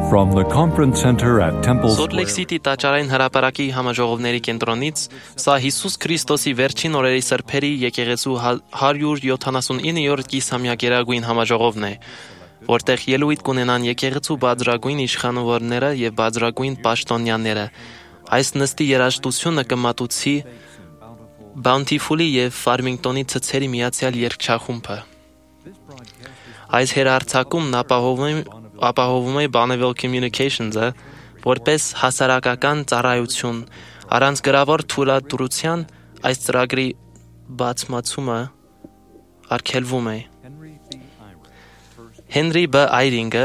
From the conference center at Temple Salt Lake City տաճարային հրապարակի համաժողովների կենտրոնից սա Հիսուս Քրիստոսի վերջին օրերի սրբերի եկեղեցու 179-րդ կիսամյակերագույն համաժողովն է, որտեղ ելույթ կունենան եկեղեցու բادرագույն իշխանավորները եւ բادرագույն պաշտոնյաները։ Այս նստի երաժշտությունը կմատուցի Bountiful-ի եւ Farmington-ի ցցերի միացյալ երգչախումբը։ Այս հերարցակումն ապահովում է Bonneville Communications-ը որպես հասարակական ծառայություն, առանց գրավոր թույլատրության այս ծրագրի բացմացումը արգելվում է։ Հենրի B. Այրինգը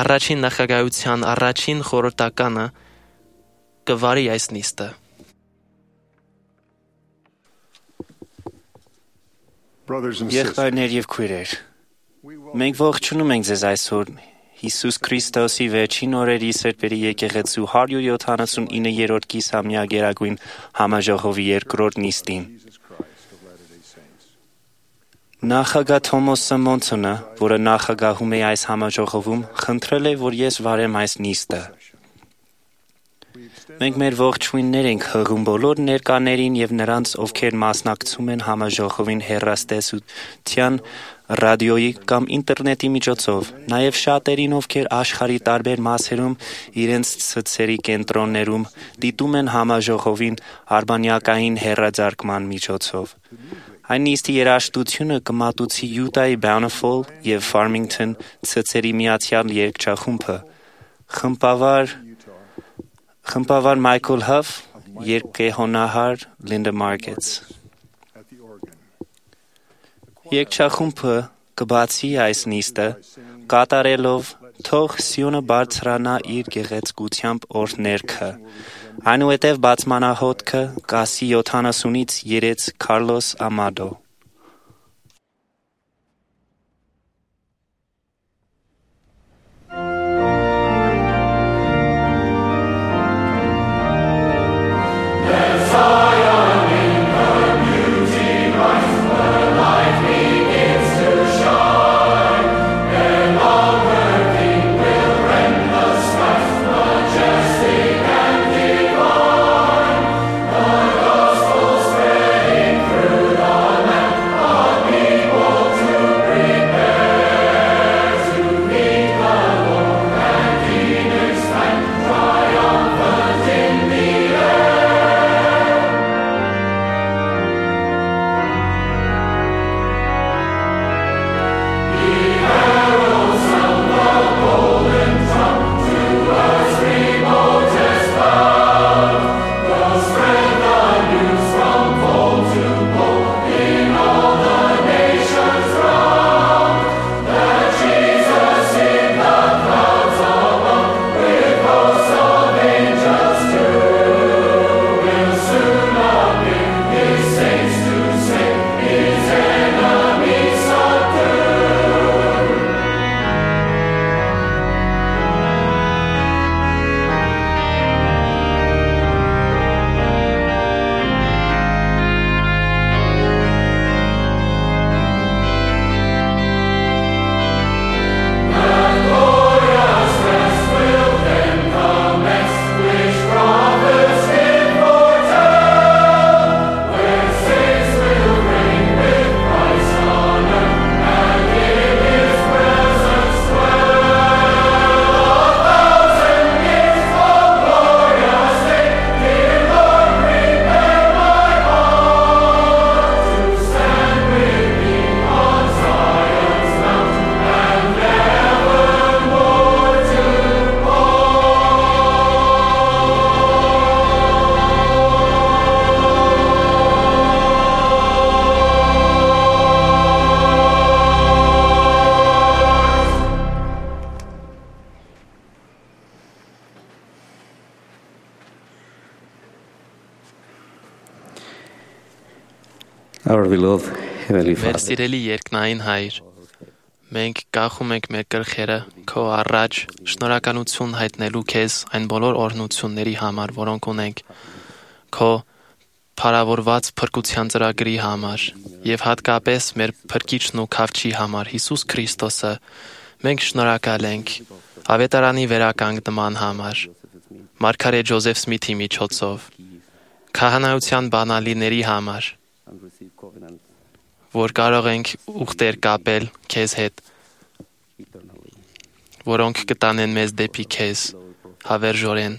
առաջին նախագահության առաջին խորհրդականը կվարի այս նիստը։ Եղբայրներ եւ քույրեր, մենք ողջունում ենք ձեզ այսօր Հիսուս Քրիստոսի վերջին օրերի սրբերի եկեղեցու 179-րդ կիսամյակերագույն համաժողովի երկրորդ նիստին։ Նախագահ Թոմաս Սմոնսոնը, որը նախագահում է այս համաժողովում, խնդրել է, որ ես վարեմ այս նիստը։ Մենք մեր ողջույններ ենք հղում բոլոր ներկաներին եւ նրանց, ովքեր մասնակցում են համաժողովին հեռուստատեսության, ռադիոյի կամ ինտերնետի միջոցով, նաեւ շատերին, ովքեր աշխարհի տարբեր մասերում իրենց ցցերի կենտրոններում դիտում են համաժողովին արբանյակային հեռարձակման միջոցով։ Այն նիստի երաժշտությունը կմատուցի Յուտայի Bountiful եւ Farmington ցցերի միացյալ երգչախումբը, խմբավար Michael Huff, երգեհոնահար Linda Markets։ Երգչախումբը կբացի այս նիստը կատարելով թող Սիոնը բարձրանա իր գեղեցկությամբ օրհներգը։ Այնուհետև բացմանահոտքը կասի 70-ից 3 Քարլոս Ամադո։ Մեր սիրելի երկնային Հայր, մենք կախում ենք մեր գլխերը քո առաջ շնորհակալություն հայտնելու քեզ այն բոլոր օրհնությունների համար, որոնք ունենք, քո փառավորված փրկության ծրագրի համար եւ հատկապես մեր փրկիչն ու քավչի համար Հիսուս Քրիստոսը, մենք շնորհակալ ենք Հավետարանի վերականգնման համար, Մարգարետ Ջոզեֆ Սմիթի միջոցով, քահանայության բանալիների համար, որ կարող ենք ուխտեր կապել քեզ հետ, որոնք կտանեն մեզ դեպի քեզ, հավերժորեն։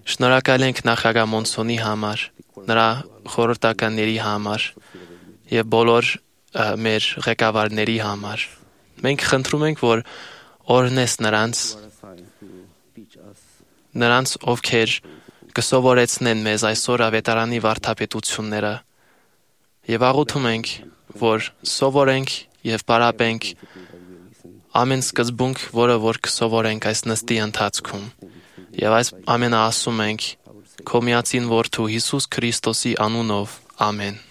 Շնորհակալ ենք նախագահ Մոնսոնի համար, նրա խորհրդականների համար եւ բոլոր մեր ղեկավարների համար։ Մենք խնդրում ենք, որ օրհնես նրանց, ովքեր կսովորեցնեն մեզ այսօր ավետարանի վարդապետությունները եւ աղոթում ենք, որ սովորենք եւ պարապենք ամեն սկզբունք, որը որ կսովորենք այս նստի ընթացքում։ Եվ այս ամենը ասում ենք քո միածին որդու Հիսուս Քրիստոսի անունով, ամեն։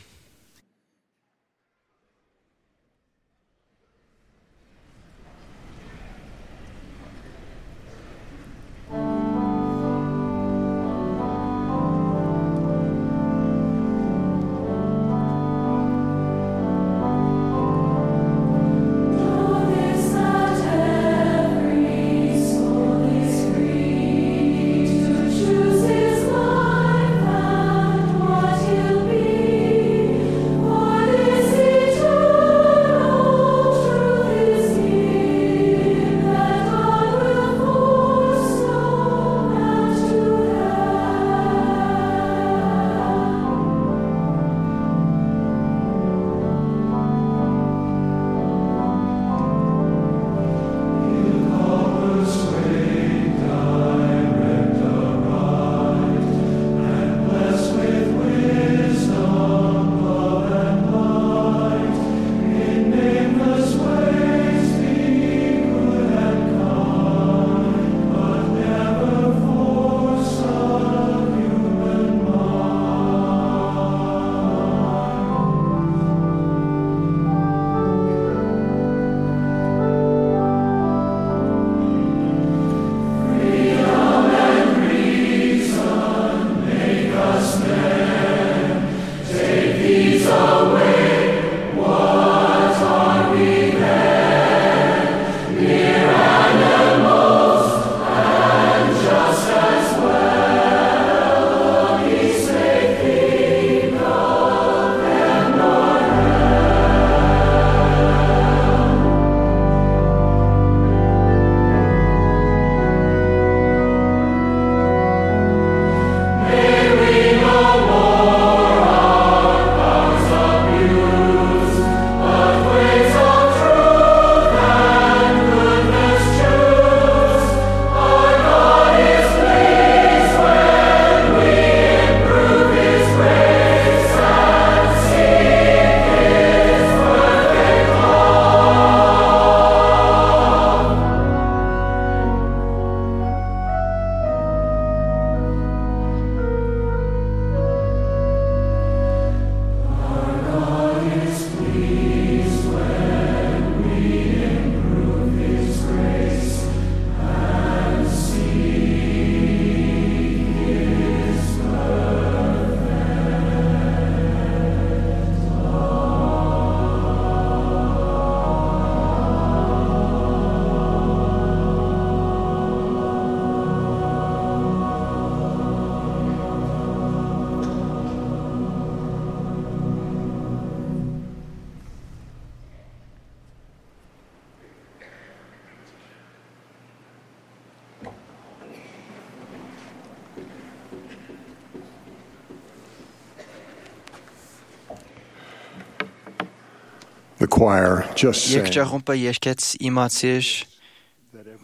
The choir just sang. Երկճախումբը երկեց իմացիր,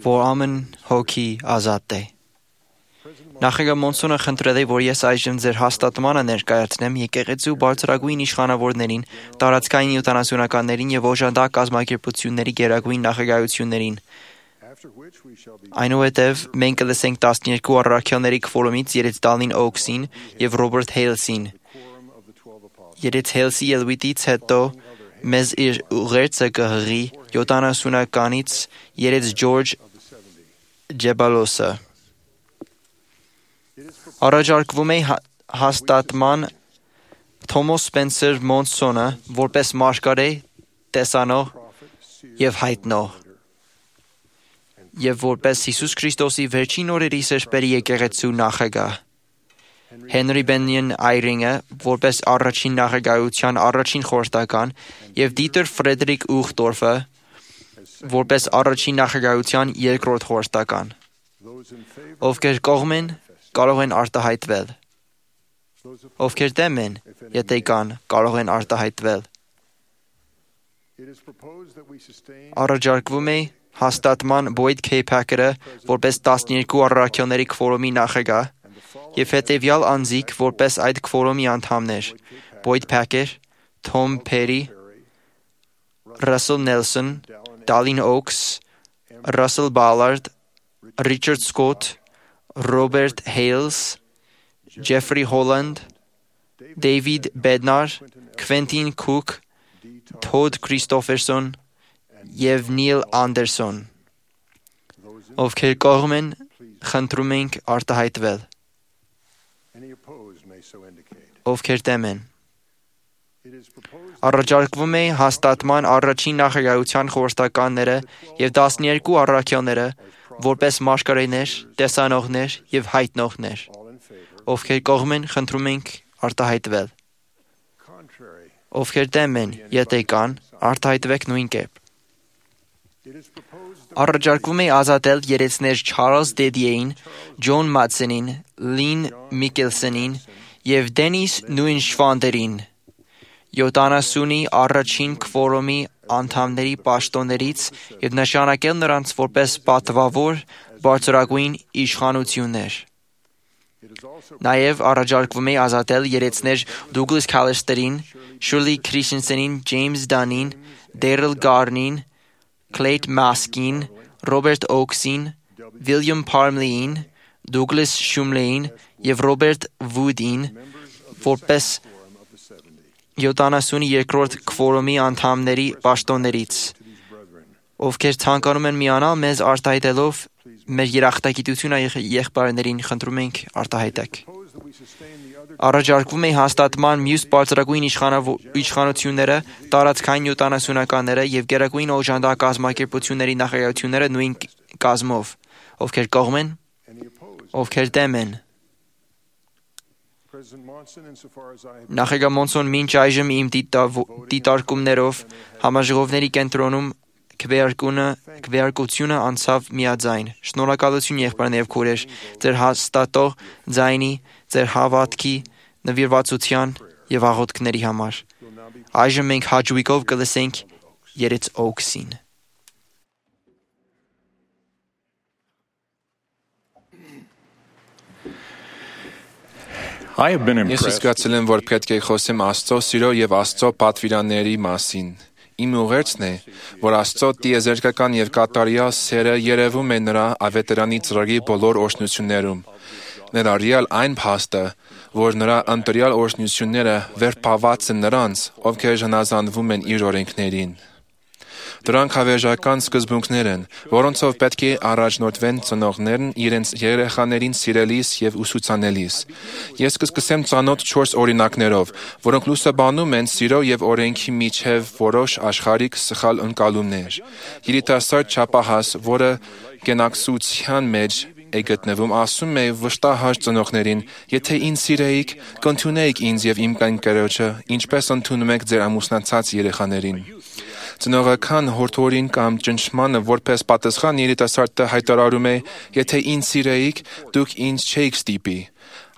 որ ամեն հոգի ազատ է։ Նախագահ Մոնսոնը խնդրել է, որ ես այժմ ձեր հաստատմանը ներկայացնեմ եկեղեցու բարձրագույն իշխանավորներին, տարածքային 70-ականներին եւ օժանդակ կազմակերպությունների գերագույն նախագահություններին։ Այնուհետև մենք կլսենք 12 առաքյալների քվորումից Երեցտալին Օքսին եւ Ռոբերտ Հեյլսին։ Երեց Հեյլսի ելույթից հետո մեզ իր ուղերձը կհղի 70-ականից երեց Ջորջ Ջեբալոսը։ Առաջարկվում է հաստատման Թոմաս Սպենսեր Մոնսոնը որպես մարգարե տեսանող եւ հայտնող։ եւ որպես Հիսուս Քրիստոսի վերջին օրերի սրբերի եկեղեցու նախագահ։ Հենրի Բենյեն Այրինգը որպես առաջին նախագահության առաջին խորհրդական եւ Դիտեր Ֆրեդերիկ Ուխտորֆը որպես առաջին նախագահության երկրորդ խորհրդական։ Ովքեր կողմ են, կարող են արտահայտվել։ Ովքեր դեմ են, եթե կան, կարող են արտահայտվել։ Առաջարկվում է հաստատման Boyd K. Packer-ը որպես 12 առաքյալների քվորոմի նախագահ եւ հետեւյալ անձիկ որպես այդ քվորոմի անդամներ՝ Boyd Packer, Tom Perry, Russell Nelson, Dallin Oaks, Russell Ballard, Richard Scott, Robert Hales, Jeffrey Holland, David Bednar, Quentin Cook, Todd Christopherson եւ Neil Anderson։ Ովքեր կողմ են, խնդրում ենք արտահայտվել։ Ովքեր դեմ են։ Առաջարկվում է հաստատման առաջին նախագահության խորհրդականները եւ 12 առաքյալները որպես մաշկարեներ, տեսանողներ եւ հայտնողներ։ Ովքեր կողմ են, խնդրում ենք արտահայտվել։ Ովքեր դեմ են, եթե կան, արտահայտվեք նույն կերպ։ Առաջարկվում է ազատել երեցներ Չարլզ Դեդիեին, Ջոն Մատսենին, Լին Միկելսոնին եւ Դենիս Նույնշվանդերին, 70-ի առաջին քվորոմի անդամների պաշտոններից եւ նշանակել նրանց որպես պատվավոր բարձրագույն իշխանություններ։ Նաև առաջարկվում է ազատել երեցներ Դուգլաս Քալիստերին, Շուրլի Քրիշենսենին, Ջեյմս Դանին, Դերել Գարնին, Քլեյթ Մասկին, Ռոբերտ Օքսին, Վիլյամ Փարմլիին, Դուգլաս Շումլեին եւ Ռոբերտ Վուդին որպես 72-րդ քվորոմի անդամների պաշտոններից, ովքեր ցանկանում են միանալ մեզ արտահայտելով մեր երախտագիտությունը եղբայրներին, խնդրում ենք արտահայտեք։ Առաջարկվում է հաստատման մյուս բարձրագույն իշխանությունները, տարածքային 70-ականները եւ գերագույն օժանդակ կազմակերպությունների նախագահությունները նույն կազմով, ովքեր կողմ են, ովքեր դեմ են։ Նախագահ Մոնսոն մինչ այժմ իմ դիտարկումներով համաժողովների կենտրոնում քվեարկությունը անցավ միաձայն։ Շնորհակալություն եղբայրներ եւ քույրեր, ձեր հաստատող ձայնի, ձեր հավատքի, նվիրվածության եւ աղոթքների համար։ Այժմ մենք հաջողիկով կլսենք երեց Օքսին։ Ես զգացել եմ, որ պետք է խոսեմ Աստծո սիրո եւ Աստծո պատվիրանների մասին։ Իմ ուղերձն է, որ Աստծո տիեզերքական եւ կատարյալ սերը երևում է նրա ավետարանի ծրագրի բոլոր օրհնություններում։ Ներառյալ այն փաստը, որ նրա ընտրյալ օրհնությունները վերբաված են նրանց, ովքեր հնազանդվում են իր օրենքներին։ Դրանք հավերժական սկզբունքներ են, որոնցով պետք է առաջնորդվեն ծնողներն իրենց երեխաներին սիրելիս եւ ուսուցանելիս։ Ես կսկսեմ ծանոթ 4 օրինակներով, որոնք լուսաբանում են սիրո եւ օրենքի միջև որոշ աշխարհիկ սխալ ընկալումներ։ Երիտասարդ չափահաս, որը գենակցության մեջ է գտնվում, ասում է վշտահար ծնողներին. «Եթե ինձ սիրեիք, կընդունեիք ինձ եւ իմ կնկերոջը, ինչպես ընդունում եք ձեր ամուսնացած երեխաներին»։ Ծնողական հորդորին կամ ճնշմանը որպես պատասխան երիտասարդը հայտարարում է. «Եթե ինձ սիրեիք, դուք ինձ չէիք ստիպի»։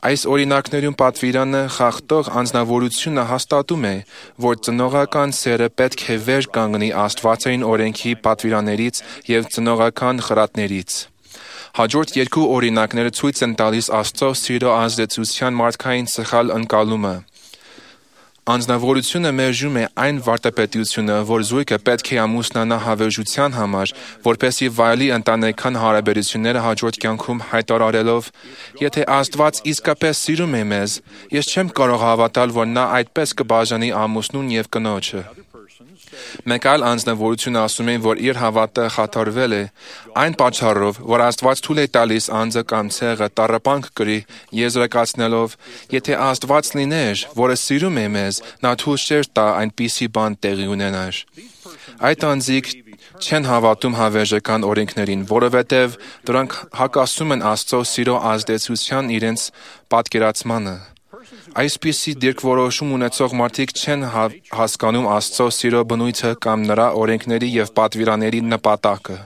Այս օրինակներում պատվիրանը խախտող անձնավորությունը հաստատում է, որ ծնողական սերը պետք է վեր կանգնի աստվածային օրենքի պատվիրաններից եւ ծնողական խրատներից։ Հաջորդ երկու օրինակները ցույց են տալիս Աստծո սիրո ազդեցության մարդկային սխալ ընկալումը։ Անձնավորությունը մերժում է այն վարդապետությունը, որ զույգը պետք է ամուսնանա հավերժության համար, որպեսզի վայելի ընտանեկան հարաբերությունները հաջորդ կյանքում հայտարարելով. «Եթե Աստված իսկապես սիրում է մեզ, ես չեմ կարող հավատալ, որ նա այդպես կբաժանի ամուսնուն եւ կնոջը»։ Մեկ այլ անձնավորություն ասում է, որ իր հավատը խաթարվել է, այն պատճառով, որ Աստված թույլ է տալիս անձը կամ ցեղը տառապանք կրի, եզրակացնելով. «Եթե Աստված լիներ, որը սիրում է մեզ, նա թույլ չէր տա այնպիսի բան տեղի ունենար»։ Այդ անձիկ չեն հավատում հավերժական օրենքներին, որովհետև դրանք հակասում են Աստծո սիրո ազդեցության իրենց պատկերացմանը։ Այսպիսի դիրքորոշում ունեցող մարդիկ չեն հասկանում Աստծո սիրո բնույթը կամ նրա օրենքների եւ պատվիրանների նպատակը։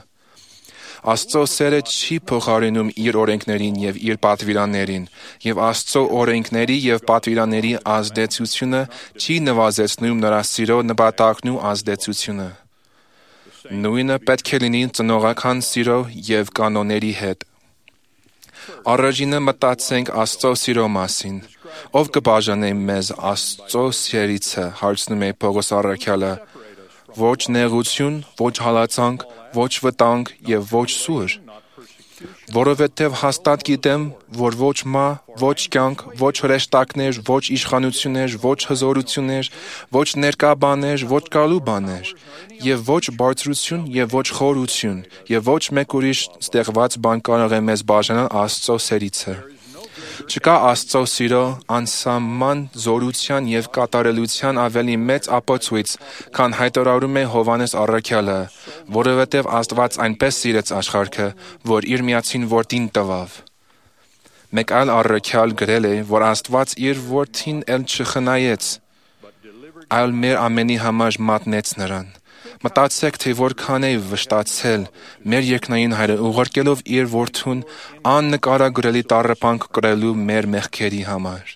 Աստծո սերը չի փոխարինում իր օրենքներին եւ իր պատվիրաններին, եւ Աստծո օրենքների եւ պատվիրանների ազդեցությունը չի նվազեցնում նրա սիրո նպատակն ու ազդեցությունը։ Նույնը պետք է լինի ծնողական սիրո եւ կանոնների հետ։ Առաջինը մտածենք Աստծո սիրո մասին։ Ով կբաժանե մեզ Աստծո սերիցը, հարցնում է Պողոս առաքյալը։ Ոչ նեղություն, ոչ հալածանք, ոչ վտանգ եւ ոչ սուր, որովհետեւ հաստատ գիտեմ, որ ոչ մա, ոչ կյանք, ոչ հրեշտակներ, ոչ իշխանություններ, ոչ հզորություններ, ոչ ներկա բաներ, ոչ գալու բաներ, եւ ոչ բարձրություն եւ ոչ խորություն, եւ ոչ մեկ ուրիշ ստեղված բան կարող է մեզ բաժանալ Աստծո սերիցը։ Չկա Աստծո սիրո անսահման զորության եւ կատարելության ավելի մեծ ապացույց, քան հայտարարում է Հովհաննես առաքյալը, որովհետեւ Աստված այնպես սիրեց աշխարհը, որ իր միածին որդին տվավ։ Մեկ այլ առաքյալ գրել է, որ Աստված իր որդին էլ չխնայեց, այլ մեր ամենի համար մատնեց նրան։ Մտածեք, թե որքան է վշտացել մեր երկնային Հայրը ուղարկելով իր որդուն աննկարագրելի տառապանք կրելու մեր մեղքերի համար։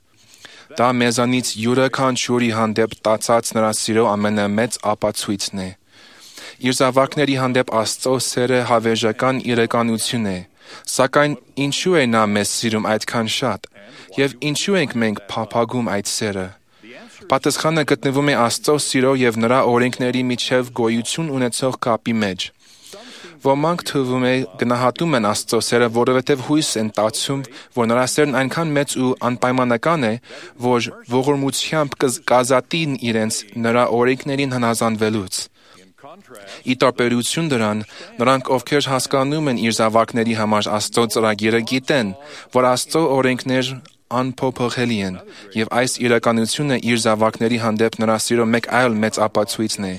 Դա մեզանից յուրաքանչյուրի հանդեպ տածած նրա սիրո ամենամեծ ապացույցն է։ Իր զավակների հանդեպ Աստծո սերը հավերժական իրականություն է, սակայն ինչու է նա մեզ սիրում այդքան շատ, եւ ինչու ենք մենք փափագում այդ սերը։ Պատասխանը գտնվում է Աստծո սիրո եւ նրա օրենքների միջև գոյություն ունեցող կապի մեջ։ Ոմանք թվում է գնահատում են Աստծո սերը, որովհետև հույս են տածում, որ նրա սերն այնքան մեծ ու անպայմանական է, որ ողորմությամբ կազատի իրենց նրա օրենքներին հնազանդվելուց։ Ի տարբերություն դրան, նրանք, ովքեր հասկանում են իր զավակների համար Աստծո ծրագիրը, գիտեն, որ Աստծո օրենքներ անփոփոխելի են, եւ այս իրականությունը իր զավակների հանդեպ նրա սիրո մեկ այլ մեծ ապացույցն է։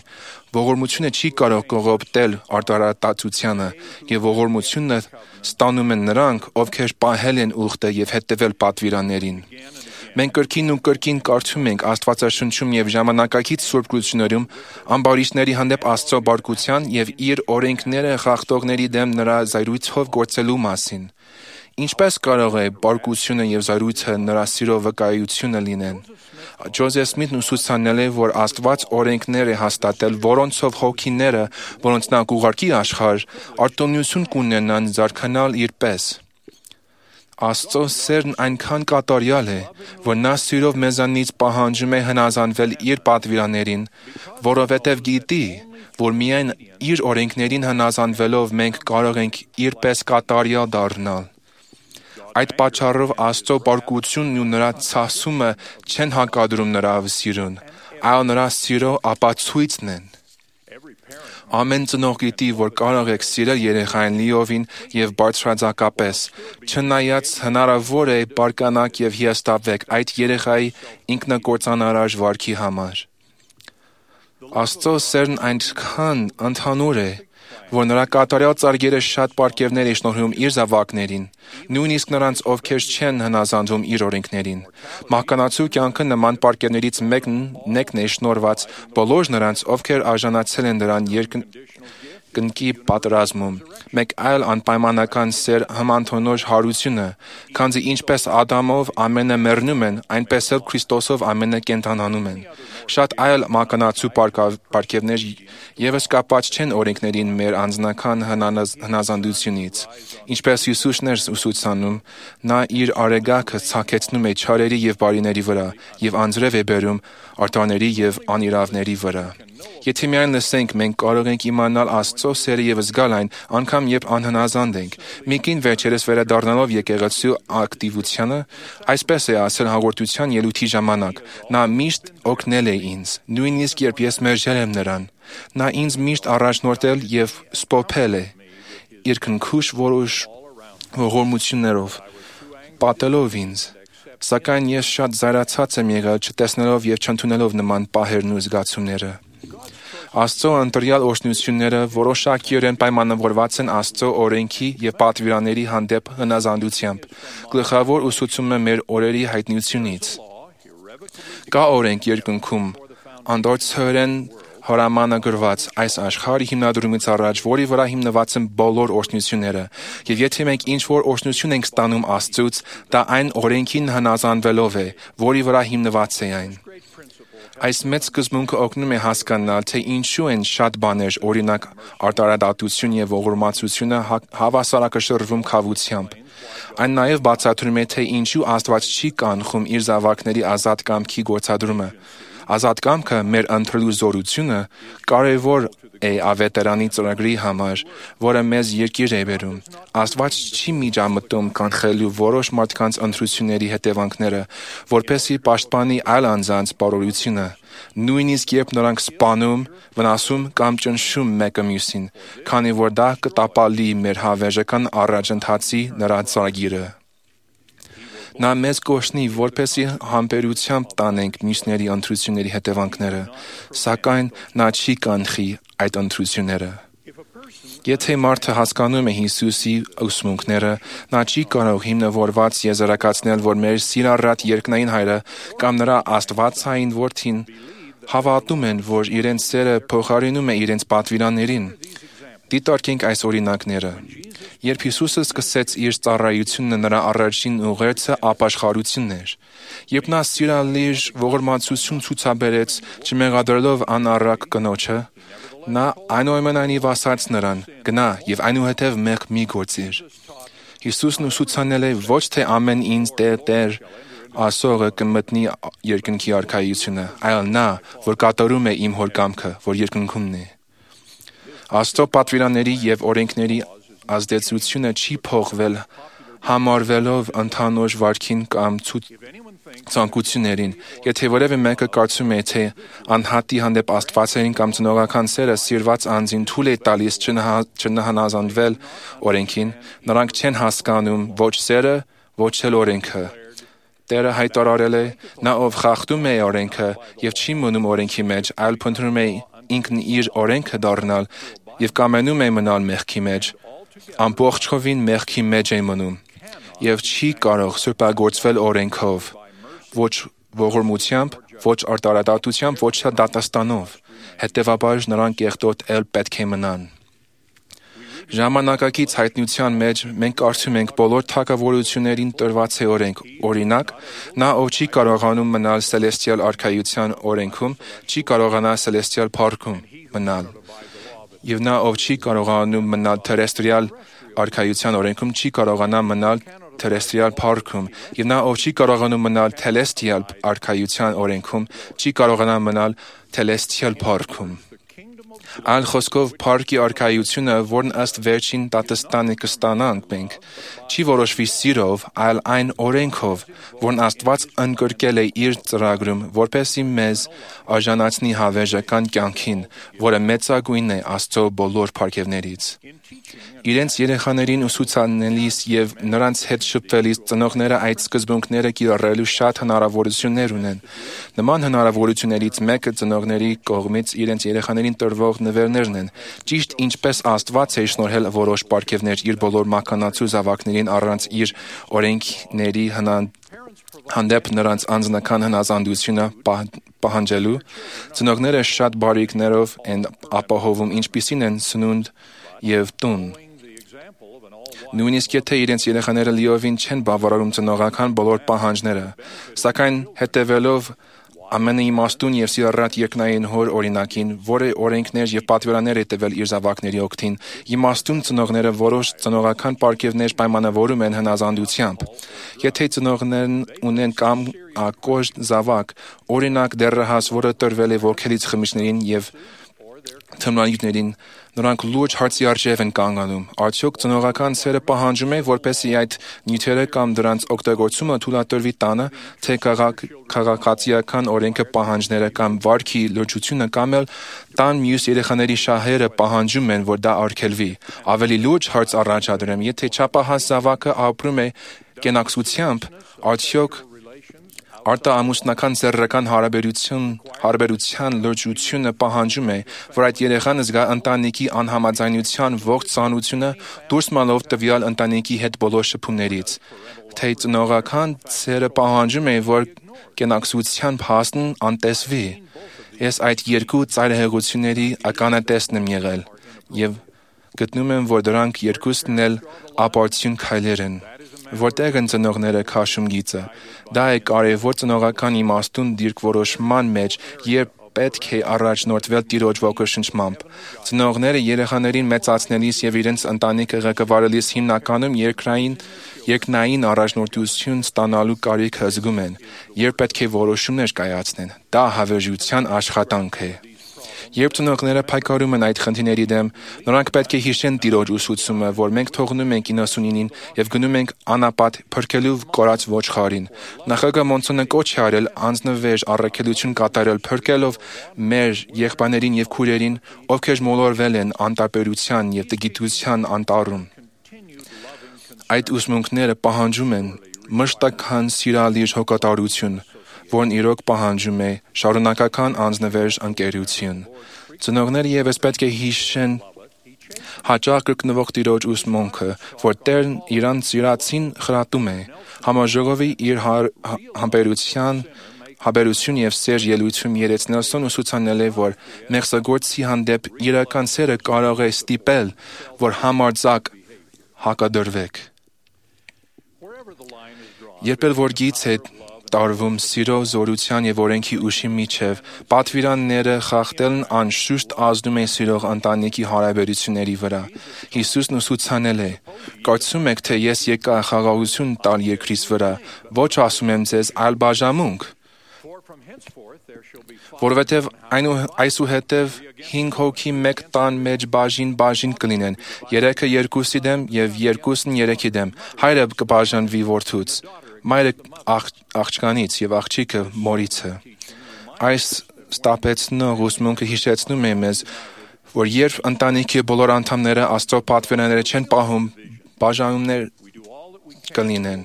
Ողորմությունը չի կարող կողոպտել արտարատացությանը, եւ ողորմությունը ստանում են նրանք, ովքեր պահել են ուխտը եւ հետեւել պատվիրաններին։ Մենք կրկին ու կրկին կարդում ենք Աստվածաշնչում եւ ժամանակակից Սուրբ Գրություններում ամբարիշտների հանդեպ Աստծո բարկության եւ իր օրենքները խախտողների դեմ նրա զայրույթով գործելու մասին։ Ինչպես կարող է բարկությունը եւ զայրույթը նրա սիրո վկայությունը լինեն։ Ջոզեֆ Սմիթն ուսուցանել է, որ Աստված օրենքներ է հաստատել, որոնցով հոգիները, որոնց նա կուղարկի աշխարհ, արտոնություն կունենան զարգանալ իրպես։ Աստծո սերն այնքան կատարյալ է, որ նա սիրով մեզանից պահանջում է հնազանդվել իր պատվիրաններին, որովհետև գիտի, որ միայն իր օրենքներին հնազանդվելով մենք կարող ենք իրպես կատարյալ դառնալ։ Այդ պատճառով Աստծո բարկությունն ու նրա ցասումը չեն հակադրում նրա սիրուն, այլ նրա սիրո ապացույցն են։ Ամեն ծնող գիտի, որ կարող եք սիրել երեխային լիովին եւ բարձրաձակապես, չնայած հնարավոր է բարկանաք եւ հիասթափվեք այդ երեխայի ինքնակործանարար վարքի համար։ Աստծո սերն այնքան ընդհանուր է, որ նրա կատարյալ ծարգերը շատ պարգևներ է շնորհում իր զավակներին, նույնիսկ նրանց, ովքեր չեն հնազանդվում իր օրենքներին։ Մահկանացու կյանքը նման պարգևներից մեկն է շնորհված բոլոր նրանց, ովքեր արժանացել են դրան երկնքի պատերազմում։ Մեկ այլ անպայմանական սեր հմանդոնոր հարությունը, քանզի ինչպես Ադամով ամենը մեռնում են, այնպես էլ Քրիստոսով ամենը կենդանանում են։ Շատ այլ մահկանացու պարգևներ եւս կապած չեն օրենքներին մեր անձնական հնազանդությունից։ Ինչպես Հիսուսն էր ուսուցանում, նա իր արեգակը ցակեցնում է չարերի եւ բարիների վրա եւ անձրև է բերում արտարների եւ անիրավների վրա։ Եթե միայն լսենք, մենք կարող ենք իմանալ Աստծո սերը եւ զգալ այն, անգամ երբ անհնազանդ ենք։ Մի կին վերջերս վերադառնալով եկեղեցու ակտիվությանը, այսպես է ասել հաղորդության ելույթի ժամանակ. նա միշտ օգնել է ինձ, նույնիսկ երբ ես մերժել եմ նրան։ Նա ինձ միշտ առաջնորդել եւ սփոփել է իր քնքուշ որոշ ողորմություններով, պատելով ինձ։ Սակայն ես շատ զայրացած եմ եղել չտեսնելով եւ չընդունելով նման պահերն ու զգացումները։ Աստծո ընտրյալ օրհնությունները որոշակիորեն պայմանավորված են Աստծո օրենքի եւ պատվիրանների հանդեպ հնազանդությամբ։ Գլխավոր ուսուցումը մեր օրերի հայտնությունից։ Կա օրենք երկնքում, անդորցորեն հորամանը գրված այս աշխարհի հիմնադրումից առաջ, որի վրա հիմնված են բոլոր օրհնությունները, եւ եթե մենք ինչ-որ օրհնություն ենք ստանում Աստծուց, դա այն օրենքին հնազանդվելով է, որի վրա հիմնված է այն։ Այս մեծ սկզբունքը օգնում է հասկանալ, թե ինչու են շատ բաներ, օրինակ արտարադատություն եւ ողորմածությունը հավասարակշռվում քավությամբ։ Այն նաև բացատրում է, թե ինչու Աստված չի կանխում իր զավակների ազատ կամքի գործադրումը։ Ազատ կամքը մեր ընտրելու զորությունը կարևոր է ավետարանի ծրագրի համար, որը մեզ երկիր է բերում։ Աստված չի միջամտում կանխելու որոշ մարդկանց ընտրությունների հետևանքները, որպեսզի պաշտպանի այլ անձանց բարօրությունը, նույնիսկ երբ նրանք սպանում, վնասում կամ ճնշում մեկը մյուսին, քանի որ դա կտապալի մեր հավերժական առաջընթացի նրա ծրագիրը։ Նա մեզ կօրհնի, որպեսզի համբերությամբ տանենք մյուսների ընտրությունների հետևանքները, սակայն նա չի կանխի այդ ընտրությունները։ Եթե մարդը հասկանում է Հիսուսի ուսմունքները, նա չի կարող հիմնավորված եզրակացնել, որ մեր սիրառատ երկնային Հայրը կամ նրա Աստվածային Որդին հավատում են, որ իրենց սերը փոխարինում է իրենց պատվիրաններին։ Դիտարկենք այս օրինակները։ Երբ Հիսուսը սկսեց իր ծառայությունը, նրա առաջին ուղերձը ապաշխարությունն էր։ Երբ նա սիրալիր ողորմածություն ցուցաբերեց, չմեղադրելով անառակ կնոջը, նա այնուամենայնիվ ասաց նրան. «Գնա եւ այնուհետեւ մեղք մի գործիր»։ Հիսուսն ուսուցանել է ոչ թե ամեն ինձ Տեր ասողը կմտնի երկնքի արքայությունը, այլ նա, որ կատարում է իմ հոր կամքը, որ երկնքումն է։ Աստծո պատվիրանների եւ օրենքների ազդեցությունը չի փոխվել համարվելով ընդհանուր վարքին կամ ցանկություններին։ Եթե որևէ մեկը կարծում է, թե անհատի հանդեպ աստվածային կամ ծնողական սերը սիրված անձին թույլ է տալիս չհնազանդվել օրենքին, նրանք չեն հասկանում ոչ սերը, ոչ էլ օրենքը։ Տերը հայտարարել է. «Նա ով խախտում է օրենքը եւ չի մնում օրենքի մեջ, այլ փնտրում է ինքն իր օրենքը դառնալ եւ կամենում է մնալ մեղքի մեջ, ամբողջովին մեղքի մեջ է մնում եւ չի կարող սրբագործվել օրենքով, ոչ ողորմությամբ, ոչ արտարադատությամբ, ոչ դատաստանով։ Հետևաբար նրանք կեղտոտ էլ պետք է մնան»։ Ժամանակակից հայտնության մեջ մենք կարծում ենք բոլոր թագավորություններին տրված է օրենք։ Օրինակ, նա ով չի կարողանում մնալ Սելեստիալ արքայության օրենքում, չի կարողանա Սելեստիալ փառքում մնալ։ Եվ նա ով չի կարողանում մնալ Թերեստրիալ արքայության օրենքում, չի կարողանա մնալ Թերեստրիալ փառքում։ Եվ նա ով չի կարողանում մնալ Թելեստիալ արքայության օրենքում, չի կարողանա մնալ Թելեստիալ փառքում։ Այլ խոսքով, փառքի արքայությունը, որն ըստ վերջին դատաստանի կստանանք մենք, չի որոշվի սիրով, այլ այն օրենքով, որն Աստված ընդգրկել է իր ծրագրում, որպեսզի մեզ արժանացնի հավերժական կյանքին, որը մեծագույնն է Աստծո բոլոր փառքերներից։ Իրենց երեխաներին ուսուցանելիս եւ նրանց հետ շփվելիս ծնողները այդ սկզբունքները կիրառելու շատ հնարավորություններ ունեն։ Նման հնարավորություններից մեկը ծնողների կողմից իրենց երեխաներին տրվող նվերներն են։ Ճիշտ ինչպես Աստված է շնորհել որոշ պարգևներ իր բոլոր մաքանացու զավակներին առանց իր օրենքների հանդեպ նրանց անձնական հնազանդությունը պահանջելու, ծնողները շատ բարիքներով են ապահովում, ինչպիսին են սնունդ եւ տուն։ Նույնիսկ եթե իրենց երեխաները լիովին չեն բավարարում ծնողական բոլոր պահանջները, սակայն հետևելով ամենաիմաստուն եւ սիրառատ երկնային հոր օրինակին, որը օրենքներ եւ պատվիրաններ է տվել իր զավակների օգտին, իմաստուն ծնողները որոշ ծնողական պարգևներ պայմանավորում են հնազանդությամբ։ Եթե ծնողներն ունեն կամ կոշտ զավակ, օրինակ դեռահաս, որը տրվել է ոգելից խմիչքներին եւ թմրանյութերին, նրանք լուրջ հարցի առջև են կանգանում։ Արդյոք ծնողական սերը պահանջում է, որպեսզի այդ նյութերը կամ դրանց օգտագործումը թույլատրվի տանը, թե քաղաքացիական օրենքը պահանջները կամ վարքի լրջությունը կամ էլ տան մյուս երեխաների շահերը պահանջում են, որ դա արգելվի։ Ավելի լուրջ հարց առաջադրեմ, եթե չափահաս զավակը ապրում է կենակցությամբ, արդյոք Արտահամուսնական սեռական հարաբերության լրջությունը պահանջում է, որ այդ երեխան զգա ընտանիքի անհամաձայնության ողջ ծանրությունը դուրս մալով տվյալ ընտանիքի հետ բոլոր շփումներից, թե ծնողական սերը պահանջում է, որ կենակցության փաստն անտեսվի։ Ես այդ երկու ծայրահեղությունների ականատեսն եմ եղել եւ գտնում եմ, որ դրանք երկուսն էլ ապարդյուն քայլեր են, որտեղ են ծնողները քաշում գիծը։ Դա է կարևոր ծնողական իմաստուն դիրքորոշման մեջ, երբ պետք է առաջնորդվել Տիրոջ ոգեշնչմամբ։ Ծնողները երեխաներին մեծացնելիս եւ իրենց ընտանիքը ղեկավարելիս հիմնականում երկնային առաջնորդություն ստանալու կարիքը զգում են, երբ պետք է որոշումներ կայացնեն։ Դա հավերժության աշխատանք է։ Երբ ծնողները փայքարում են այդ խնդիրների դեմ, նրանք պետք է հիշեն Տիրոջ ուսուցումը, որ մենք թողնում ենք 99-ին եւ գնում ենք անապատ փրկելու կորած ոչխարին։ Նախագահ Մոնսոնը կոչ է արել անձնվեժ առաքելություն կատարել փրկելով մեր եղբայրներին եւ քույրերին, ովքեր մոլորվել են անտարբերության եւ տգիտության անտառում։ Այդ ուսմունքները պահանջում են մշտական սիրալիր հոգատարություն, որն իրոք պահանջում է շարունակական անձնվեժ ընկերություն։ Ծնողները եւս պետք է հիշեն հաճախ կրկնվող Տիրոջ ուսմունքը, որ Տերն իրան սիրածին խրատում է։ Համաժողովի իր համբերություն եւ սեր ելույթում Երեց Նելսոն ուսուցանել է, որ մեղսագործի հանդեպ իրական սերը կարող է ստիպել, որ համարձակ հակադրվեք։ Երբ էլ որ գիծ է տարվում սիրո, զորության եւ օրենքի ուշի միջև, պատվիրանները խախտելն անշուշտ ազդում է սիրող ընտանիքի հարաբերությունների վրա։ Հիսուսն ուսուցանել է. «Կարծում եք, թե ես եկա խաղաղություն տալ երկրից վրա, ոչ ասում եմ ձեզ, այլ բաժանմունք, որովհետև այսուհետև 5 հոգի մեկ տան մեջ բաժին կլինեն, 3-ը երկուսի դեմ եւ 2-ն 3-ի դեմ, հայրը կբաժանվի որդուց, մայրը աղջկանից եւ աղջիկը մորիցը»։ Այս ստապեցնող ուսմունքը հիշեցնում է մեզ, որ երբ ընտանիքի բոլոր անդամները Աստծո պատվիրանները չեն պահում, բաժանումներ կլինեն։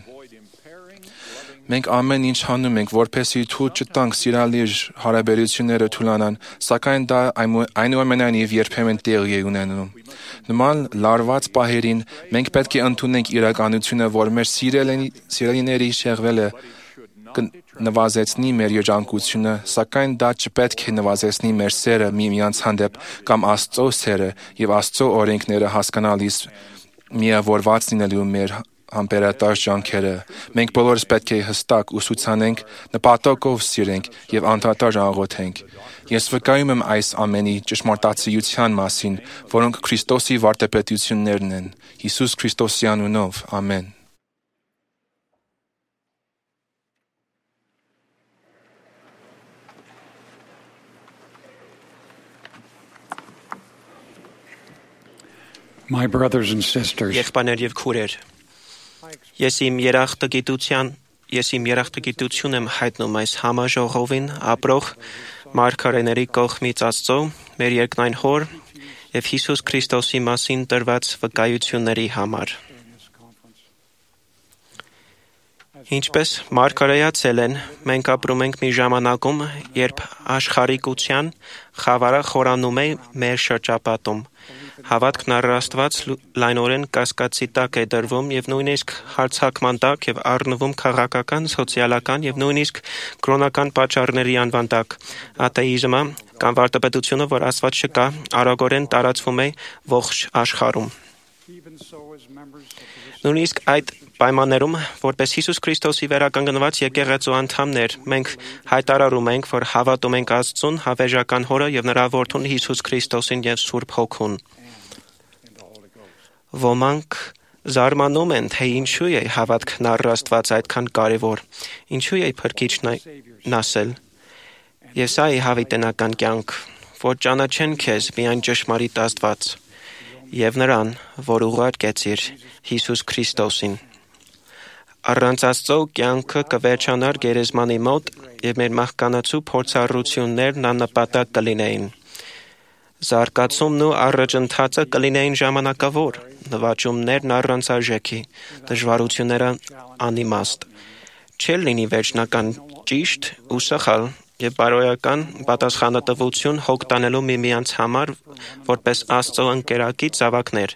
Մենք ամեն ինչ անում ենք, որպեսզի թույլ չտանք սիրալիր հարաբերությունները թուլանան, սակայն դա այնուամենայնիվ երբեմն տեղի է ունենում։ Նման լարված պահերին մենք պետք է ընդունենք իրականությունը, որ մեր սիրելիների շեղվելը կնվազեցնի մեր երջանկությունը, սակայն դա չպետք է նվազեցնի մեր սերը միմյանց հանդեպ կամ Աստծո սերը եւ Աստծո օրենքները հասկանալիս միավորված լինելու մեր համբերատար ջանքերը։ Մենք բոլորս պետք է հստակ ուսուցանենք, նպատակով սիրենք եւ անդադար աղոթենք։ Ես վկայում եմ այս ամենի ճշմարտացիության մասին, որոնք Քրիստոսի վարդապետություններն են։ Հիսուս Քրիստոսի անունով, ամեն։ My brothers and sisters, Եղբայրներ եւ քույրեր, ես իմ երախտագիտություն եմ հայտնում այս համաժողովին ապրող մարգարեների կողմից Աստծո, մեր երկնային Հոր եւ Հիսուս Քրիստոսի մասին տրված վկայությունների համար։ Ինչպես մարգարեացել են, մենք ապրում ենք մի ժամանակում, երբ աշխարհիկության խավարը խորանում է մեր շրջապատում։ Հավատքն առ Աստված լայնորեն կասկածի տակ է դրվում եւ նույնիսկ հարձակման տակ եւ առնվում քաղաքական, սոցիալական եւ նույնիսկ կրոնական պատճառների անվան տակ։ Աթեիզմը կամ վարդապետությունը, որ Աստված չկա, արագորեն տարածվում է ողջ աշխարհում։ Նույնիսկ այդ պայմաններում, որպես Հիսուս Քրիստոսի վերականգնված եկեղեցու անդամներ, մենք հայտարարում ենք, որ հավատում ենք Աստծուն, հավերժական Հորը եւ նրա Որդուն Հիսուս Քրիստոսին եւ Սուրբ Հոգուն։ Ոմանք զարմանում են, թե ինչու է հավատքն առ Աստված այդքան կարևոր, ինչու է Փրկիչն ասել։ Եվ սա է հավիտենական կյանք, որ ճանաչեն քեզ միայն ճշմարիտ Աստված եւ նրան, որ ուղարկեցիր Հիսուս Քրիստոսին։ Առանց Աստծո կյանքը կվերջանար գերեզմանի մոտ եւ մեր մահկանացու փորձառություններն աննպատակ կլինեին։ Զարգացումն ու առաջընթացը կլինեին ժամանակավոր, նվաճումներն առանց արժեքի, դժվարությունները անիմաստ։ Չէր լինի վերջնական ճիշտ ու սխալ եւ բարոյական պատասխանատվություն հոգ տանելու միմյանց համար որպես Աստծո ընկերակից զավակներ։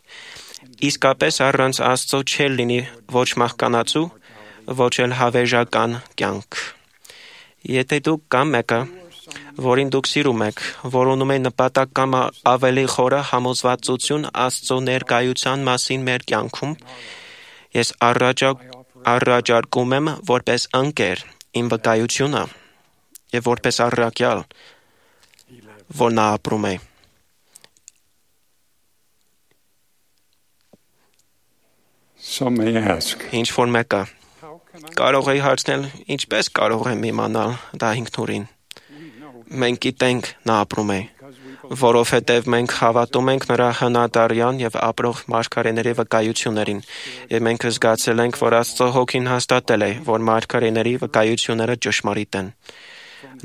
Իսկապես առանց Աստծո չել լինի ոչ մահկանացու, ոչ էլ հավերժական կյանք։ Եթե դուք կամ մեկը, որին դուք սիրում եք, որ ունում է նպատակ կամ ավելի խորը համոզվածություն Աստծո ներկայության մասին մեր կյանքում, ես առաջարկում եմ որպես ընկեր իմ վկայությունը եւ որպես առաքյալ, որ նա ապրում է։ Some may ask, Ինչ որ մեկը կարող է հարցնել, ինչպես կարող եմ իմանալ դա ինքնուրին։ Մենք գիտենք նա ապրում է, որովհետև մենք հավատում ենք նրա հնադարյան եւ ապրող մարգարեների վկայություններին, եւ մենք զգացել ենք, որ Աստծո հոգին հաստատել է, որ մարգարեների վկայությունները ճշմարիտ են։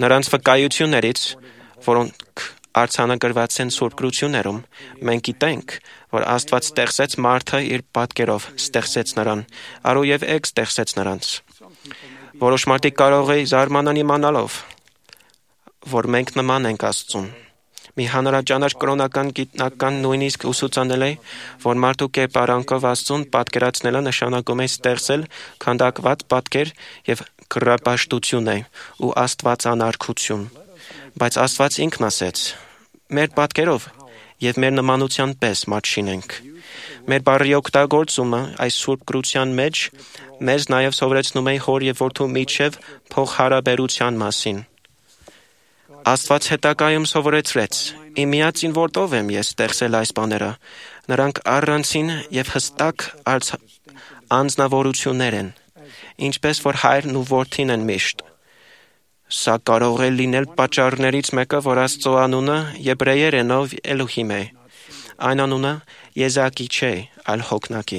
Նրանց վկայություններից, որոնք արձանագրված են Սուրբ գրություններում, մենք գիտենք, որ Աստված ստեղծեց մարդը իր պատկերով, ստեղծեց նրան, արու եւ էգ ստեղծեց նրանց։ Որոշ մարդիկ կարող է զարմանան իմանալով, որ մենք նման ենք Աստծուն։ Մի հանրաճանաչ կրոնական գիտնական նույնիսկ ուսուցանել է, որ մարդու կերպարանքով Աստծուն պատկերացնելը նշանակում է ստեղծել քանդակված պատկեր եւ կռապաշտություն է ու աստվածանարգություն։ Բայց Աստված ինքն ասեց. մեր պատկերով եւ մեր նմանության պես մարդ շինենք։ Մեր բառի օգտագործումը այս Սուրբ գրության մեջ մեզ նաեւ սովորեցնում է հոր եւ որդու միջև փոխհարաբերության մասին։ Աստված հետագայում սովորեցրեց. Իմ միածին որդով եմ ես ստեղծել այս բաները։ Նրանք առանցին եւ հստակ անձնավորություններ են, ինչպես որ հայրն ու որդին են միշտ։ Սա կարող է լինել պատճառներից մեկը, որ Աստծո անունը եբրեերենով Էլոհիմ է։ Այն անունը Եզակի չէ, այլ Հոգնակի։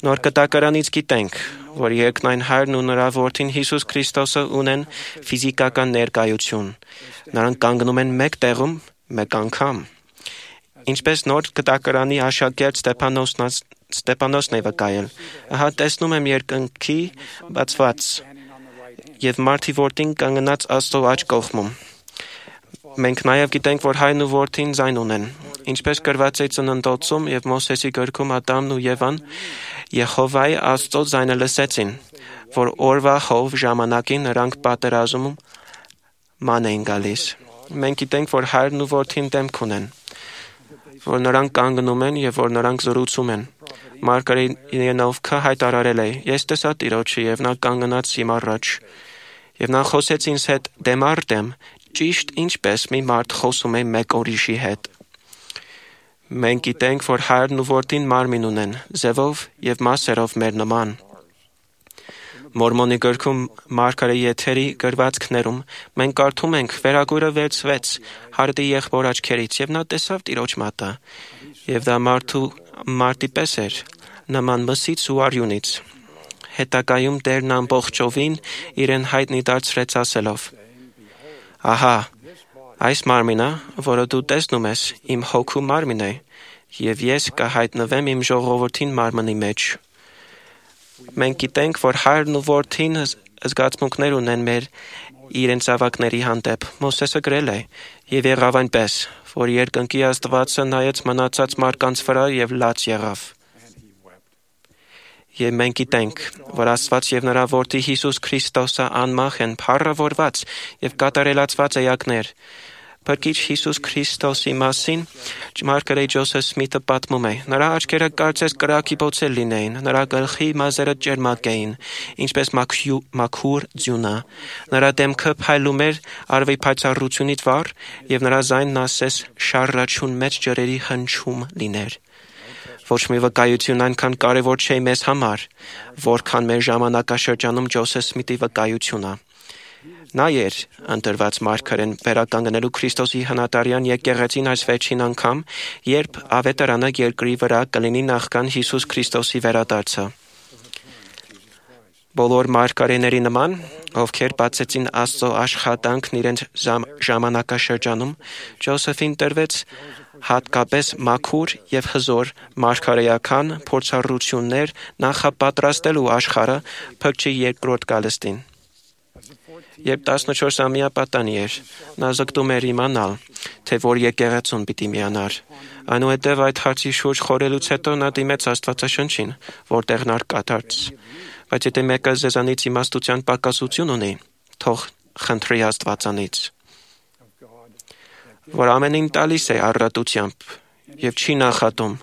Նոր Կտակարանից գիտենք, որ երկնային հայրն ու նրա որդին Հիսուս Քրիստոսը ունեն ֆիզիկական ներկայություն։ Նրանք կանգնում են մեկ տեղում, մեկ անգամ։ Ինչպես Նոր Կտակարանի աշակերտ Ստեփանոսն է վկայել, ահա տեսնում եմ երկնքի բացված եւ մարդի որդին կանգնած Աստծո աջ կողմում։ Մենք նաեւ գիտենք, որ հայրն ու որդին ձայն ունեն, ինչպես գրված է Ծննդոցում եւ Մովսեսի գրքում Ադամն ու Եվան Եհովայի Աստծո ձայնը լսեցին, որ օրվա հով ժամանակին նրանք պատերազմում ման էին գալիս։ Մենք գիտենք, որ հայրն ու որդին դեմք ունեն, որ նրանք կանգնում են եւ որ նրանք զրուցում են։ Մարգարեինովքը հայտարարել է. Ես տեսա Տիրոջը եւ նա կանգնած իմ առաջ։ Եվ նա խոսեց ինձ հետ դեմ առ դեմ, ճիշտ ինչպես մի մարդ խոսում է մեկ ուրիշի հետ։ Մենք գիտենք, որ հայրն ու որդին մարմին ունեն, ձևով եւ մասերով մեր նման։ Մորմոնի գրքում Մարգարեի եթերի գրվածքներում մենք կարդում ենք. վերագույրը վերցվեց հարդի եղբոր աչքերից եւ նա տեսավ Տիրոջ մատը, եւ դա մարդի պես էր, նման մսից ու արյունից։ Հետագայում Տերն ամբողջովին իրեն հայտնի դարձրեց ասելով. Ահա, այս մարմինը, որը դու տեսնում ես, իմ հոգու մարմին է, եւ ես կհայտնվեմ իմ ժողովրդին մարմնի մեջ։ Մենք գիտենք, որ հայրն ու որդին զգացմունքներ ունեն մեր իրենց զավակների հանդեպ։ Մովսեսը գրել է. եւ եղավ այնպես, որ երկնքի Աստվածը նայեց մնացած մարդկանց վրա եւ լաց եղավ։ Եվ մենք գիտենք, որ Աստված եւ նրա որդի Հիսուս Քրիստոսը անմահ են, փառավորված եւ կատարելացված էակներ։ Փրկիչ Հիսուս Քրիստոսի մասին Մարգարեի Ջոսեֆ Սմիթը պատմում է. նրա աչքերը կարծես կրակի բոցել լինեին, նրա գլխի մազերը ճերմակ էին, ինչպես մաքուր ձյունը։ Նրա դեմքը փայլում էր արվի փայծառությունից վառ, եւ նրա ձայնն ասես շառաչուն մեջ ջրերի հնչում լիներ։ Ոչ մի վկայություն այնքան կարևոր չէ մեզ համար, որքան մեր ժամանակաշրջանում Ջոսեֆ Սմիթի վկայությունը։ Նա էր ընտրված մարգարեն վերականգնելու Քրիստոսի հնատարյան եկեղեցին այս վերջին անգամ, երբ ավետարանը երկրի վրա կլինի նախքան Հիսուս Քրիստոսի վերադարձը։ Բոլոր մարգարեների նման, ովքեր բացեցին Աստծո աշխատանքն իրենց ժամանակաշրջանում, Ջոսեֆին տրվեց հատկապես մաքուր եւ հզոր մարգարեական փորձառություններ նախապատրաստելու աշխարհը փրկչի երկրորդ գալստին։ Երբ 14-ամյա պատանի էր, նա զգտում էր իմանալ, թե որ եկեղեցուն պիտի միանար։ Այնուհետև այդ հարցի շուրջ խորելուց հետո նա դիմեց Աստվածաշնչին, որտեղ նա կատարեց։ Բայց եթե մեկը ձեզանից իմաստության պակասություն ունի, թող խնդրի Աստվածանից, որ ամենին տալիս է առատությամբ եւ չի նախատում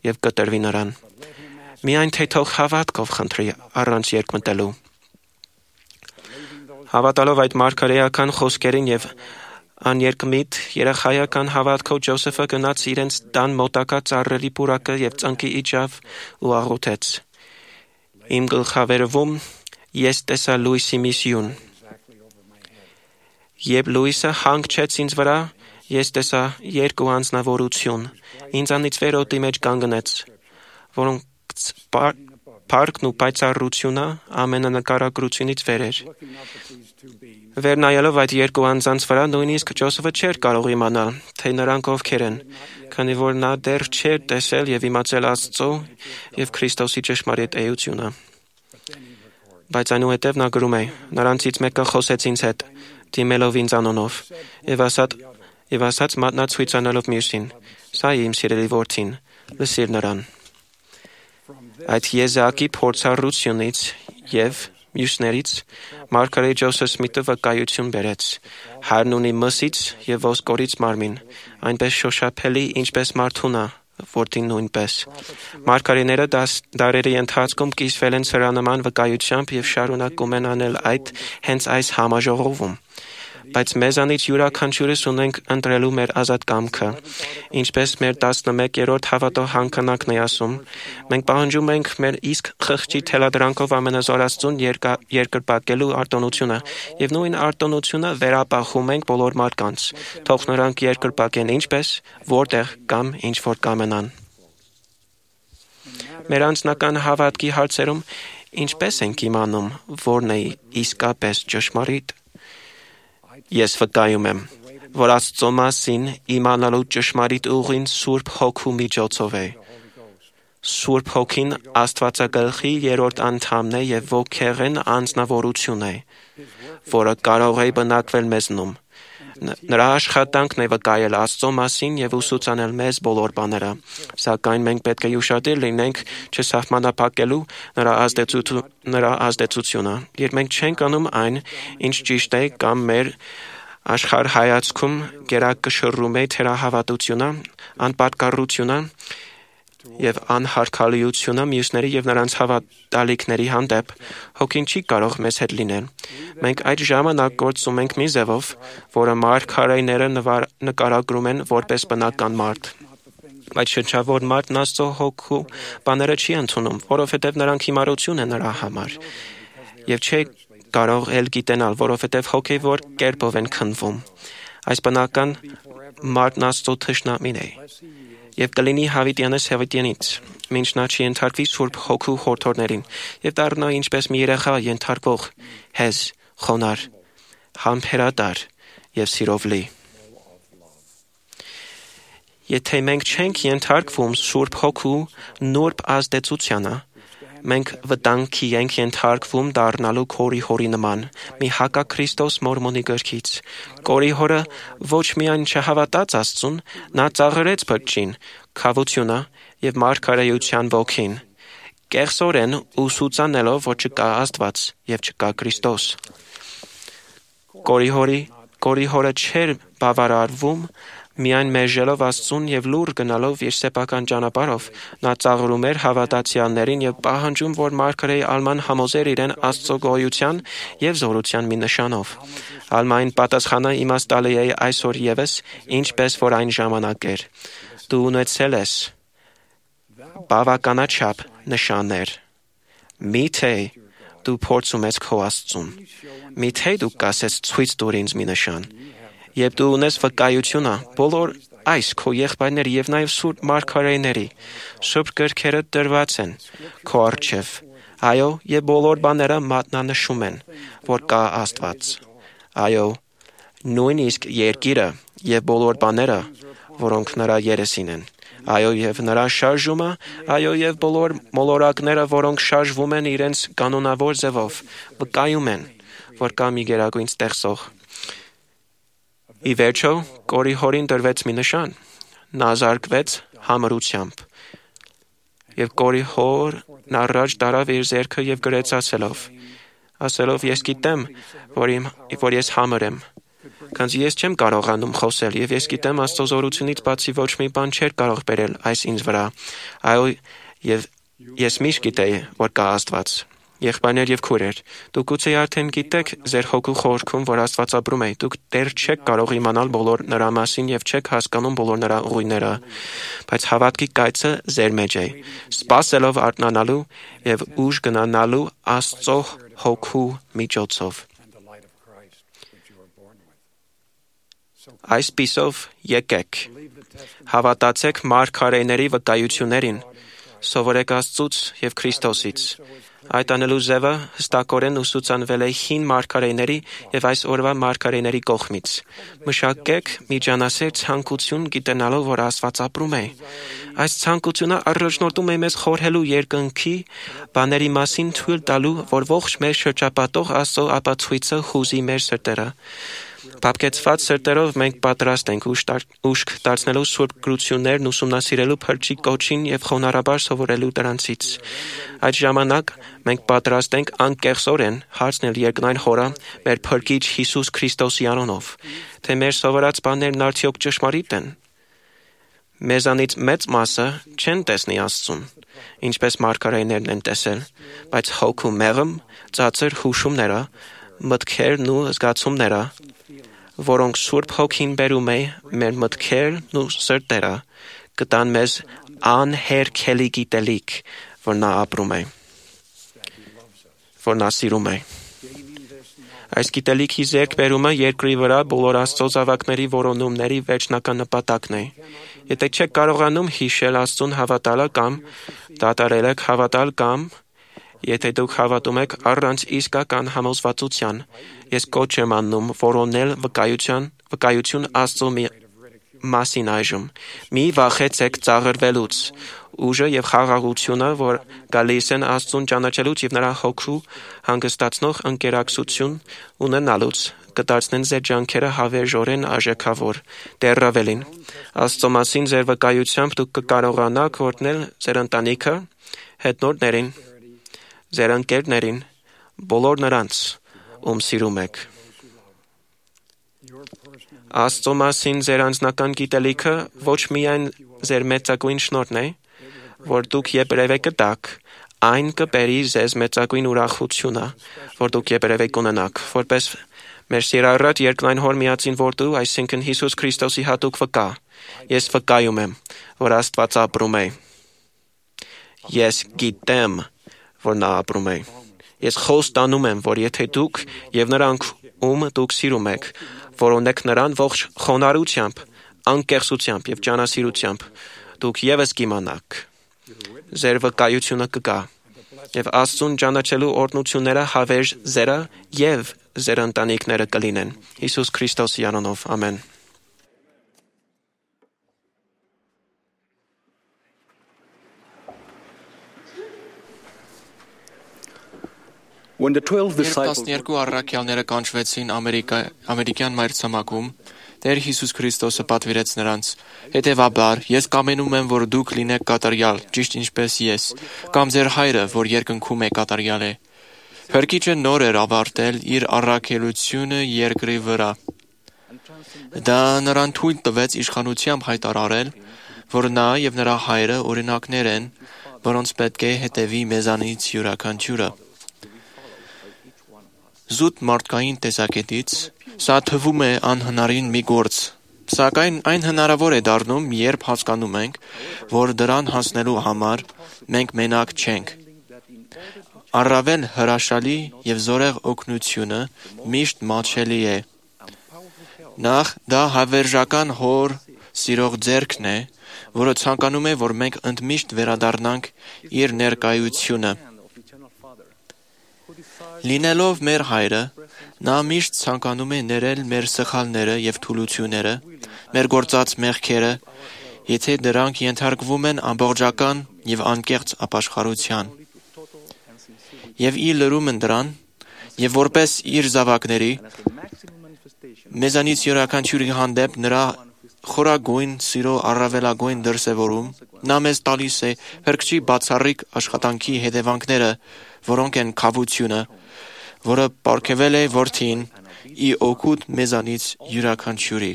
եւ կտրվի նրան։ Միայն թե թող հավատքով խնդրի առանց երկմտելու։ Հավատալով այդ մարգարեական խոսքերին եւ աներկմիտ երախայական հավատքով Ջոսեֆը գնաց իրենց տան մոտակա ծառերի պուրակը եւ ծնկի իջավ ու աղոթեց. Իմ գլխավերևում ես տեսա լույսի մի սյուն։ Երբ լույսը հանգչեց ինձ վրա, ես տեսա երկու անձնավորություն, ինձանից վեր օդի մեջ կանգնեց, որոնք փառքն ու պայծառությունը ամենանկարագրությունից վեր էր։ Վերնայելով այդ երկու անձանց վրա, նույնիսկ Ջոսեֆը չէր կարող իմանալ, թե նրանք ովքեր են, քանի որ նա դեռ չէր տեսել եւ իմացել Աստծո եւ Քրիստոսի ճշմարիտ էությունը։ Բայց այնուհետև նա գրում է. նրանցից մեկը խոսեց ինձ հետ, դիմելով ինձ անոնով, եւ ասաց մատնացույց անելով մյուսին. Սա է իմ սիրելի որդին, լսիր նրան։ Այդ եզակի փորձառությունից եւ մյուսներից մարգարե Ջոսեֆ Սմիթը վկայություն բերեց. Հայրն ունի մսից եւ ոսկորից մարմին, այնպես շոշափելի, ինչպես մարդունա, որդին նույնպես։ Մարգարեները դարերի ընթացքում կիսվել են սրանման վկայությամբ եւ շարունակում են անել այդ հենց այս համաժողովում։ Բայց մեզանից յուրաքանչյուրս ունենք ընտրելու մեր ազատ կամքը, ինչպես մեր 11-րդ հավատո հանքանակն է ասում, մենք պահանջում ենք մեր իսկ խղճի թելադրանքով ամենազոր Աստծուն երկրպագելու արտոնությունը, եւ նույն արտոնությունը վերապահում ենք բոլոր մարդկանց, թող նրանք երկրպագեն ինչպես, որտեղ կամ ինչ որ կամենան։ Մեր անձնական հավատքի հարցերում ինչպես ենք իմանում, որն է իսկապես ճշմարիտ։ Ես վկայում եմ, որ Աստծո մասին իմանալու ճշմարիտ ուղին Սուրբ Հոգու միջոցով է։ Սուրբ Հոգին Աստվածագլխի երրորդ անդամն է եւ ոգեղեն անձնավորություն է, որը կարող է բնակվել մեզնում։ Նրա աշխատանքն է վկայել Աստծո մասին եւ ուսուցանել մեզ բոլոր բաները, սակայն մենք պետք է ուշադիր լինենք չսահմանափակելու նրա ազդեցությունը, երբ մենք չենք անում այն, ինչ ճիշտ է կամ մեր աշխարհայացքում գերակշռում է թերահավատությունը, անպատկառությունը եւ անհարգալիությունը մյուսների եւ նրանց հավատալիքների հանդեպ, հոգին չի կարող մեզ հետ լինել։ Մենք այդ ժամանակ գործում ենք մի ձևով, որը մարգարեները նկարագրում են որպես բնական մարդ։ Բայց շնչավոր մարդն Աստծո Հոգու բաները չի ընդունում, որովհետեւ նրանք հիմարություն են նրա համար եւ չի կարող էլ գիտենալ, որովհետեւ հոգեվոր կերպով են քննվում։ Այս բնական մարդն Աստծո թշնամին է եւ կլինի հավիտյանս հավիտյանից, մինչ նա չի ենթարկվի Սուրբ Հոգու հորդորներին եւ դառնա ինչպես մի երեխա ենթարկվող, հեզ, խոնար, համբերատար եւ սիրով լի։ Եթե մենք չենք ենթարկվում Սուրբ Հոգու նուրբ ազդեցությանը, մենք վտանգի ենք ենթարկվում դառնալու Կորիհորի նման, մի հակաքրիստոս մորմոնի գրքից։ Կորիհորը ոչ միայն չհավատաց Աստծուն, նա ծաղրեց փրկչին, քավությունը եւ մարգարեության ոգին, կեղծորեն ուսուցանելով, որ չկա Աստված եւ չկա Քրիստոս։ Կորիհորը չէր բավարարվում միայն մերժելով Աստծուն եւ լուր գնալով իր սեփական ճանապարհով, նա ծաղրում էր հավատացյալներին եւ պահանջում, որ մարգարեի Ալման համոզեր իրեն Աստծո գոյության եւ զորության մի նշանով։ Ալմային պատասխանը իմաստալի է այսօր եւս, ինչպես որ այն ժամանակ էր։ Դու ունեցել ես բավականաչափ նշաններ։ Միթե դու փորձում ես քո Աստծուն։ Միթե դու կասես ցույց տուր ինձ մի նշան։ Եվ դու ունես վկայությունը բոլոր այս քո եղբայրների եւ նաեւ սուրբ մարգարեների սուրբ գրքերը դրված են քո առջև։ Այո, եւ բոլոր բաները մատնանշում են, որ կա Աստված։ Այո, նույնիսկ երկիրը եւ բոլոր բաները, որոնք նրա երեսին են։ Այո, եւ նրա շարժումը, այո, եւ բոլոր մոլորակները, որոնք շարժվում են իրենց կանոնավոր ձևով, վկայում են, որ կա մի գերագույն ստեղծող։ Ի վերջո, Կորի հորին տրվեց մի նշան. նա զարկվեց համրությամբ։ Եվ Կորի հորն առաջ տարավ իր ձեռքը եւ գրեց ասելով ես գիտեմ, որ ես համր եմ, քանզի ես չեմ կարողանում խոսել, եւ ես գիտեմ Աստծո զորությունից բացի ոչ մի բան չէր կարող բերել այս ինձ վրա, այո, եւ ես միշտ գիտեի, որ կա Աստված։ Եղբայրներ եւ քույրեր, դուք գուցե արդեն գիտեք ձեր հոգու խորքում, որ Աստված ապրում է, դուք դեռ չեք կարող իմանալ բոլոր նրա մասին եւ չեք հասկանում բոլոր նրա ուղիները, բայց հավատքի կայծը ձեր մեջ է, սպասելով արթնանալու եւ ուժ գնանալու Աստծո հոգու միջոցով։ Այսպիսով եկեք, հավատացեք մարգարեների վկայություններին, սովորեք Աստծուց եւ Քրիստոսից։ Այդ անելու ձևը հստակորեն ուսուցանվել է հին մարգարեների եւ այս օրվա մարգարեների կողմից։ Մշակեք միջանասեր ցանկություն գիտենալով, որ Աստված ապրում է։ Այս ցանկությունը առաջնորդում է մեզ խորհելու երկնքի բաների մասին, թույլ տալու, որ ողջ մեր շրջապատող Աստծո ապացույցը հուզի մեր սրտերը։ Բաբկեցված սրտերով մենք պատրաստ ենք ուշք դարձնելու սուրբ գրություններն ուսումնասիրելու փրկչի կոչին եւ խոնարհաբար սովորելու դրանցից։ Այդ ժամանակ մենք պատրաստ ենք անկեղծորեն հարցնել երկնային Հորը մեր փրկիչ Հիսուս Քրիստոսի անունով, թե մեր սովորած բաներն արդյոք ճշմարիտ են։ Մեզանից մեծ մասը չեն տեսնի Աստծուն, ինչպես մարգարեներն են տեսել, բայց հոգու մեղմ, ծածր հուշումները, մտքերն ու զգացումները, որոնք Սուրբ Հոգին բերում է մեր մտքերն ու սրտերը, կտան մեզ անհերքելի գիտելիք, որ նա ապրում է, որ նա սիրում է։ Այս գիտելիքի ձեռքբերումը երկրի վրա բոլոր Աստծո զավակների որոնումների վերջնական նպատակն է։ Եթե չեք կարողանում հիշել Աստծուն հավատալը կամ դադարել եք հավատալ կամ եթե դուք հավատում եք առանց իսկական համոզվածության, ես կոչ եմ անում որոնել վկայություն Աստծո մասին այժմ։ Մի վախեցեք ծաղրվելուց, ուժը եւ խաղաղությունը, որ գալիս են Աստծուն ճանաչելուց եւ նրա հոգու հանգստացնող ընկերակցություն ունենալուց, կդարձնեն ձեր ջանքերը հավերժորեն արժեքավոր, դեռ ավելին։ Աստծո մասին ձեր վկայությամբ դուք կկարողանաք օրհնել ձեր ընտանիքը, հետնորդներին, ձեր ընկերներին, բոլոր նրանց, ում սիրում եք։ Աստծո մասին ձեր անձնական գիտելիքը ոչ միայն ձեր մեծագույն շնորհն է, որ դուք երբևէ կտաք, այն կբերի ձեզ մեծագույն ուրախությունը, որ դուք երբևէ կունենաք, որպես մեր սիրառատ երկնային Հոր միածին որդու, այսինքն Հիսուս Քրիստոսի հատուկ վկա։ Ես վկայում եմ, որ Աստված ապրում է։ Ես գիտեմ, որ նա ապրում է։ Ես խոստանում եմ, որ եթե դուք եւ նրանք, ում դուք սիրում եք, որոնեք նրան ողջ խոնարհությամբ, անկեղծությամբ եւ ջանասիրությամբ, դուք եւս կիմանաք։ Ձեր վկայությունը կգա եւ Աստծուն ճանաչելու օրհնությունները հավերժ ձերը եւ ձեր ընտանիքները կլինեն։ Հիսուս Քրիստոսի անունով, ամեն։ Երբ 12 առաքյալները կանչվեցին ամերիկյան մայրցամաքում, Տեր Հիսուս Քրիստոսը պատվիրեց նրանց. «Հետևաբար, ես կամենում եմ, որ դուք լինեք կատարյալ, ճիշտ ինչպես ես, կամ ձեր հայրը, որ երկնքում է կատարյալ է»։ Փրկիչը նոր էր ավարտել իր առաքելությունը երկրի վրա։ Դա նրան թույլ տվեց իշխանությամբ հայտարարել, որ նա եւ նրա հայրը օրինակներ են, որոնց պետք է հետևի մեզանից յուրաքանչյուրը։ Զուտ մարդկային տեսակետից սա թվում է անհնարին մի գործ, սակայն այն հնարավոր է դառնում, երբ հասկանում ենք, որ դրան հասնելու համար մենք մենակ չենք։ Առավել հրաշալի եւ զորեղ օգնությունը միշտ մատչելի է։ Նախ դա հավերժական Հոր սիրող ձեռքն է, որը ցանկանում է, որ մենք ընդմիշտ վերադառնանք իր ներկայությունը։ Լինելով մեր հայրը, նա միշտ ցանկանում է ներել մեր սխալները եւ թուլությունները, մեր գործած մեղքերը, եթե դրանք ենթարկվում են ամբողջական եւ անկեղծ ապաշխարության։ Եվ ի լրումն դրան, եւ որպես իր զավակների մեզանից յուրաքանչյուրի հանդեպ նրա խորագույն սիրո առավելագույն դրսևորում նա մեզ տալիս է փրկչի բացառիկ աշխատանքի հետևանքները, որոնք են քավությունը, որը պարգևել է որդին ի օգուտ մեզանից յուրաքանչյուրի։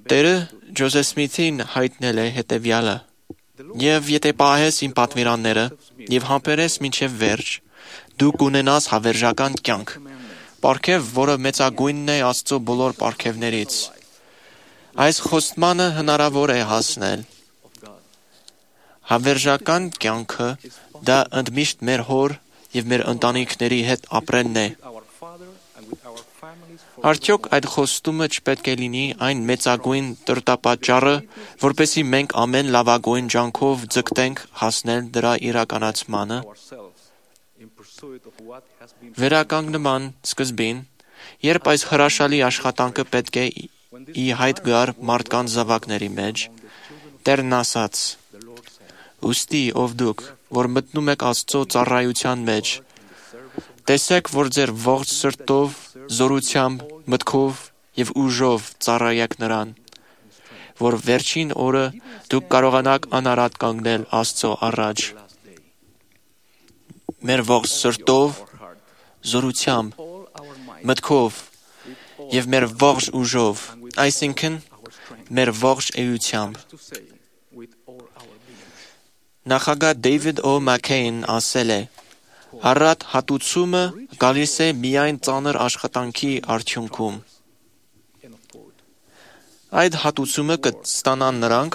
Տերը Ջոզեֆ Սմիթին հայտնել է հետևյալը. «Եվ եթե պահես իմ պատվիրանները եւ համբերես մինչեւ վերջ, դու կունենաս հավերժական կյանք, պարգև, որը մեծագույնն է Աստծո բոլոր պարգևներից»։ Այս խոստմանը հնարավոր է հասնել։ Հավերժական կյանքը դա ընդմիշտ մեր հոր եւ մեր ընտանիքների հետ ապրելն է։ Արդյոք այդ խոստումը չպետք է լինի այն մեծագույն տրտապատճառը, որպեսզի մենք ամեն լավագույն ջանքով ձգտենք հասնել դրա իրականացմանը։ Վերականգնման սկզբին, երբ այս հրաշալի աշխատանքը պետք է ի հայտ գար մարդկանց զավակների մեջ, Տերն ասաց. «Ուստի ով դուք, որ մտնում եք Աստծո ծառայության մեջ, տեսեք, որ ձեր ողջ սրտով, զորությամբ, մտքով եւ ուժով ծառայեք նրան, որ վերջին օրը դուք կարողանաք անարատ կանգնել Աստծո առաջ»։ Մեր ողջ սրտով, զորությամբ, մտքով եւ մեր ողջ ուժով, այսինքն մեր ողջ էությամբ։ Նախագահ Դեյվիդ Օ. Մաքքեյն ասել է. «Առատ հատուցումը գալիս է միայն ծանր աշխատանքի արդյունքում»։ Այդ հատուցումը կստանան նրանք,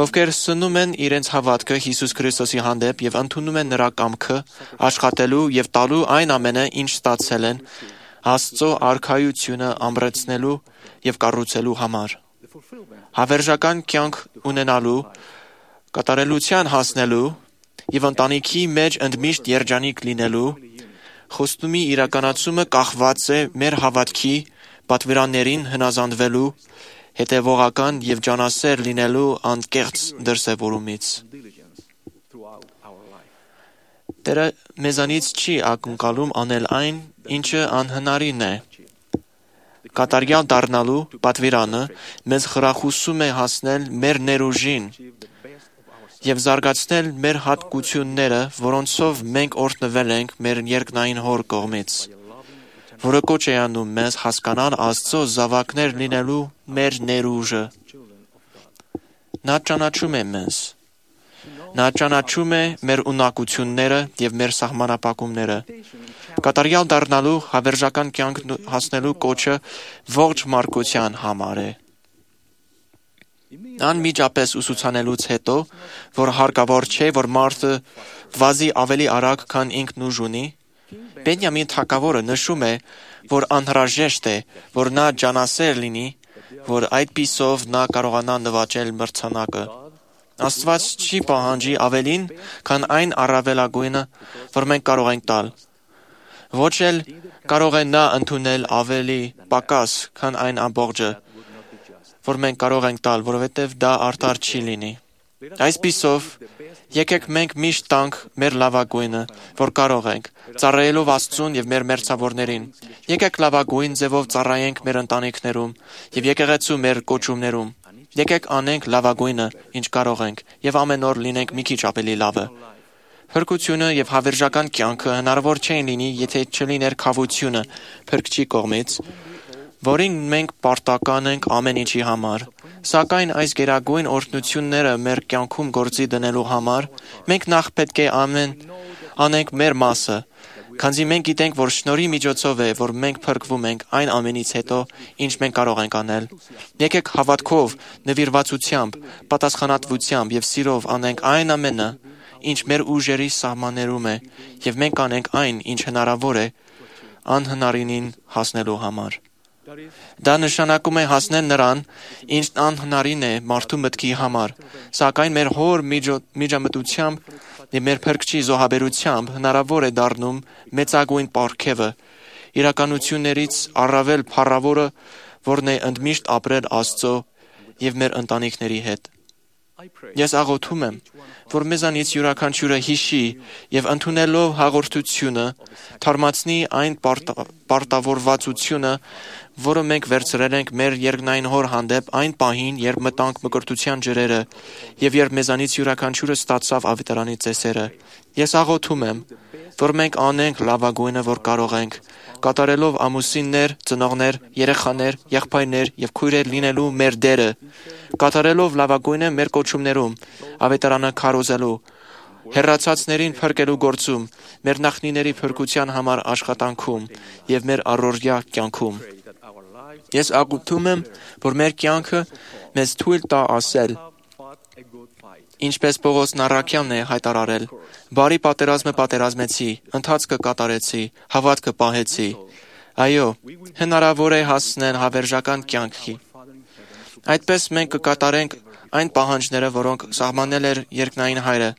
ովքեր սնում են իրենց հավատքը Հիսուս Քրիստոսի հանդեպ եւ ընդունում են նրա կամքը աշխատելու եւ տալու այն ամենը, ինչ ստացել են Աստծո արքայությունը ամրացնելու եւ կառուցելու համար։ Հավերժական կյանք ունենալու, կատարելության հասնելու եւ ընտանիքի մեջ ընդմիշտ երջանիկ լինելու խոստումի իրականացումը կախված է մեր հավատքի պատվիրաններին հնազանդվելու, հետևողական եւ ջանասեր լինելու անկեղծ դրսևորումից։ Տերը մեզանից չի ակնկալում անել այն, ինչը անհնարին է։ Կատարյալ դառնալու պատվիրանը մեզ խրախուսում է հասնել մեր ներուժին եւ զարգացնել մեր հատկությունները, որոնցով մենք օրհնվել ենք մեր երկնային Հոր կողմից, որը կոչ է անում մեզ հասկանալ Աստծո զավակներ լինելու մեր ներուժը։ Նա ճանաչում է մեզ։ Նա ճանաչում է մեր ունակությունները եւ մեր սահմանափակումները։ Կատարյալ դառնալու հավերժական կյանք հասնելու կոչը ողջ մարդկության համար է։ Անմիջապես ուսուցանելուց հետո, որ հարկավոր չէ, որ մարդը վազի ավելի արագ, քան ինքն ուժ ունի, Բենյամին թագավորը նշում է, որ անհրաժեշտ է, որ նա ջանասեր լինի, որ այդպիսով նա կարողանա նվաճել մրցանակը։ Աստված չի պահանջի ավելին, քան այն առավելագույնը, որ մենք կարող ենք տալ։ Ոչ էլ կարող է նա ընդունել ավելի պակաս, քան այն ամբողջը, որ մենք կարող ենք տալ, որովհետև դա արդար չի լինի։ Այսպիսով, եկեք մենք միշտ տանք մեր լավագույնը, որ կարող ենք, ծառայելով Աստծուն եւ մեր մերձավորներին։ Եկեք լավագույն ձևով ծառայենք մեր ընտանիքներում եւ եկեղեցու մեր կոչումներում։ Եկեք անենք լավագույնը, ինչ կարող ենք, եւ ամեն օր լինենք մի քիչ ավելի լավը։ Փրկությունը եւ հավերժական կյանքը հնարավոր չէին լինի, եթե չլիներ քավությունը Փրկչի կողմից, որին մենք պարտական ենք ամեն ինչի համար։ Սակայն այս գերագույն օրհնությունները մեր կյանքում գործի դնելու համար մենք նախ պետք է անենք մեր մասը, քանզի մենք գիտենք, որ շնորհի միջոցով է, որ մենք փրկվում ենք այն ամենից հետո, ինչ մենք կարող ենք անել։ Եկեք հավատքով, նվիրվածությամբ, պատասխանատվությամբ եւ սիրով անենք այն ամենը, ինչ մեր ուժերի սահմաններում է, եւ մենք անենք այն, ինչ հնարավոր է անհնարինին հասնելու համար։ Դա նշանակում է հասնել նրան, ինչն անհնարին է մարդու մտքի համար, սակայն մեր հոր միջամտությամբ եւ մեր Փրկչի զոհաբերությամբ հնարավոր է դառնում մեծագույն պարգևը, իրականություններից առավել փառավորը, որն է ընդմիշտ ապրել Աստծո եւ մեր ընտանիքների հետ։ Ես աղոթում եմ, որ մեզանից յուրաքանչյուրը հիշի եւ ընդունելով հաղորդությունը թարմացնի այն պարտավորվածությունը, որը մենք վերցրել ենք մեր երկնային հոր հանդեպ այն պահին, երբ մտանք մկրտության ջրերը եւ երբ մեզանից յուրաքանչյուրը ստացավ ավետարանի ծեսերը։ Ես աղոթում եմ, որ մենք անենք լավագույնը, որ կարող ենք, կատարելով ամուսիններ, ծնողներ, երեխաներ, եղբայրներ եւ քույրեր լինելու մեր դերը, կատարելով լավագույնը մեր կոչումներում, ավետարանը քարոզելու, հեռացածներին փրկելու գործում, մեր նախնիների փրկության համար աշխատանքում եւ մեր առօրյա կյանքում։ Ես աղոթում եմ, որ մեր կյանքը մեզ թույլ տա ասել, ինչպես Պողոսն առաքյալն է հայտարարել. «Բարի պատերազմը պատերազմեցի, ընթացքը կատարեցի, հավատքը պահեցի»։ Այո, հնարավոր է հասնել հավերժական կյանքի։ Այդպես մենք կկատարենք այն պահանջները, որոնք սահմանել էր երկնային Հայրը,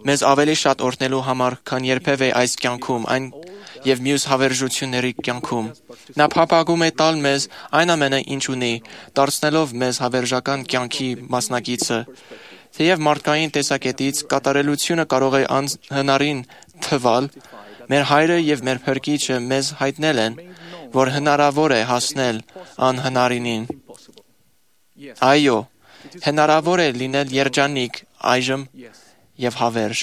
մեզ ավելի շատ օրհնելու համար, քան երբևէ այս կյանքում, այն եւ մյուս հավերժությունների կյանքում։ Նա փափագում է տալ մեզ այն ամենը, ինչ ունի, դարձնելով մեզ հավերժական կյանքի մասնակիցը։ Թեև մարդկային տեսակետից կատարելությունը կարող է անհնարին թվալ, մեր Հայրը եւ մեր Փրկիչը մեզ հայտնել են, որ հնարավոր է հասնել անհնարինին։ Այո, հնարավոր է լինել երջանիկ այժմ եւ հավերժ։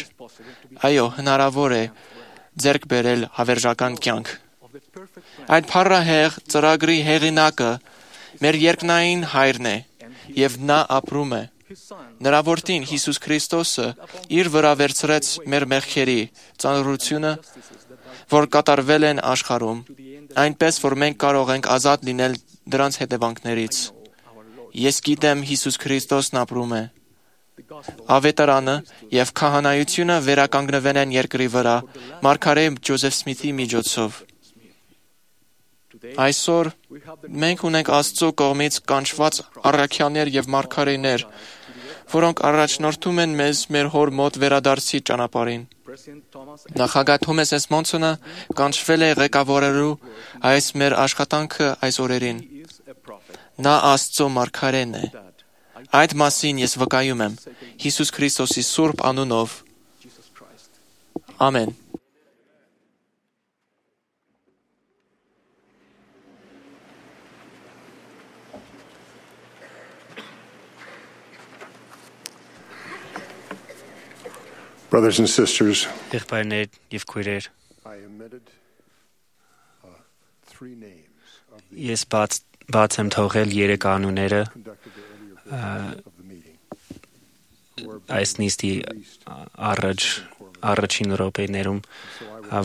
Այո, հնարավոր է ձեռք բերել հավերժական կյանք։ Այդ փառահեղ ծրագրի հեղինակը մեր երկնային Հայրն է եւ նա ապրում է։ Նրա որդին Հիսուս Քրիստոսը իր վրա վերցրեց մեր մեղքերի ծանրությունը, որ կատարվել են աշխարհում, այնպես որ մենք կարող ենք ազատ լինել դրանց հետևանքներից։ Ես գիտեմ Հիսուս Քրիստոսն ապրում է։ Ավետարանը եւ քահանայությունը վերականգնվել են երկրի վրա մարգարե Ջոզեֆ Սմիթի միջոցով։ Այսօր մենք ունենք Աստծո կողմից կանչված առաքյալներ եւ մարգարեներ, որոնք առաջնորդում են մեզ մեր հոր մոտ վերադարձի ճանապարհին։ Նախագահ Թոմաս Էս Մոնսոնը կանչվել է ղեկավարելու այս մեր աշխատանքը այս օրերին։ Նա Աստծո մարգարեն է։ Այդ մասին ես վկայում եմ Հիսուս Քրիստոսի սուրբ անունով։ Ամեն։ Brothers and sisters, Եղբայրներ եւ քույրեր, I omitted three names of the ես բաց եմ թողել 3 անունները conducted the earlier portion of the meeting. այս նիստի առաջին րոպեներում,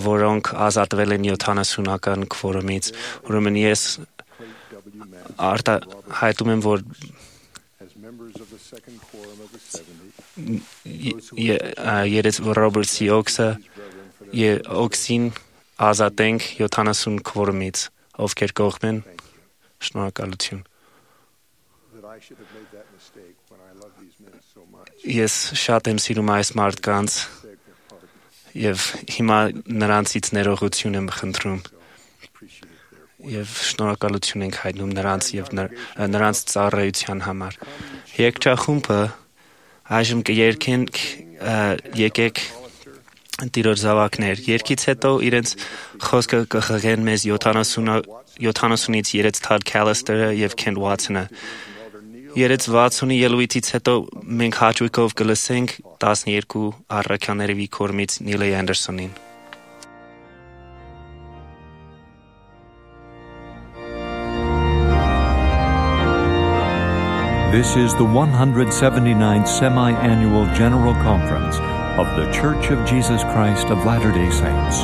որոնք ազատվել են 70-ական քվորումից։ Ուրեմն ես հայտում եմ, որ As members of the second quorum of the 70, Ռոբերտսի օքսին ազատենք 70 քվորումից, ովքեր կողմեն, շնորհակալություն։ that I should have made that mistake when I love these men so much. Ես շատ եմ սիրում այս մարդկանց Beg their pardon. եւ հիմա նրանցից ներողություն եմ խնդրում Appreciate their եւ շնորհակալություն ենք հայտնում նրանց եւ նրանց ծառայության համար։ Երկչախումբը այժմ կերքենք եկեք Տիրոջ զավակներ, երկից հետո իրենց խոսքը կխղեն մեզ 70-ից երեց Թադ Քալիստերը եւ Քենթ Վաթսոնը։ Երեց 60-ի ելույթից հետո մենք հաճույքով կլսենք 12 առաքյալների կողմից Նիլ Անդերսոնին։ This is the 179th Semi-Annual General Conference of The Church of Jesus Christ of Latter-day Saints.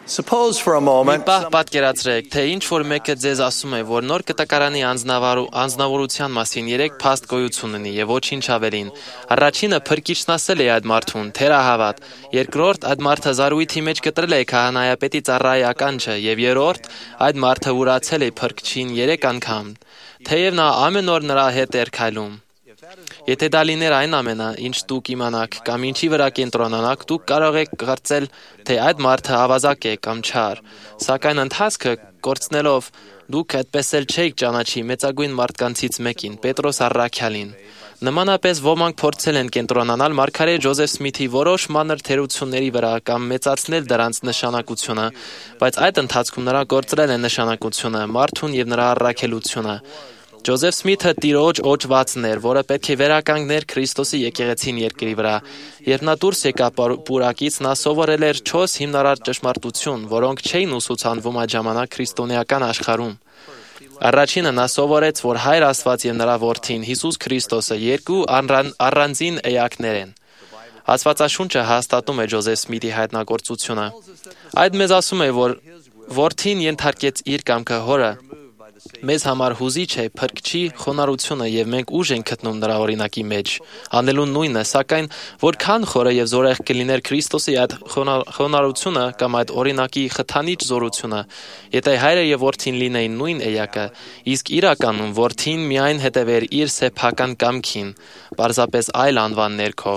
Suppose for a Մի moment պահ պատկերացրեք, թե ինչ որ մեկը ձեզ ասում է, որ նոր կտակարանի անձնավորության մասին 3 փաստ գոյություն ունի եւ ոչինչ ավելին։ Առաջինը փրկիչն ասել է այդ մարդուն, թերահավատ։ Երկրորդ, այդ մարդը զարույթի մեջ կտրել է քահանայապետի ծառայի ականջը եւ երրորդ, այդ մարդը ուրացել է փրկչին 3 անգամ, թեև նա ամեն օր նրա հետ էր քայլում։ Եթե դա լիներ այն ամենը, ինչ դուք իմանաք կամ ինչի վրա կենտրոնանաք, դուք կարող եք կարծել, թե այդ մարդը ավազակ է կամ չար, սակայն ընթացքը կորցնելով դուք այդպես էլ չեք ճանաչի մեծագույն մարդկանցից մեկին, Պետրոս առաքյալին։ Նմանապես ոմանք փորձել են կենտրոնանալ մարգարե Ջոզեֆ Սմիթի որոշ մանր թերությունների վրա կամ մեծացնել դրանց նշանակությունը, բայց այդ ընթացքում նրա կորցրել են նշանակությունը, մարդուն եւ նրա առաքելությունը։ Ջոզեֆ Սմիթը տիրոջ օջվածն էր, որը պետք է վերականգներ Քրիստոսի եկեղեցին երկրի վրա։ Երբ նա դուրս եկավ պուրակից, նա սովորել էր 4 հիմնարար ճշմարտություն, որոնք չէին ուսուցանվում այդ ժամանակ քրիստոնեական աշխարհում։ Առաջինը նա սովորեց, որ Հայր Աստված եւ նրա Որդին Հիսուս Քրիստոսը երկու առանձին էակներ են։ Աստվածաշունչը հաստատում է Ջոզեֆ Սմիթի հայտնագործությունը։ Այդ մեզ ասում է, որ Որդին ենթարկեց իր կամքը Հորը։ Մեզ համար հուզիչ է փրկչի խոնարհությունը եւ մենք ուժ ենք գտնում նրա օրինակի մեջ, անելու նույնը, սակայն որքան խորը եւ զորեղ կլիներ Քրիստոսի այդ խոնարհությունը կամ այդ օրինակի խթանիչ զորությունը, եթե Հայրը եւ Որդին լինեին նույն էակը, իսկ իրականում Որդին միայն հետևեր իր սեփական կամքին, պարզապես այլ անվան ներքո։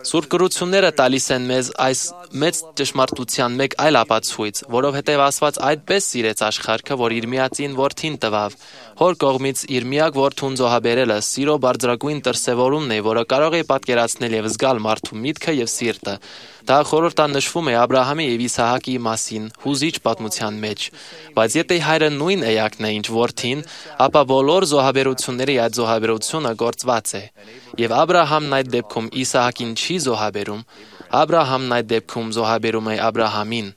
Սուրբ գրությունները տալիս են մեզ այս մեծ ճշմարտության մեկ այլ ապացույց, որովհետև Աստված այդպես սիրեց աշխարհը, որ իր միածին Որդին տվավ։ Հոր կողմից իր միակ Որդուն զոհաբերելը սիրո բարձրագույն դրսևորումն է, որը կարող է պատկերացնել եւ զգալ մարդու միտքը եւ սիրտը։ Դա խորհրդանշվում է Աբրահամի եւ Իսահակի մասին հուզիչ պատմության մեջ։ Բայց եթե Հայրը նույն էակն է, ինչ Որդին, ապա բոլոր զոհաբերությունների այդ զոհաբերությունը գործված է։ Եվ Աբրահամն այդ դեպքում Իսահակին չի զոհաբերում, Աբրահամն այդ դեպքում զոհաբերում է Աբրահամին։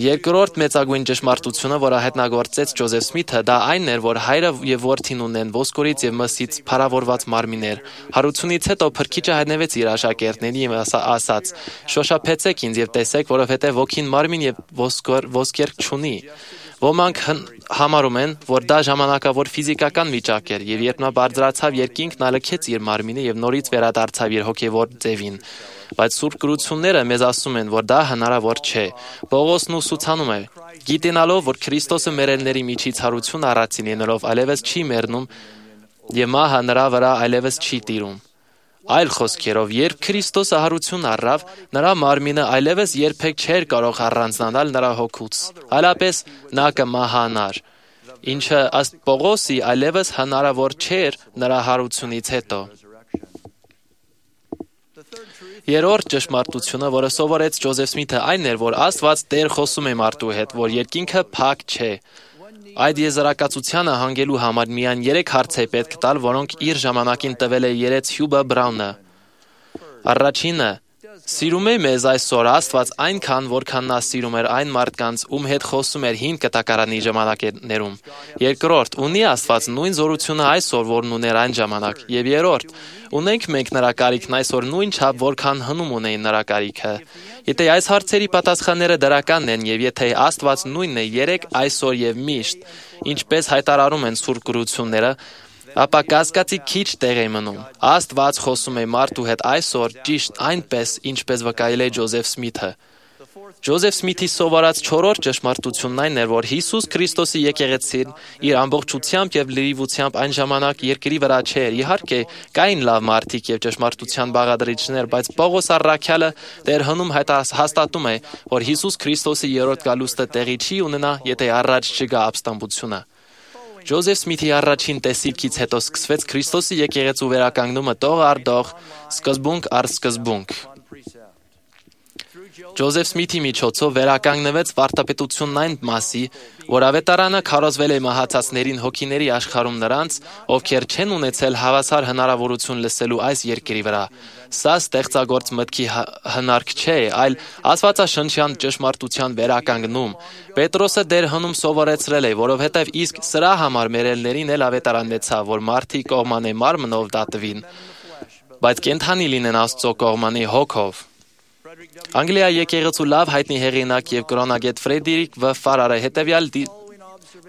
Երկրորդ մեծագույն ճշմարտությունը, որը հայտնագործեց Ջոզեֆ Սմիթը, դա այն էր, որ Հայրը եւ Որդին ունեն ոսկորից եւ մսից փառավորված մարմիններ։ Հարությունից հետո Փրկիչը հայտնվեց իր աշակերտներին եւ ասաց. «Շոշափեցեք ինձ եւ տեսեք, որովհետեւ ոգին մարմին եւ ոսկեր չունի»։ Ոմանք համարում են, որ դա ժամանակավոր ֆիզիկական վիճակ էր, եւ երբ նա բարձրացավ երկինք, նա լքեց իր մարմինը եւ նորից վերադարձավ իր հոգեվոր ձևին։ Բայց Սուրբ գրությունները մեզ ասում են, որ դա հնարավոր չէ։ Պողոսն ուսուցանում է. գիտենալով, որ Քրիստոսը մեռելների միջից հարություն առածին ելնելով այլևս չի մեռնում եւ մահը նրա վրա այլևս չի տիրում։ Այլ խոսքերով, երբ Քրիստոսը հարություն առավ, նրա մարմինը այլևս երբեք չէր կարող առանձնանալ նրա հոգուց, այլապես նա կմահանար, ինչը ըստ Պողոսի այլևս հնարավոր չէր նրա հարությունից հետո։ Երրորդ ճշմարտությունը, որը սովորեց Ջոզեֆ Սմիթը, այն էր, որ Աստված Տեր խոսում է մարդու հետ, որ երկինքը փակ չէ։ Այդ եզրակացությանը հանգելու համար միայն 3 հարց է պետք տալ, որոնք իր ժամանակին տվել է երեց Հյուբը Բրաունը։ Առաջինը. սիրում է մեզ այսօր Աստված այնքան, որքան նա սիրում էր այն մարդկանց, ում հետ խոսում էր հին կտակարանի ժամանակներում։ Երկրորդ, ունի Աստված նույն զորությունը այսօր, որն ուներ այն ժամանակ։ Եվ երրորդ, ունենք մենք նրա կարիքն այսօր նույն չափ, որքան հնում ունեին նրա կարիքը։ Եթե այս հարցերի պատասխանները դրական են եւ եթե Աստված նույնն է երեք, այսօր եւ միշտ, ինչպես հայտարարում են Սուրբ գրությունները, ապա կասկածի քիչ տեղ է մնում։ Աստված խոսում է մարդու հետ այսօր ճիշտ այնպես, ինչպես վկայել է Ջոզեֆ Սմիթը։ Ջոզեֆ Սմիթի սովորած 4-րդ ճշմարտությունն այն էր, որ Հիսուս Քրիստոսի եկեղեցին իր ամբողջությամբ եւ լրիվությամբ այն ժամանակ երկրի վրա չէր։ Իհարկե, կային լավ մարդիկ եւ ճշմարտության բաղադրիչներ, բայց Պողոս առաքյալը դեռ հնում հաստատում է, որ Հիսուս Քրիստոսի երրորդ գալուստը տեղի չի ունենա, եթե առաջ չգա ապստամբությունը։ Ջոզեֆ Սմիթի առաջին տեսիլքից հետո սկսվեց Քրիստոսի եկեղեցու վերականգնումը տող առ տող, սկզբունք առ սկզբունք։ Ջոզեֆ Սմիթի միջոցով վերականգնվեց վարդապետությունն այն մասի, որ ավետարանը քարոզվել է մահացածներին հոգիների աշխարհում նրանց, ովքեր չեն ունեցել հավասար հնարավորություն լսելու այս երկրի վրա։ Սա ստեղծագործ մտքի հնարք չէ, այլ աստվածաշնչյան ճշմարտության վերականգնում։ Պետրոսը դեր հնում սովորեցրել է, որովհետև իսկ սրա համար մերելներին էլ ավետարանեցավ, որ մարդի կողմանի մարմնով դատվին, բայց կենդանի լինեն Աստծո կողմանի հոգով։ Անգլիա եկեղեցու լավ հայտնի հեղինակ եւ կրոնագետ Ֆրեդերիկ Վ. Ֆարարը հետեւյալ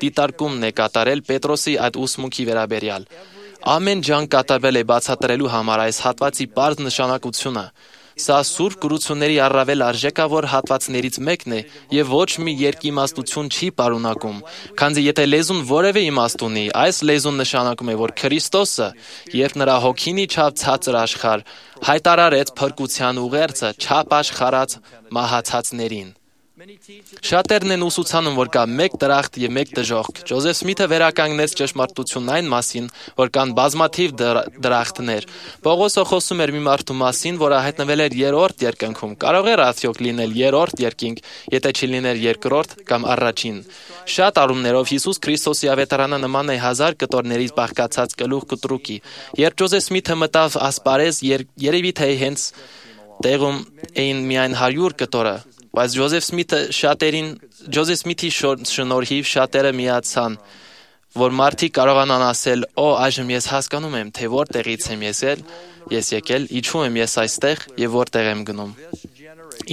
դիտարկումն է կատարել Պետրոսի այդ ուսմունքի վերաբերյալ։ Ամեն ջանք կատարվել է բացատրելու համար այս հատվածի պարզ նշանակությունը։ Սա սուրբ կրությունների առավել արժեքավոր հատվածներից մեկն է եւ ոչ մի երկիմաստություն չի պարունակում, քանզի եթե լեզուն որևէ իմաստ ունի, այս լեզուն նշանակում է, որ Քրիստոսը, երբ նրա հոգին իջավ ցածր աշխարհ, հայտարարեց փրկության ուղերձը չափ աշխարհած մահացածներին։ Շատերն են ուսուցանում, որ կա մեկ դրախտ եւ մեկ դժոխք։ Ջոզեֆ Սմիթը վերականգնեց ճշմարտությունն այն մասին, որ կան բազմաթիվ դրախտներ։ Պողոսը խոսում էր մի մարդու մասին, որը հայտնվել էր երրորդ երկնքում։ Կարող էր արդյոք լինել երրորդ երկինք, եթե չլիներ երկրորդ կամ առաջին։ Շատ առումներով Հիսուս Քրիստոսի ավետարանը նման է 1000 կտորներից բաղկացած գլուխ կտրուկի։ Երբ Ջոզեֆ Սմիթը մտավ ասպարեզ, երևի թե հենց տեղում էին միայն 100 կտորը, բայց Ջոզեֆ Սմիթի շնորհիվ շատերը միացան, որ մարդիկ կարողանան ասել, այժմ ես հասկանում եմ, թե որտեղից եմ ես եկել, ինչու եմ ես այստեղ եւ որտեղ եմ գնում։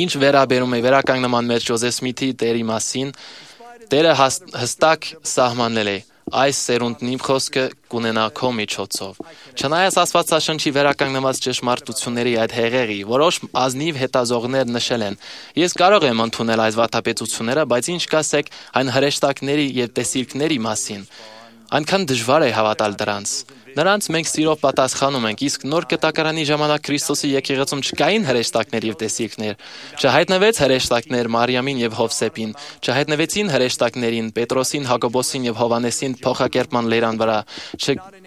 Ինչ վերաբերում է վերականգնման մեջ Ջոզեֆ Սմիթի դերի մասին, Տերը հստակ սահմանել է. այս սերունդն իմ խոսքը կունենա քո միջոցով։ Չնայած Աստվածաշնչի վերականգնված ճշմարտությունների այդ հեղեղի, որոշ ազնիվ հետազողներ նշել են, ես կարող եմ ընդունել այս վատապետությունները, բայց ինչ կասեք այն հրեշտակների եւ տեսիլքների մասին։ Այնքան դժվար է հավատալ դրանց։ Նրանց մենք սիրով պատասխանում ենք, իսկ նոր կտակարանի ժամանակ Քրիստոսի եկեղեցում չկային հրեշտակներ եւ տեսիլքներ, չհայտնվեց հրեշտակներ Մարիամին եւ Հովսեփին, չհայտնվեցին հրեշտակներին Պետրոսին, Հակոբոսին եւ Հովանեսին փոխակերպման լերան վրա,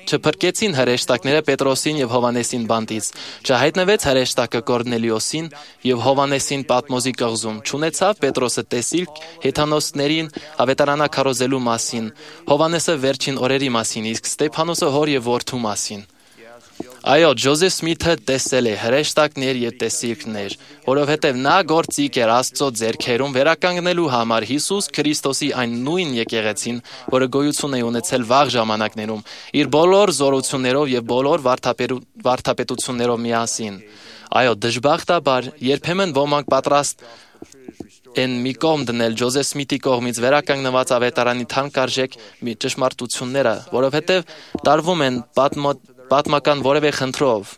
չփրկեցին հրեշտակները Պետրոսին եւ Հովանեսին բանտից, չհայտնվեց հրեշտակը Կորնելիոսին եւ Հովանեսին Պատմոզի կղզում, չունեցավ Պետրոսը տեսիլք հեթանոսներին ավետարանակարոզելու մասին, Հովանեսը վերջին օրերի մասին, իսկ Ստեփանոսը հոր եւ որդու մասին։ Այո, Ջոզեֆ Սմիթը տեսել է հրեշտակներ եւ տեսիլքներ, որովհետեւ նա գործիք էր Աստծո ձեռքերում վերականգնելու համար Հիսուս Քրիստոսի այն նույն եկեղեցին, որը գոյություն է ունեցել վաղ ժամանակներում, իր բոլոր զորություններով եւ բոլոր վարդապետություններով միասին։ Այո, դժբախտաբար, երբեմն ոմանք պատրաստ են մի կողմ դնել Ջոզեֆ Սմիթի կողմից վերականգնված ավետարանի թանկարժեք ճշմարտությունները, որովհետև տարվում են պատմական որևէ խնդրով,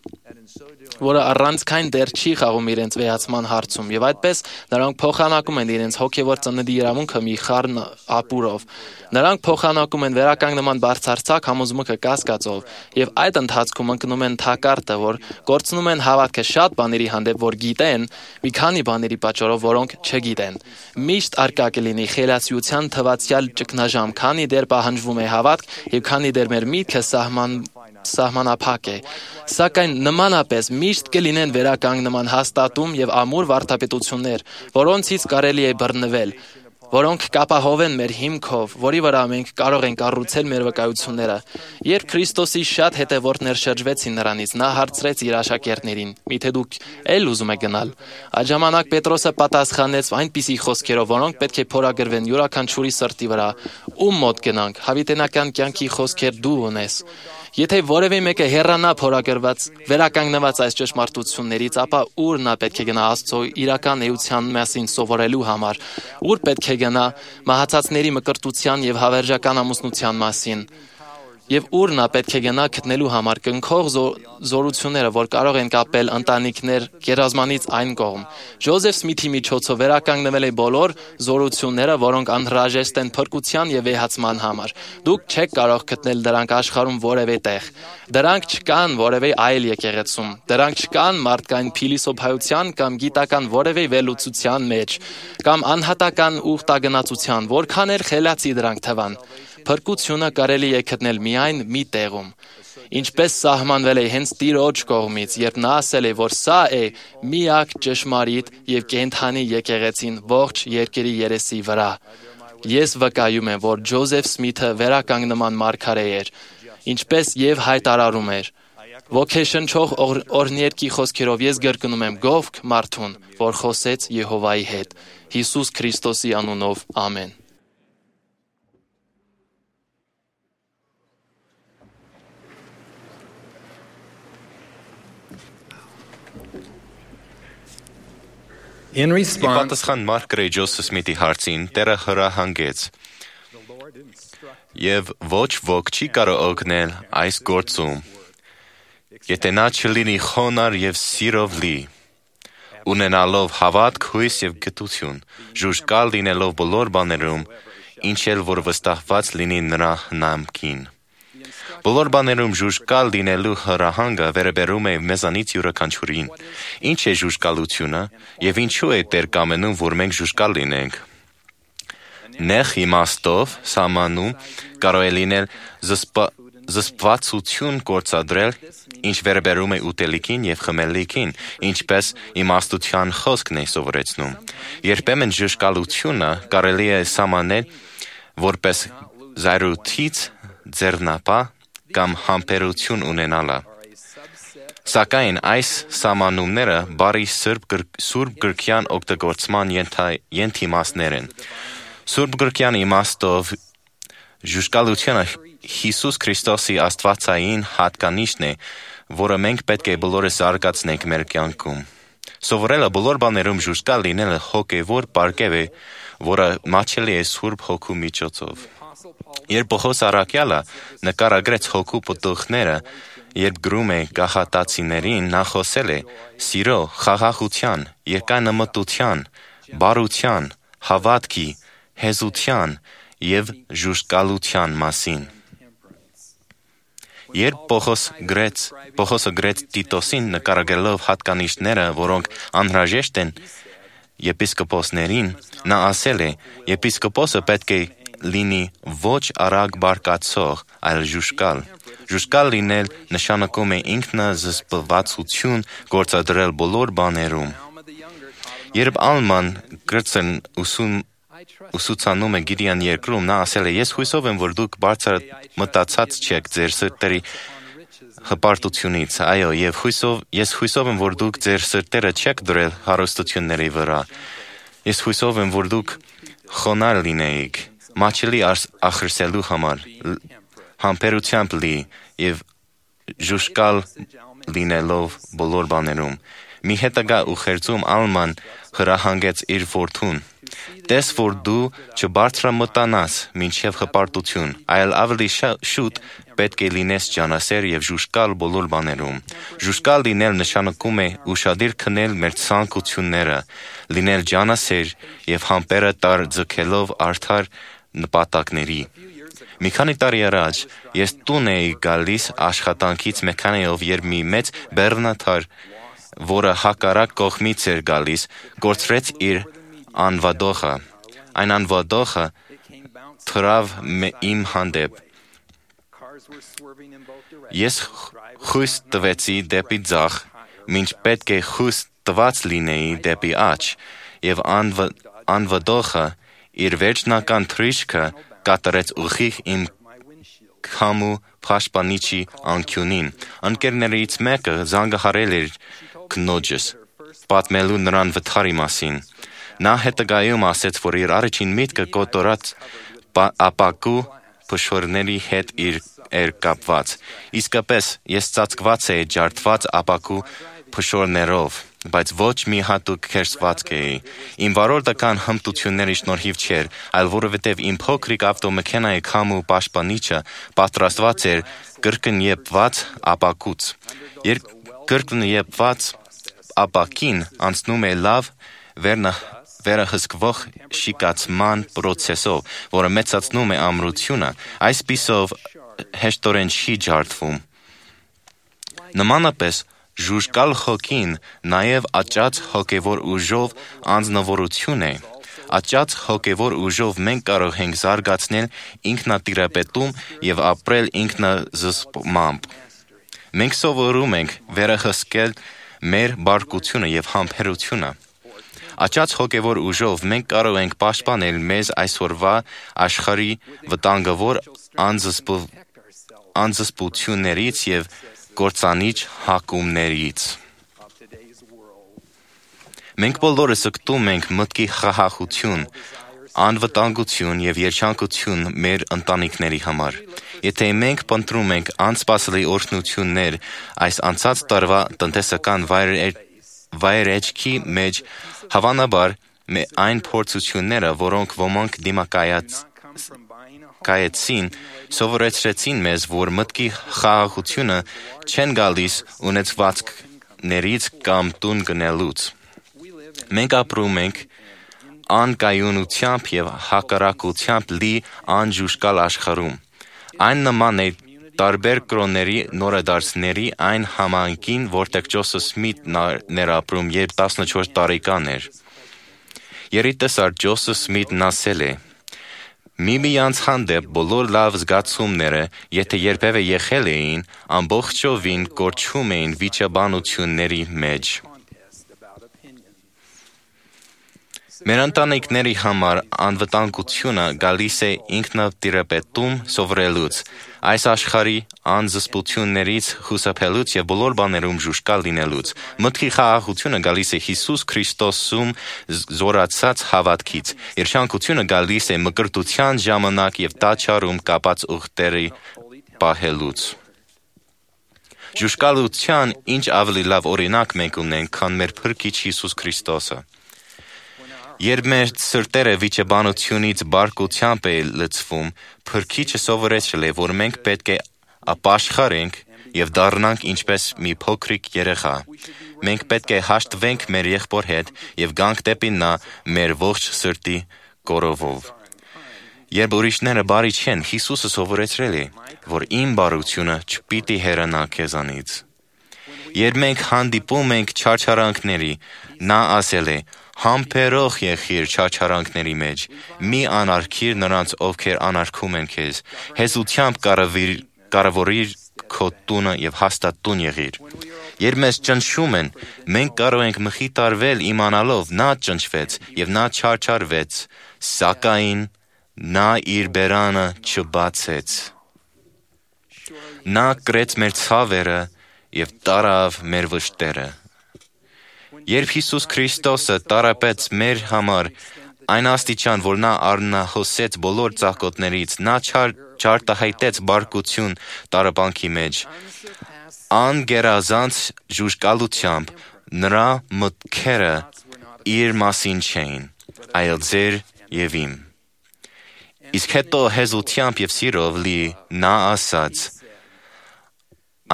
որը առանցքային դեր չի խաղում իրենց վեհացման հարցում, եւ այդպես նրանք փոխանակում են իրենց հոգեվոր ծննդի իրավունքը մի խառն ապուրով։ Նրանք փոխանակում են վերականգնման բարձրացակ համոզմունքը կասկածով, եւ այդ ընթացքում ընկնում են թակարդը, որ կորցնում են հավատքը շատ բաների հանդեպ, որ գիտեն, մի քանի բաների պատճառով, որոնք չգիտեն։ Միշտ արկա կլինի խելացիության թվացյալ ճգնաժամ, քանի դեռ պահանջվում է հավատք եւ քանի դեռ մեր միտքը սահմանափակ է, սակայն նմանապես միշտ կլինեն վերականգնման հաստատում եւ ամուր վարդապետություններ, որոնցից կարելի է բռնվել, որոնք կապահովեն մեր հիմքով, որի վրա մենք կարող ենք կառուցել մեր վկայությունները։ Երբ Քրիստոսի շատ հետևորդներ շրջվեցին նրանից, նա հարցրեց իր աշակերտներին. «Միթե դուք էլ ուզում եք գնալ»։ Այդ ժամանակ Պետրոսը պատասխանեց այնպիսի խոսքերով, որոնք պետք է փորագրվեն յուրաքանչյուրի սրտի վրա. «Ում մոտ գնանք, հավիտենական կյանքի խոսքեր դու ունես»։ Եթե որևէ մեկը հեռանա փորագրված, վերականգնված այս ճշմարտություններից, ապա ուր նա պետք է գնա Աստծո իրական էության մասին սովորելու համար, ուր պետք է գնա մահացածների մկրտության եւ հավերժական ամուսնության մասին, եւ ուր նա պետք է գնա գտնելու համար կնքող զորությունները, որ կարող են կապել ընտանիքներ գերազմանից այն կողմ։ Ջոզեֆ Սմիթի միջոցով վերականգնվել է բոլոր զորությունները, որոնք անհրաժեշտ են փրկության եւ վեհացման համար։ Դուք չեք կարող գտնել դրանք աշխարհում որևէ տեղ։ Դրանք չկան որևէ այլ եկեղեցում։ Դրանք չկան մարդկային փիլիսոփայության կամ գիտական որևէ վերլուծության մեջ, կամ անհատական ուխտագնացության, որքան էլ խելացի դրանք թվան։ Փրկությունը կարելի է գտնել միայն մի տեղում, ինչպես սահմանվել է հենց Տիրոջ կողմից, երբ նա ասել է, որ սա է միակ ճշմարիտ եւ կենդանի եկեղեցին ողջ երկրի երեսի վրա։ Ես վկայում եմ, որ Ջոզեֆ Սմիթը վերականգնման մարգարե էր, ինչպես եւ հայտարարում էր։ Ոգեշնչող օրհներկի խոսքերով ես գրկնում եմ գովք մարդուն, որ խոսեց Եհովայի հետ։ Հիսուս Քրիստոսի անունով, ամեն։ In Ի response, պատասխան Մարկ Գրեյջոս Սմիթի հարցին Տերը հրահանգեց. «Եվ ոչ ոք չի կարող օգնել այս գործում, եթե նա չլինի խոնարհ եւ սիրով լի, ունենալով հավատք, հույս եւ գթություն, ժուժկալ լինելով բոլոր բաներում, ինչ էլ որ վստահված լինի նրա հնամքին»։ Բոլոր բաներում ժուժկալ լինելու հրահանգը վերաբերում է մեզանից յուրաքանչյուրին։ Ինչ է ժուժկալությունը եւ ինչու է Տեր կամենում, որ մենք ժուժկալ լինենք։ Նեղ իմաստով սահմանում կարող է լինել զսպվածություն գործադրել, ինչ վերաբերում է ուտելիքին եւ խմելիքին, ինչպես իմաստության խոսքն է սովորեցնում։ Երբեմն ժուժկալությունը կարելի է սահմանել որպես զայրույթից ձեռնապահ կամ համբերություն ունենալը։ Սակայն այս սահմանումները բարի սուրբ գրքյան օգտագործման ենթիմաստներ են։ Սուրբ գրքյան իմաստով ժուժկալությունը Հիսուս Քրիստոսի աստվածային հատկանիշն է, որը մենք պետք է բոլորս զարգացնենք մեր կյանքում։ Սովորելը բոլոր բաներում ժուժկալ լինելը հոգևոր պարգև է, որը մատչելի է Սուրբ Հոգու միջոցով։ Երբ Պողոս առաքյալը նկարագրեց հոգու պտուղները, երբ գրում է գաղատացիներին, նա խոսել է սիրո, խաղաղության, երկայնամտության, բարության, հավատքի, հեզության եւ ժուժկալության մասին։ Երբ Պողոսը գրեց Տիտոսին նկարագրելով հատկանիշները, որոնք անհրաժեշտ են եպիսկոպոսներին, նա ասել է. «Եպիսկոպոսը պետք է լինի ոչ արագ բարկացող, այլ ժուժկալ»։ Ժուժկալ լինել նշանակում է ինքնազսպվածություն գործադրել բոլոր բաներում։ Երբ Ալման Գրցն ուսուցանում է Գիրյան երկրում, նա ասել է. «Ես հույսով եմ, որ դուք բարձր մտածած չեք ձեր սրտերի հպարտությունից, այո, եւ ես հույսով եմ, որ դուք ձեր սրտերը չեք դրել հարստությունների վրա։ Ես հույսով եմ, որ դուք խոնարհ լինեիք, մատչելի ախրսելու համար, համբերությամբ լի եւ ժուժկալ լինելով բոլոր բաներում»։ Մի հետագա ուղերձում Ալման հրահանգեց իր որդուն. «Տես, որ դու չբարձրամտանաս մինչև հպարտություն, այլ ավելի շուտ պետք է լինես ջանասեր եւ ժուժկալ բոլոր բաներում»։ Ժուժկալ լինել նշանակում է ուշադիր քնել մեր ցանկությունները, լինել ջանասեր եւ համբերը ձգելով արդար նպատակների։ Մի քանի տարի առաջ ես տուն էի գալիս աշխատանքից մեքենայով, երբ մի մեծ բեռնաթար, որը հակառակ կողմից էր գալիս, կորցրեց իր անվադոխը։ Այն անվադոխը թռավ իմ հանդեպ։ Ես խույս տվեցի դեպի ձախ, մինչ պետք է խույս տված լինեի դեպի աջ, եւ անվադոխը իր վերջնական թռիչքը կատարեց ուղիղ իմ քամու պաշտպանիչի անկյունին։ Ընկերներից մեկը զանգահարել էր քնոջս, պատմելու նրան վթարի մասին։ Նա հետագայում ասեց, որ իր առաջին միտքը կոտորած ապակու փշորների հետ էր կապված։ Իսկապես ես ծածկված էի ջարդված ապակու փշորներով, բայց ոչ մի հատուկ քերծվածք էի։ Իմ վարորդական հմտությունների շնորհիվ չէր, այլ որովհետև իմ փոքրիկ ավտոմեքենայի քամու պաշտպանիչը պատրաստված էր կրկնեփված ապակուց։ Երբ կրկնեփված ապակին անցնում է լավ վերահսկվող շիկացման պրոցեսով, որը մեծացնում է ամրությունը, այսպիսով հեշտորեն չի ջարդվում։ Նմանապես ժուժկալ հոգին նաև աճած հոգևոր ուժով անձնավորություն է։ Աճած հոգևոր ուժով մենք կարող ենք զարգացնել ինքնատիրապետում եւ ապրել ինքնազսպմամբ։ Մենք սովորում ենք վերահսկել մեր բարկությունը եւ համբերությունը։ Աճած հոգևոր ուժով մենք կարող ենք պաշտպանել մեզ այսօրվա աշխարհի վտանգավոր անզսպություններից եւ կործանիչ հակումներից։ Մենք բոլորս զգտում ենք մտքի խաղաղություն, անվտանգություն եւ երջանկություն մեր ընտանիքների համար։ Եթե մենք փնտրում ենք անսպասելի օրհնություններ այս անցած տարվա տնտեսական վայրեջքի մեջ հավանաբար այն փորձությունները, որոնք ոմանք դիմակայեցին, սովորեցրեցին մեզ, որ մտքի խաղաղությունը չեն գալիս ունեցվածքներից կամ տուն գնելուց։ Մենք ապրում ենք անկայունությամբ և հակառակությամբ լի անջուշկալ աշխարհում։ Այն նման է տարբեր կրոնների նորադարձների այն համայնքին, որտեղ Ջոսեֆ Սմիթն էր ապրում, երբ 14 տարեկան էր։ Երիտասարդ Ջոսեֆ Սմիթն ասել է. «Միմյանց հանդեպ բոլոր լավ զգացումները, եթե երբևէ եղել էին, ամբողջովին կորչում էին վիճաբանությունների մեջ»։ Մեր ընտանիքների համար անվտանգությունը գալիս է ինքնատիրապետում սովորելուց, այս աշխարհի անզսպություններից խուսափելուց և բոլոր բաներում ժուշկալ լինելուց։ Մտքի խաղաղությունը գալիս է Հիսուս Քրիստոսում զորացած հավատքից։ Երջանկությունը գալիս է մկրտության ժամանակ և տաճարում կապած ուղտերի պահելուց։ Ժուշկալության ինչ ավելի լավ օրինակ մենք ունենք, քան մեր Փրկիչ Հիսուս Քրիստոսը։ Երբ մեր սրտերը վիճաբանությունից բարկությամբ է լցվում, Փրկիչը սովորեցրել է, որ մենք պետք է ապաշխարենք և դառնանք ինչպես մի փոքրիկ երեխա։ Մենք պետք է հաշտվենք մեր եղբոր հետ և գանք դեպի նա մեր ողջ սրտի կորովով։ Երբ ուրիշները բարի չեն, Հիսուսը սովորեցրել է, որ իմ բարությունը չպիտի հեռանա քեզանից։ Երբ մենք հանդիպում ենք չարչարանքների, նա ասել է. «Համբերող եղիր չարչարանքների մեջ, մի անարգիր նրանց, ովքեր անարգում են քեզ, հեզությամբ կառավարիր քո տունը և հաստատ տուն եղիր»։ Երբ մեզ ճնշում են, մենք կարող ենք մխիթարվել իմանալով նա ճնշվեց և նա չարչարվեց, սակայն նա իր բերանը չբացեց։ Նա կրեց մեր ցավերը և տարավ մեր վշտերը։ Երբ Հիսուս Քրիստոսը տառապեց մեր համար այն աստիճան, որ նա արնահոսեց բոլոր ծակոտներից, նա չարտահայտեց բարկություն տառապանքի մեջ, անգերազանց ժուժկալությամբ նրա մտքերը իր մասին չէին, այլ ձեր և իմ։ Իսկ հետո հեզությամբ և սիրով լի նա ասաց.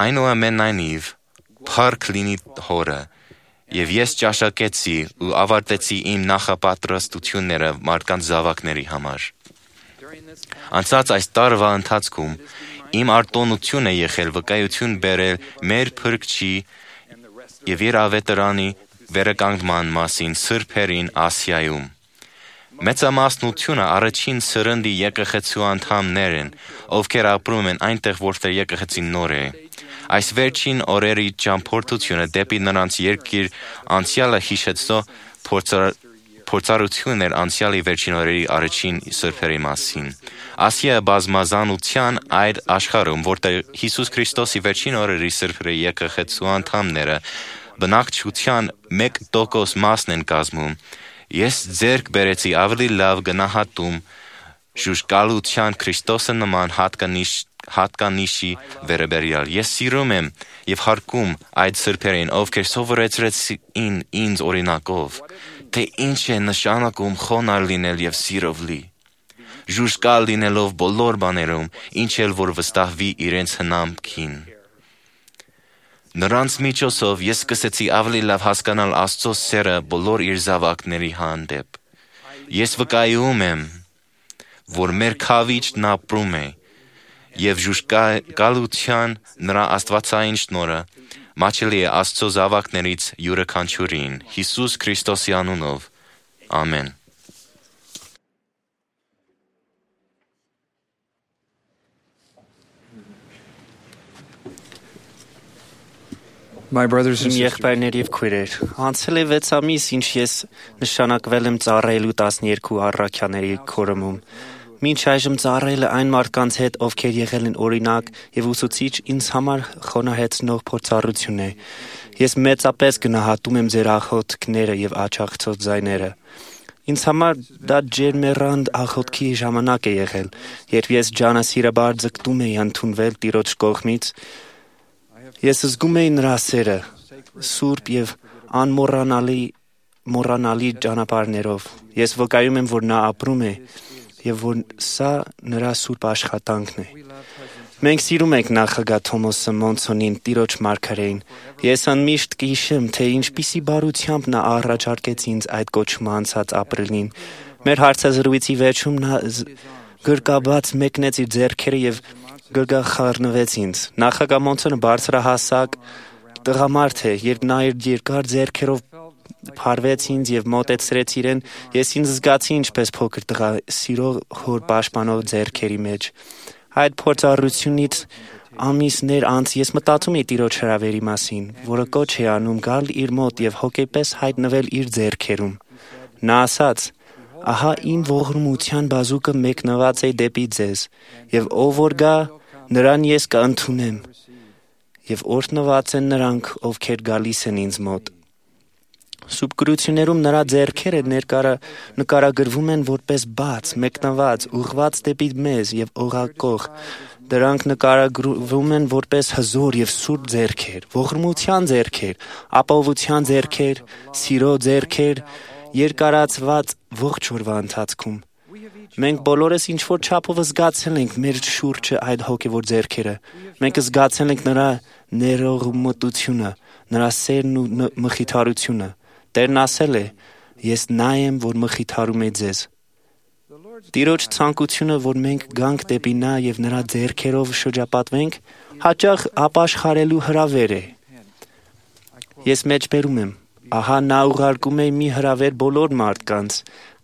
«Այնուամենայնիվ, փառք լինի Հորը, և ես ճաշակեցի ու ավարտեցի իմ նախապատրաստությունները մարդկանց զավակների համար»։ Անցած այս տարվա ընթացքում իմ արտոնություն է եղել վկայություն բերել մեր Փրկչի և իր ավետարանի վերականգնման մասին սրբերին Ասիայում։ Մեծամասնությունը առաջին սերնդի եկեղեցու անդամներ են, ովքեր ապրում են այնտեղ, որտեղ եկեղեցին նոր է։ Այս վերջին օրերի ճամփորդությունը դեպի նրանց երկիր անցյալը հիշեցնող փորձառություն էր անցյալի վերջին օրերի առաջին սրբերի մասին։ Ասիա բազմազանության այդ աշխարհում, որտեղ Հիսուս Քրիստոսի վերջին օրերի սրբերի եկեղեցու անդամները բնակչության 1% մասն են կազմում, ես ձեռք բերեցի ավելի լավ գնահատում ժուժկալության Քրիստոսը նման հատկանիշի վերաբերյալ։ Ես սիրում եմ և հարգում այդ սրբերին, ովքեր սովորեցրեցին ինձ օրինակով, թե ինչ է նշանակում խոնարհ լինել և սիրով լի, ժուժկալ լինելով բոլոր բաներում, ինչ էլ որ վստահվի իրենց հնամքին։ Նրանց միջոցով ես սկսեցի ավելի լավ հասկանալ Աստծո սերը բոլոր իր զավակների հանդեպ։ Ես վկայում եմ, որ մեր Քավիճն ապրում է, և ժուժկալության նրա աստվածային շնորհը մատչելի է Աստծո զավակներից յուրաքանչյուրին, Հիսուս Քրիստոսի անունով, ամեն։ Իմ եղբայրներ և քույրեր, անցել է 6 ամիս, ինչ ես նշանակվել եմ ծառայելու 12 առաքյաների քորմում։ Մինչ այժմ ծառայելը այն մարդկանց հետ, ովքեր եղել են օրինակ և ուսուցիչ, ինձ համար խոնարհեցնող փորձառություն է։ Ես մեծապես գնահատում եմ ձեր աղոթքները և աջակցող ձայները։ Ինձ համար դա ջերմեռանդ աղոթքի ժամանակ է եղել, երբ ես ջանասիրաբար ձգտում էի ընդունվել Տիրոջ կողմից։ Ես զգում էի նրա սերը, սուրբ և մոռանալի ճանապարհներով։ Ես վկայում եմ, որ նա ապրում է եւ որ սա նրա սուրբ աշխատանքն է։ Մենք սիրում ենք նախագահ Թոմասը Մոնսոնին, Տիրոջ մարգարեին։ Ես անմիշտ կհիշեմ, թե ինչպիսի բարությամբ նա առաջարկեց ինձ այդ կոչումը անցած ապրիլին։ Մեր հարցազրույցի վերջում նա գրկաբաց մեկնեց իր ձեռքերը եւ գրգախառնվեց ինձ։ Նախագահ Մոնսոնը բարձրահասակ տղամարդ է, երբ նա իր երկար ձեռքերով փարվեց ինձ եւ մոտեցրեց իրեն, ես ինձ զգացի ինչպես փոքր տղա սիրող հոր պաշտպանող ձեռքերի մեջ։ Այդ փորձառությունից ամիսներ անց ես մտածում էի Տիրոջ հրավերի մասին, որը կոչ է անում գալ իր մոտ եւ հոգեպես հայտնվել իր ձեռքերում։ Նա ասաց. «Ահա իմ ողորմության բազուկը մեկնված է դեպի ձեզ, եւ ով որ գա, նրան ես կընդունեմ, եւ օրհնված են նրանք, ովքեր գալիս են ինձ մոտ»։ Սուրբ գրություններում նրա ձեռքերը նկարագրվում են որպես բաց, մեկնված, ուղղված դեպի մեզ եւ օղակող։ Դրանք նկարագրվում են որպես հզոր եւ սուրբ ձեռքեր, ողորմության ձեռքեր, ապահովության ձեռքեր, սիրո ձեռքեր, երկարացված ողջ օրվա ընթացքում։ Մենք բոլորս ինչ-որ չափով զգացել ենք մեր շուրջը այդ հոգևոր ձեռքերը։ Մենք զգացել ենք նրա ներողամտությունը, նրա սերն ու մխիթարությունը։ Տերն ասել է. «Ես նա եմ, որ մխիթարում է ձեզ»։ Տիրոջ ցանկությունը, որ մենք գանք դեպի նա եւ նրա ձեռքերով շրջապատվենք, հաճախ ապաշխարելու հրավեր է։ Ես մեջբերում եմ. ահա նա ուղարկում է մի հրավեր բոլոր մարդկանց,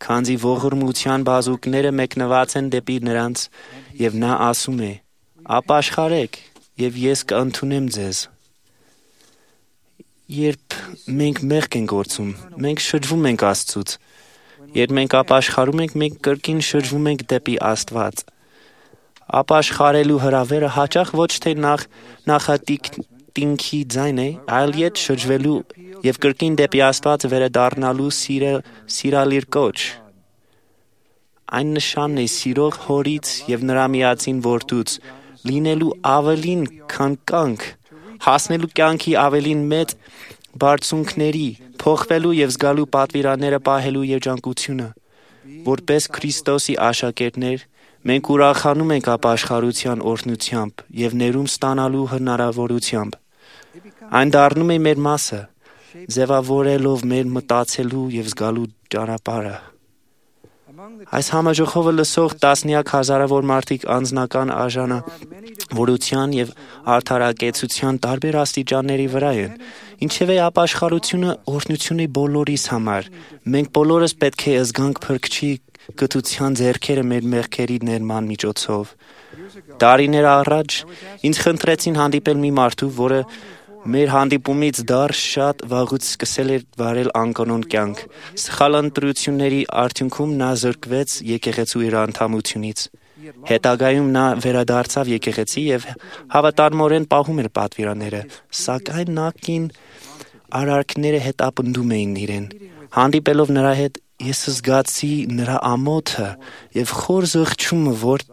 քանզի ողորմության բազուկները մեկնված են դեպի նրանց, եւ նա ասում է. «Ապաշխարեք, եւ ես կընդունեմ ձեզ»։ Երբ մենք մեղք ենք գործում, մենք շրջվում ենք Աստծուց։ Երբ մենք ապաշխարում ենք, մենք կրկին շրջվում ենք դեպի Աստված։ Ապաշխարելու հրավերը հաճախ ոչ թե նախատինքի ձայն է, այլ ետ շրջվելու եւ կրկին դեպի Աստված վերադառնալու սիրալիր կոչ։ Այն նշանն է սիրող հորից եւ նրա միածին որդուց լինելու ավելին, քան կյանք, հասնելու կյանքի ավելին մեծ բարձունքների, փոխվելու եւ զգալու պատվիրանները պահելու երջանկությունը։ Որպես Քրիստոսի աշակերտներ, մենք ուրախանում ենք ապաշխարության օրհնությամբ եւ ներում ստանալու հնարավորությամբ։ Այն դառնում է մեր մասը, ձևավորելով մեր մտածելու եւ զգալու ճանապարհը։ Այս համաժողովը լսող տասնյակ հազարավոր մարդիկ անձնական արժանավորության եւ արդարակեցության տարբեր աստիճանների վրա են։ Ինչևէ ապաշխարությունը օրհնություն է բոլորիս համար։ Մենք բոլորս պետք է զգանք Փրկչի գթության ձեռքերը մեր մեղքերի ներման միջոցով։ Տարիներ առաջ ինձ խնդրեցին հանդիպել մի մարդու, որը մեր հանդիպումից դեռ շատ վաղուց սկսել էր վարել անկանոն կյանք։ Սխալ ընտրությունների արդյունքում նա զրկվեց եկեղեցու իր անդամությունից։ Հետագայում նա վերադարձավ եկեղեցի եւ հավատարմորեն պահում էր պատվիրանները, սակայն նախկին արարքները հետապնդում էին իրեն։ Հանդիպելով նրա հետ ես զգացի նրա ամոթը եւ խոր զղջումը, որ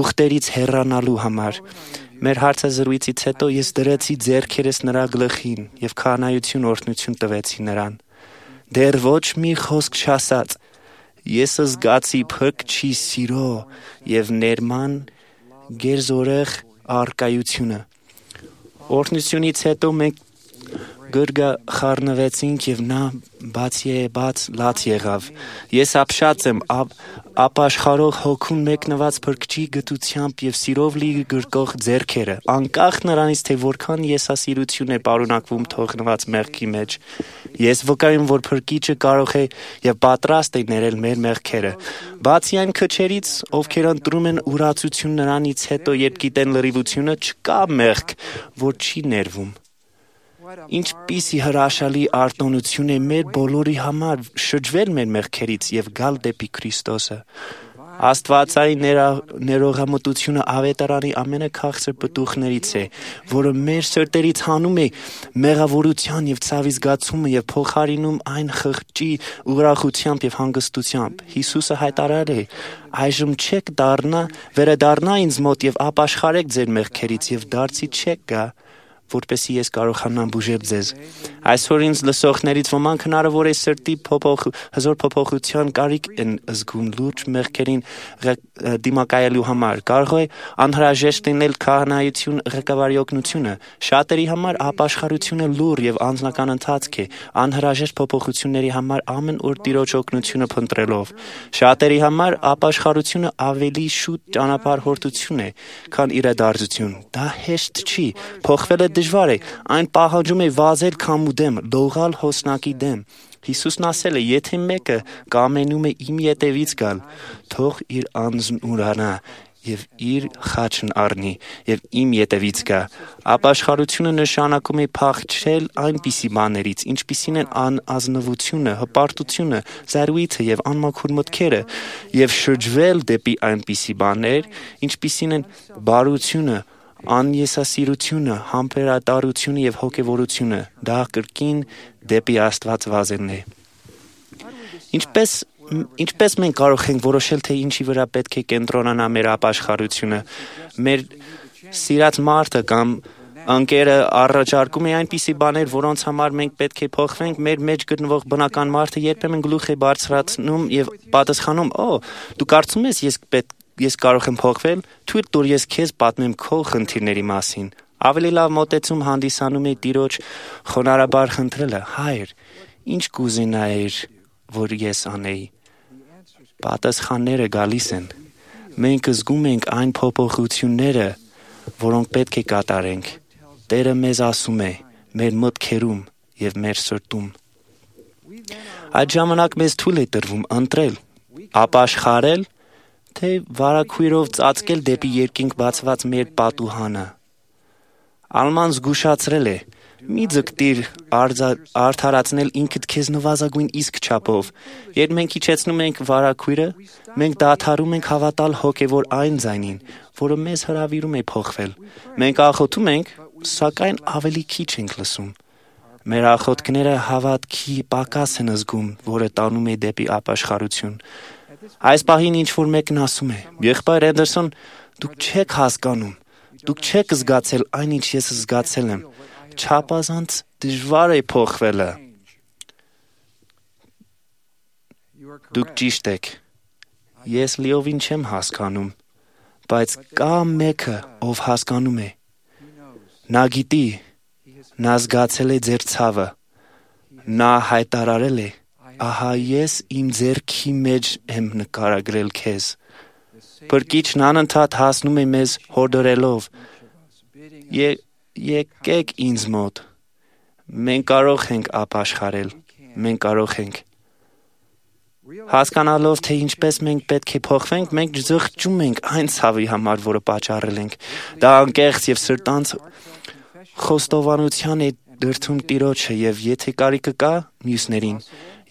ուխտերից հեռանալու համար։ Մեր հարցազրույցից հետո ես դրեցի ձեռքերս նրա գլխին եւ քահանայություն օրհնություն տվեցի նրան։ Դեռ ոչ մի խոսք չասած, ես զգացի Փրկչի սիրո եւ ներման գերզորեղ արկայությունը։ Օրհնությունից հետո մենք գրգախառնվեցինք եւ նա բաց լաց եղավ։ Ես ապշած եմ ապաշխարող հոգուն մեկնված Փրկչի գթությամբ եւ սիրով լի գրկող ձեռքերը, անկախ նրանից, թե որքան եսասիրություն է պարունակվում թողնված մեղքի մեջ։ Ես վկայում, որ Փրկիչը կարող է եւ պատրաստ է ներել մեր մեղքերը։ Բացի այն քչերից, ովքեր ընտրում են ուրացություն նրանից հետո, երբ գիտեն լրիվությունը, չկա մեղք, որ չի ներվում։ Ինչպիսի հրաշալի արտոնություն է մեր բոլորի համար շրջվել մեր մեղքերից եւ գալ դեպի Քրիստոսը։ Աստվածային ներողամտությունը ավետարանի ամենաքաղցր պտուղներից է, որը մեր սրտերից հանում է մեղավորության եւ ցավի զգացումը եւ փոխարինում այն խղճի ուրախությամբ եւ հանգստությամբ։ Հիսուսը հայտարարել է. «Այժմ չեք վերադառնա ինձ մոտ եւ ապաշխարեք ձեր մեղքերից եւ դարձի չեք գա, որպեսզի ես կարողանամ բուժել ձեզ։ Այսօր ինձ լսողներից ոմանք հնարավոր է սրտի հզոր փոփոխության կարիք են զգում լուրջ մեղքերին դիմակայելու համար։ Կարող է անհրաժեշտ լինել քահանայություն ղեկավարի օգնությունը։ Շատերի համար ապաշխարությունը լուր եւ անձնական ընթացք է, անհրաժեշտ փոփոխությունների համար ամեն օր Տիրոջ օգնությունը փնտրելով։ Շատերի համար ապաշխարությունը ավելի շուտ ճանապարհորդություն է, քան իրադարձություն։ Դա հեշտ չի, փոխվելը դժվար է, այն պահանջում է վազել քամու դեմ, լողալ հոսնակի դեմ։ Հիսուսն ասել է, եթե մեկը կամենում է իմ ետևից գալ, թող իր անձն ուրանա եւ իր խաչն առնի եւ իմ ետևից գա։ Ապաշխարությունը նշանակում է փախչել այնպիսի բաներից, ինչպիսին են անազնվությունը, հպարտությունը, զարույցը եւ անմաքուր մտքերը, եւ շրջվել դեպի այնպիսի բաներ, ինչպիսին են բարությունը, անեսասիրությունը, համբերատարությունը եւ հոգեվորությունը։ Դա կրկին դեպի Աստված վազելն է։ Ինչպես մենք կարող ենք որոշել, թե ինչի վրա պետք է կենտրոնանա մեր ապաշխարությունը։ Մեր սիրած մարդը կամ ընկերը առաջարկում է այնպիսի բաներ, որոնց համար մենք պետք է փոխվենք, մեր մեջ գտնվող բնական մարդը երբեմն գլուխ է բարձրացնում եւ պատասխանում. դու կարծում ես ես կարող եմ փոխվել, թույլ տուր ես քեզ պատմեմ քո խնդիրների մասին։ Ավելի լավ մոտեցում հանդիսանում է Տիրոջ խոնարհաբար խնդրելը. Հայր, ինչ կուզենայիր, որ ես անեի։ Պատասխանները գալիս են։ Մենք զգում ենք այն փոփոխությունները, որոնք պետք է կատարենք։ Տերը մեզ ասում է մեր մտքերում եւ մեր սրտում։ Այդ ժամանակ մեզ թույլ է տրվում ընտրել, ապաշխարել, թե վարակույրով ծածկել դեպի երկինք բացված մեր պատուհանը։ Ալման զգուշացրել է. մի ձգտիր արդարացնել ինքդ քեզ նվազագույն իսկ չափով։ Երբ մենք իջեցնում ենք վարակույրը, մենք դադարում ենք հավատալ հոգևոր այն ձայնին, որը մեզ հրավիրում է փոխվել։ Մենք աղոթում ենք, սակայն ավելի քիչ ենք լսում։ Մեր աղոթքները հավատքի պակաս են զգում, որը տանում է դեպի ապաշխարություն։ Այս պահին ինչ-որ մեկն ասում է. Եղբայր Էնդերսոն, դուք չեք հասկանում, դուք չեք զգացել այն, ինչ ես զգացել եմ։ Չափազանց դժվար է փոխվելը։ Դուք ճիշտ եք։ Ես լիովին չեմ հասկանում, բայց կա մեկը, ով հասկանում է։ Նա գիտի, նա զգացել է ձեր ցավը։ Նա հայտարարել է. ահա ես իմ ձեռքի մեջ եմ նկարագրել քեզ։ Փրկիչն անընդհատ հասնում է մեզ հորդորելով. Եկեք ինձ մոտ։ Մենք կարող ենք ապաշխարել, մենք կարող ենք։ Հասկանալով, թե ինչպես մենք պետք է փոխվենք, մենք զղջում ենք այն ցավի համար, որը պատճառել ենք։ Դա անկեղծ եւ սրտանց խոստովանության է դրդում Տիրոջը եւ եթե կարիքը կա, մյուսներին,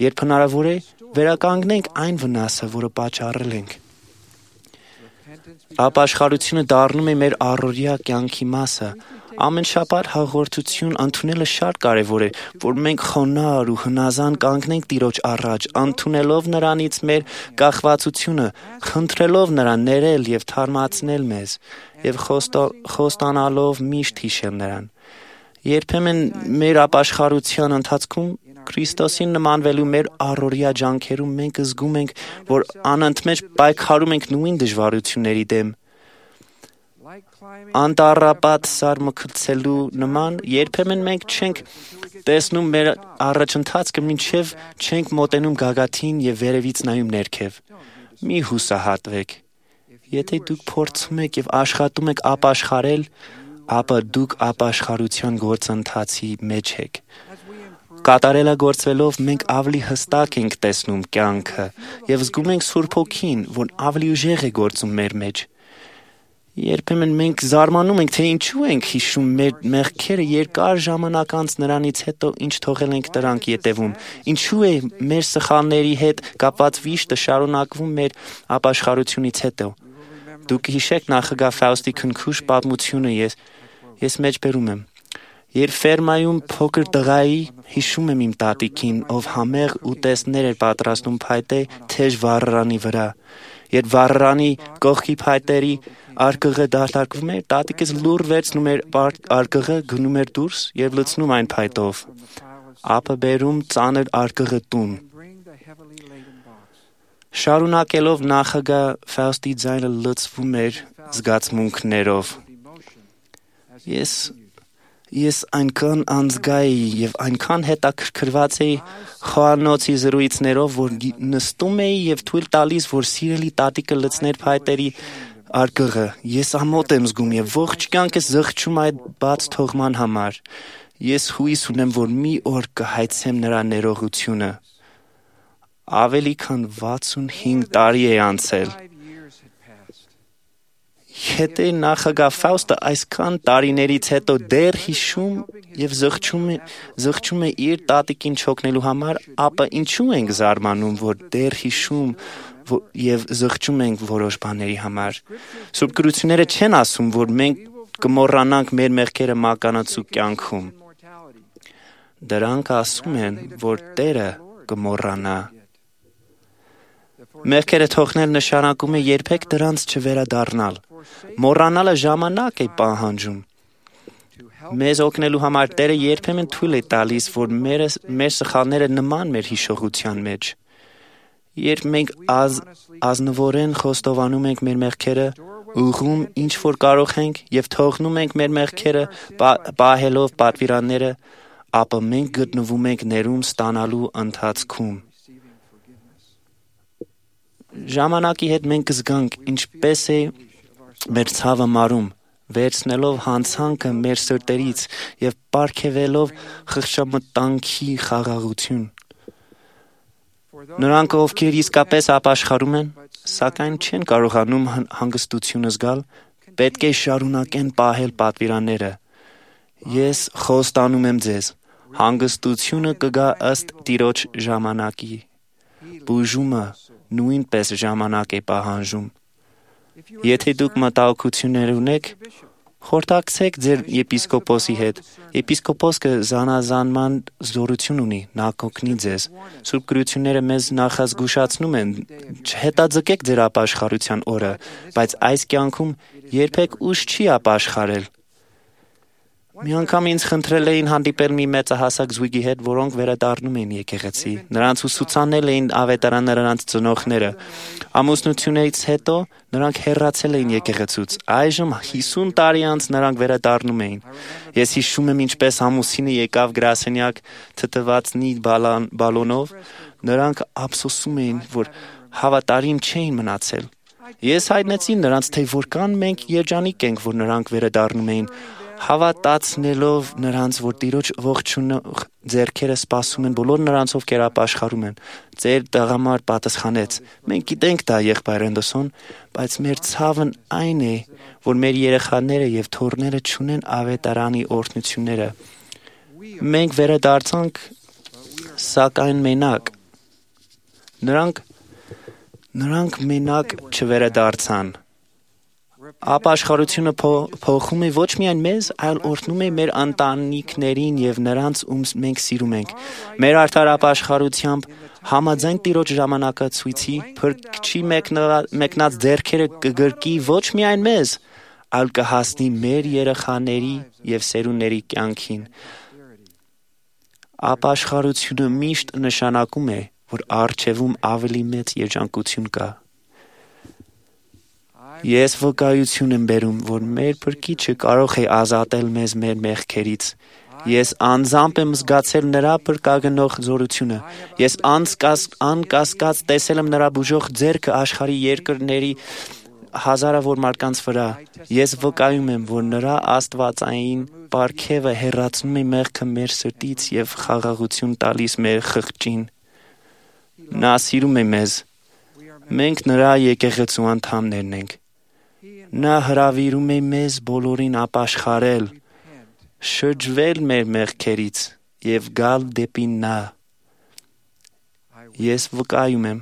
երբ հնարավոր է, վերականգնենք այն վնասը, որը պատճառել ենք։ Ապաշխարությունը դառնում է մեր առօրյա կյանքի մասը։ Ամեն շաբաթ հաղորդություն ընդունելը շատ կարևոր է, որ մենք խոնարհ ու հնազան կանգնենք Տիրոջ առաջ, ընդունելով նրանից մեր կախվածությունը, խնդրելով նրան ներել եւ թարմացնել մեզ եւ խոստանալով միշտ հիշել նրան։ Երբեմն մեր ապաշխարության ընթացքում Քրիստոսին նմանվելու մեր առօրյա ջանքերում մենք զգում ենք, որ անընդմեջ պայքարում ենք նույն դժվարությունների դեմ։ Անտառապատ սարմքցելու նման երբեմն մենք չենք տեսնում մեր առաջընթացքը, մինչև չենք մոտենում գագաթին եւ վերևից նայում ներքև։ Մի հուսահատվեք։ Եթե դուք փորձում եք եւ աշխատում եք ապաշխարել, ապա դուք ապաշխարության գործընթացի մեջ եք։ Կատարելագործվելով մենք ավելի հստակ ենք տեսնում կյանքը եւ զգում ենք Սուրբ Հոգին, որ ավելի ուժեղ է գործում մեր մեջ։ Երբեմն մենք զարմանում ենք, թե ինչու ենք հիշում մեր մեղքերը երկար ժամանակ անց նրանից հետո, ինչ թողել ենք դրանք ետևում։ Ինչու է մեր սխալների հետ կապված վիշտը շարունակվում մեր ապաշխարությունից հետո։ Դուք հիշեք նախագահ Ֆաուստի քնքուշ պատմությունը, ես մեջբերում եմ։ Երբ ֆերմայում փոքր տղայի հիշում եմ իմ տատիկին, ով համեղ ուտեստներ էր պատրաստում փայտե թեժ վառարանի վրա։ Երբ վառարանի կողքի փայտերի արկղը դաշտարկվում էր, տատիկս լուռ վերցնում էր արկղը, գնում էր դուրս եւ լցնում այն փայտով, ապա բերում ծանր արկղը տուն։ Շարունակելով նախագահ Ֆաուստի ձայնը լցվում էր զգացմունքներով։ Ես այնքան անզգայի եւ այնքան հետաքրքրված էի խոհանոցի զրույցներով, որ նստում էի եւ թույլ տալիս, որ սիրելի տատիկը լցներ փայտերի արկղը։ Ես ամոթ եմ զգում եւ ողջ կյանքս զղջում այդ բաց թողման համար։ Ես հույս ունեմ, որ մի օր կհայցեմ նրա ներողությունը։ Ավելի քան 65 տարի է անցել։ Եթե նախագահ Ֆաուստը այսքան տարիներից հետո դեռ հիշում եւ զղջում է իր տատիկին չօգնելու համար, ապա ինչու ենք զարմանում, որ դեռ հիշում եւ զղջում ենք որոշ բաների համար։ Սուրբ գրությունները չեն ասում, որ մենք կմոռանանք մեր մեղքերը մականացու կյանքում։ Դրանք ասում են, որ Տերը կմոռանա։ Մեղքերը թողնել նշանակում է երբեք դրանց չվերադառնալ։ Մոռանալը ժամանակ է պահանջում։ Մեզ օգնելու համար Տերը երբեմն թույլ է տալիս, որ մեր սխալները նման մեր հիշողության մեջ։ Երբ մենք ազնվորեն խոստովանում ենք մեր մեղքերը, ուղղում ինչ որ կարող ենք եւ թողնում ենք մեր մեղքերը, պահելով պատվիրանները, ապա մենք գտնվում ենք ներում ստանալու ընթացքում։ Ժամանակի հետ մենք կզգանք ինչպես է մեր ցավը մարում, վերցնելով հանցանքը մեր սրտերից եւ պարգևելով խղճամտանքի խաղաղություն։ Նրանք, ովքեր իսկապես ապաշխարում են, սակայն չեն կարողանում հանգստությունը զգալ, պետք է շարունակեն պահել պատվիրանները։ Ես խոստանում եմ ձեզ, հանգստությունը կգա ըստ Տիրոջ ժամանակի։ Բուժումը նույնպես ժամանակ է պահանջում։ Եթե դուք մտահոգություններ ունեք, խորհրդակցեք ձեր եպիսկոպոսի հետ։ Եպիսկոպոսը զանազանման զորություն ունի, նա կօգնի ձեզ։ Սուրբ գրությունները մեզ նախազգուշացնում են, չհետաձգեք ձեր ապաշխարության օրը, բայց այս կյանքում երբեք ուշ չի ապաշխարել։ Մի անգամ ինձ խնդրել էին հանդիպել մի մեծահասակ զույգի հետ, որոնք վերադառնում էին եկեղեցի։ Նրանց ուսուցանել էին ավետարանը նրանց ծնողները։ Ամուսնությունից հետո նրանք հեռացել էին եկեղեցուց։ Այժմ 50 տարի անց նրանք վերադառնում էին։ Ես հիշում եմ ինչպես ամուսինը եկավ գրասենյակ թթվածնի բալոնով։ Նրանք ափսոսում էին, որ հավատարիմ չէին մնացել։ Ես հայտնեցի նրանց, թե որքան մենք երջանիկ ենք, որ նրանք վերադառնում էին, հավատացնելով նրանց, որ Տիրոջ ողջունող ձեռքերը սպասում են բոլոր նրանց, ովքեր ապաշխարում են։ Ձեր տղամարդ պատասխանեց. մենք գիտենք դա, եղբայր Էնդոսոն, բայց մեր ցավն այն է, որ մեր երեխաները եւ թոռները չունեն ավետարանի օրհնությունները։ Մենք վերադարձանք, սակայն մենակ։ Նրանք մենակ չվերադարձան։ Ապաշխարությունը փոխում է ոչ միայն մեզ, այլ օրհնում է մեր ընտանիքներին եւ նրանց, ում մենք սիրում ենք։ Մեր արդար ապաշխարությամբ համաձայն Տիրոջ ժամանակացույցի Փրկչի մեկնած ձեռքերը կգրկի ոչ միայն մեզ, այլ կհասնի մեր երեխաների եւ սերունդների կյանքին։ Ապաշխարությունը միշտ նշանակում է, որ առջևում ավելի մեծ երջանկություն կա։ Ես վկայություն եմ բերում, որ մեր Փրկիչը կարող է ազատել մեզ մեր մեղքերից։ Ես անձամբ եմ զգացել նրա փրկագնող զորությունը։ Ես անկասկած տեսել եմ նրա բուժող ձեռքը աշխարհի երկրների հազարավոր մարդկանց վրա։ Ես վկայում եմ, որ նրա աստվածային պարգևը հեռացնում է մեղքը մեր սրտից եւ խաղաղություն տալիս մեր խղճին։ Նա սիրում է մեզ։ Մենք նրա եկեղեցու անդամներն ենք։ Նա հրավիրում է մեզ բոլորին ապաշխարել, շրջվել մեր մեղքերից եւ գալ դեպի նա։ Ես վկայում եմ,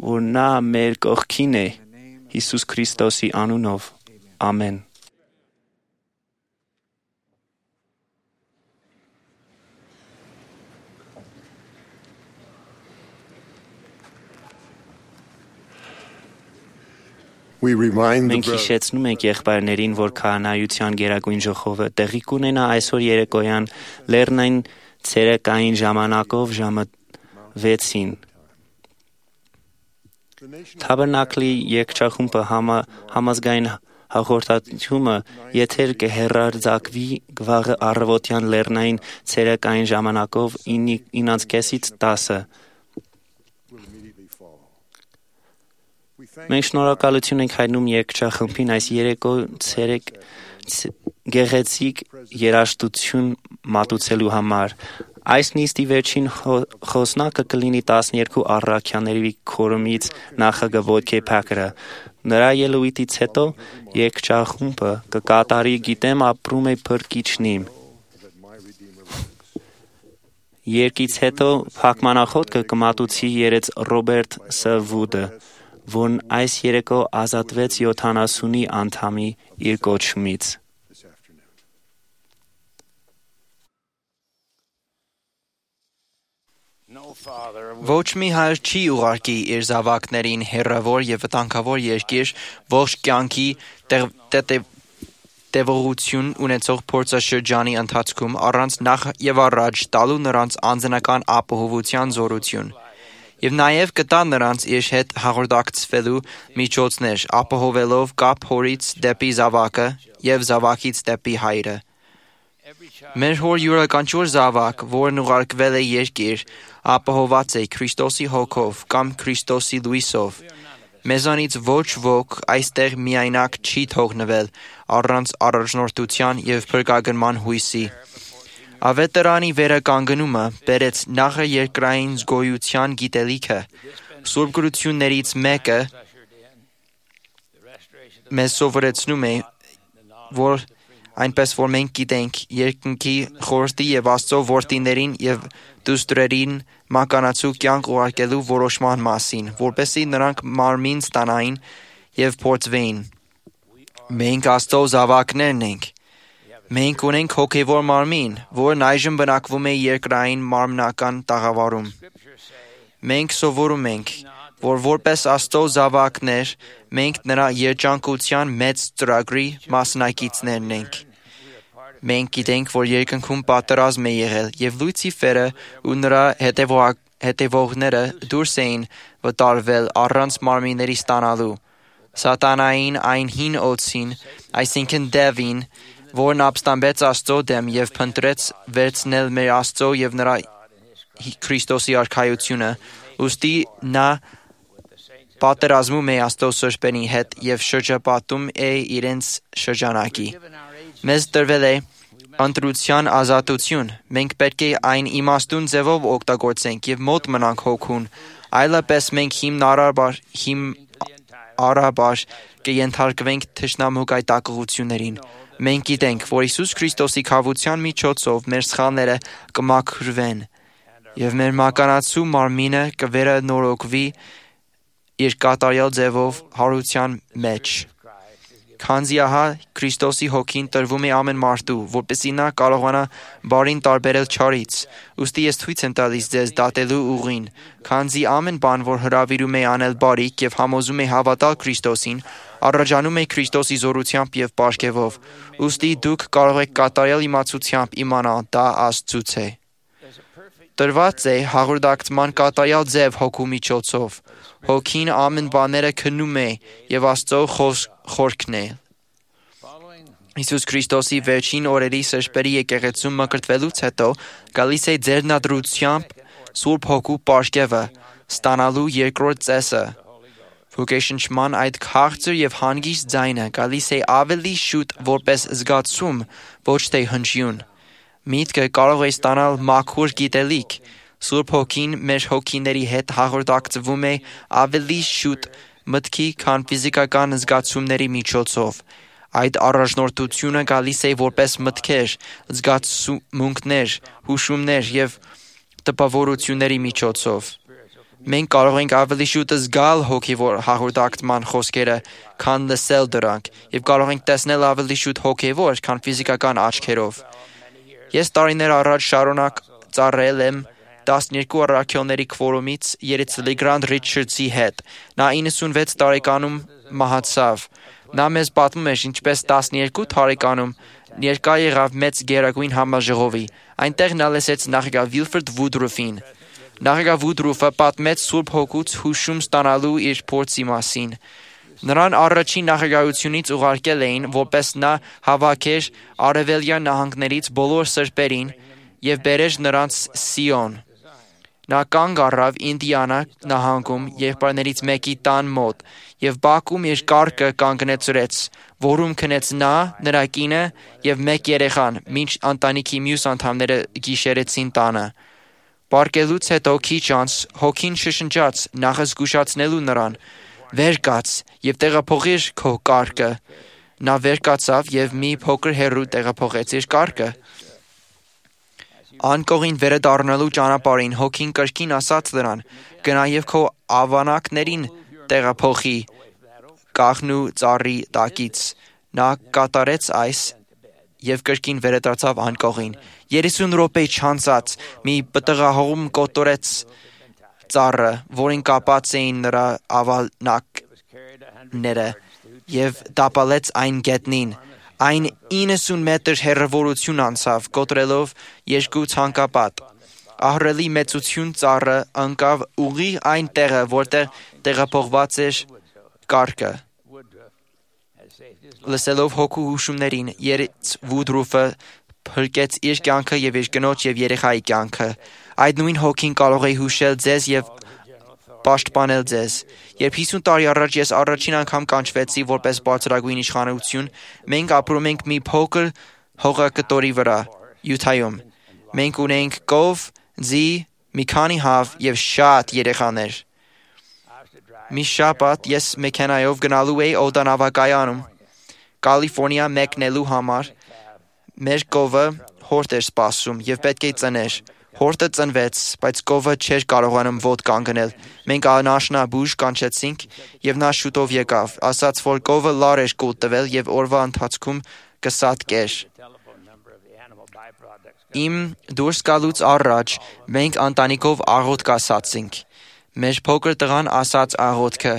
որ նա մեր կողքին է Հիսուս Քրիստոսի անունով։ Ամեն։ We remind the Մենք brothers հիշեցնում ենք եղբայրներին, որ քահանայության գերագույն ժողովը տեղի կունենա այսօր երեկոյան լեռնային ցերեկային ժամանակով ժամը 6-ին։ Թաբերնակլի երկչախումբը համազգային հաղորդակցումը եթեր կհեռարձակվի գվաղը առավոտյան լեռնային ցերեկային ժամանակով 9:30-ից 10-ը։ Մենք շնորհակալություն ենք հայտնում երկչախմբին այս երեկո ցերեկ գեղեցիկ երաժշտություն մատուցելու համար։ Այս նիստի վերջին խոսնակը կլինի 12 առաքյաների քորումից նախագահ Ոյթքե Փակերը։ Նրա ելույթից հետո երկչախումբը կկատարի «Գիտեմ ապրում է փրկիչնիմ»։ Երկից հետո փակմանախոտ կմատուցի երեց Ռոբերտ Սվուդը, որն այս երեկո ազատվեց 70 անդամի իր կոչումից։ Ոչ մի հայր չի ուղարկի իր զավակներին հեռավոր եւ վտանգավոր երկիր ողջ կյանքի տևողություն ունեցող փորձաշրջանի ընթացքում առանց նախ եւ առաջ տալու նրանց անձնական ապահովության զորություն եւ նաեւ կտա նրանց իր հետ հաղորդակցվելու միջոցներ ապահովելով կապ հորից դեպի զավակը եւ զավակից դեպի հայրը։ Մեր հոր յուրաքանչյուր զավակ, որն ուղարկվել է երկիր, ապահոված է Քրիստոսի հոգով կամ Քրիստոսի լույսով։ Մեզանից ոչ ոք այստեղ միայնակ չի թողնվել առանց առաջնորդության եւ փրկագնման հույսի։ Ավետարանի վերականգնումը բերեց նախաերկրային զգոյության գիտելիքը։ Սուրբ գրություններից մեկը մեզ սովորեցնում է, որ այնպես որ մենք գիտենք երկնքի խորհրդի եւ Աստծո որդիներին եւ դուստրերին մականացու կյանք ուղարկելու որոշման մասին, որպեսզի նրանք մարմին ստանային եւ փորձվեին։ Մենք Աստծո զավակներն ենք։ Մենք ունենք հոգևոր մարմին, որն այժմ բնակվում է երկրային մարմնական տաղավարում։ Մենք սովորում ենք, որ որպես Աստծո զավակներ, մենք նրա երջանկության մեծ ծրագրի մասնակիցներն ենք։ Մենք գիտենք, որ երկնքում պատերազմ է եղել, եւ լույսի ֆերը ու նրա հետևողները դուրս էին վտարվել առանց մարմինների ստանալու։ Սատանային այն հին օձին, այսինքն դևին, որն ապստամբեց Աստծո դեմ եւ փնտրեց վերցնել մեր Աստծո եւ նրա Քրիստոսի արքայությունը, ուստի նա պատերազմում է Աստծո սրբերի հետ եւ շրջապատում է իրենց շրջանակի։ Մեզ տրվել է ընտրության ազատություն։ Մենք պետք է այն իմաստուն ձևով օգտագործենք եւ մոտ մնանք հոգուն, այլապես մենք հիմնարաբար կենթարկվենք թշնամու գայթակղություններին։ Մենք գիտենք, որ Հիսուս Քրիստոսի քավության միջոցով մեր սխալները կմաքրվեն եւ մեր մականացու մարմինը կվերանորոգվի իր կատարյալ ձևով հարության մեջ։ Քանզի ահա Քրիստոսի հոգին տրվում է ամեն մարդու, որպեսզի նա կարողանա բարին տարբերել չարից։ Ուստի ես ցույց եմ տալիս ձեզ դատելու ուղին, քանզի ամեն բան, որ հրավիրում է անել բարիք եւ համոզում է հավատալ Քրիստոսին, առաջանում է Քրիստոսի զորությամբ եւ պարգևով։ Ուստի դուք կարող եք կատարյալ իմացությամբ իմանալ դա Աստծուց է։ Տրված է հաղորդակցման կատարյալ ձև հոգու միջոցով։ Հոգին ամեն բաները քննում է եւ Աստծո խորքն է։ Հիսուս Քրիստոսի վերջին օրերի սրբերի եկեղեցում մկրտվելուց հետո գալիս է ձեռնադրությամբ Սուրբ Հոգու պարգևը ստանալու երկրորդ ծեսը։ Ոգեշնչման այդ քաղցր եւ հանգիստ ձայնը գալիս է ավելի շուտ որպես զգացում, ոչ թե հնչյուն։ Միտքը կարող է ստանալ մաքուր գիտելիք։ Սուրբ Հոգին մեր հոգիների հետ հաղորդակցվում է ավելի շուտ մտքի, քան ֆիզիկական զգացումների միջոցով։ Այդ առաջնորդությունը գալիս է որպես մտքեր, զգացմունքներ, հուշումներ եւ տպավորությունների միջոցով։ Մենք կարող ենք ավելի շուտ զգալ հոգևոր հաղորդակցման խոսքերը, քան լսել դրանք, եւ կարող ենք տեսնել ավելի շուտ հոգևոր, քան ֆիզիկական աչքերով։ Ես տարիներ առաջ շարունակ ծառայել եմ 12 առաքյալների քվորումից երեց Լեգրանդ Ռիչարդսի հետ։ Նա 96 տարեկանում մահացավ։ Նա մեզ պատմում էր, ինչպես 12 տարեկանում ներկա եղավ մեծ գերագույն համաժողովի։ Այնտեղ նա լսեց նախագահ Վիլֆրդ Վուդրուֆին։ Նախագահ Վուդրուֆը պատմեց Սուրբ Հոգուց հուշում ստանալու իր փորձի մասին։ Նրան առաջին նախագահությունից ուղարկել էին, որպես նա հավաքեր արևելյան նահանգներից բոլոր սրբերին և բերեր նրանց Սիոն։ Նա կանգ առավ Ինդիանա նահանգում եղբայրներից մեկի տան մոտ և բակում իր կառքը կանգնեցրեց, որում քնեց նա, նրա կինը և մեկ երեխան, մինչ ընտանիքի մյուս անդամները գիշերեցին տանը։ Պառկելուց հետո քիչ անց Հոգին շշնջաց նախազգուշացնելու նրան. «Վեր կաց և տեղափոխիր քո կառքը»։ Նա վեր կացավ և մի փոքր հեռու տեղափոխեց իր կառքը։ Անկողին վերադառնալու ճանապարհին Հոգին կրկին ասաց նրան. «Գնա և քո ավանակներին տեղափոխի կաղնու ծառի տակից»։ Նա կատարեց այս և կրկին վերադարձավ անկողին։ 30 րոպե չանցած մի պտղահողմ կոտորեց ծառը, որին կապած էին նրա ավանակները, և տապալեց այն գետնին։ Այն 90 մետր հեռավորություն անցավ, կոտրելով 2 ցանկապատ։ Ահռելի մեծություն ծառը ընկավ ուղիղ այն տեղը, որտեղ տեղափոխված էր կառքը։ Լսելով Հոգու հուշումներին, երեց Վուդրուֆը փրկեց իր կյանքը և իր կնոջ և երեխայի կյանքը։ Այդ նույն Հոգին կարող է հուշել ձեզ և պաշտպանել ձեզ։ Երբ 50 տարի առաջ ես առաջին անգամ կանչվեցի որպես բարձրագույն իշխանություն, մենք ապրում ենք մի փոքր հողակտորի վրա, Յութայում։ Մենք ունեինք կով, ձի, մի քանի հավ և շատ երեխաներ։ Մի շաբաթ ես մեքենայով գնալու էի օդանավակայանում Կալիֆոռնիա մեկնելու համար։ Մեր կովը հորթ էր սպասում և պետք է ծներ։ Հորթը ծնվեց, բայց կովը չէր կարողանում ոտ կանգնել։ Մենք անաշնաբուժ կանչեցինք, և նա շուտով եկավ, ասաց, որ կովը լար էր կուլ տվել և օրվա ընթացքում կսատկեր։ Իմ դուրս գալուց առաջ մենք ընտանիքով աղոթք ասացինք։ Մեր փոքր տղան ասաց աղոթքը։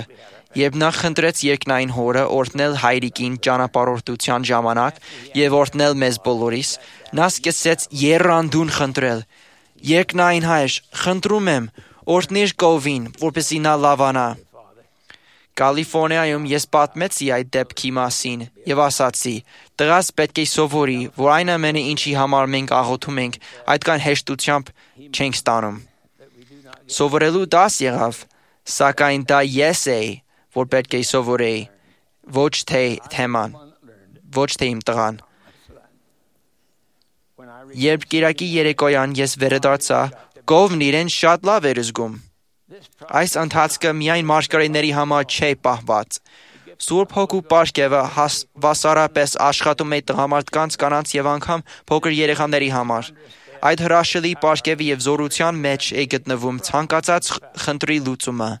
Երբ նա խնդրեց երկնային հորը օրհնել հայրիկին ճանապարհորդության ժամանակ և օրհնել մեզ բոլորիս, նա սկսեց եռանդուն խնդրել. «Երկնային Հայր, խնդրում եմ, օրհնիր կովին, որպեսզի նա լավանա»։ Կալիֆոռնիայում ես պատմեցի այդ դեպքի մասին և ասացի. «Տղաս պետք է սովորի, որ այն ամենը, ինչի համար մենք աղոթում ենք, այդքան հեշտությամբ չենք ստանում»։ Սովորելու դաս եղավ, սակայն դա ես էի, որ պետք է սովորեի, ոչ թե իմ տղան։ Երբ կիրակի երեկոյան ես վերադարձա, կովն իրեն շատ լավ էր զգում։ Այս ընթացքը միայն մարգարեների համար չէ պահված։ Սուրբ Հոգու պարգևը հավասարապես աշխատում է տղամարդկանց, կանանց և անգամ փոքր երեխաների համար։ Այդ հրաշալի պարգևի և զորության մեջ է գտնվում ցանկացած խնդրի լուծումը։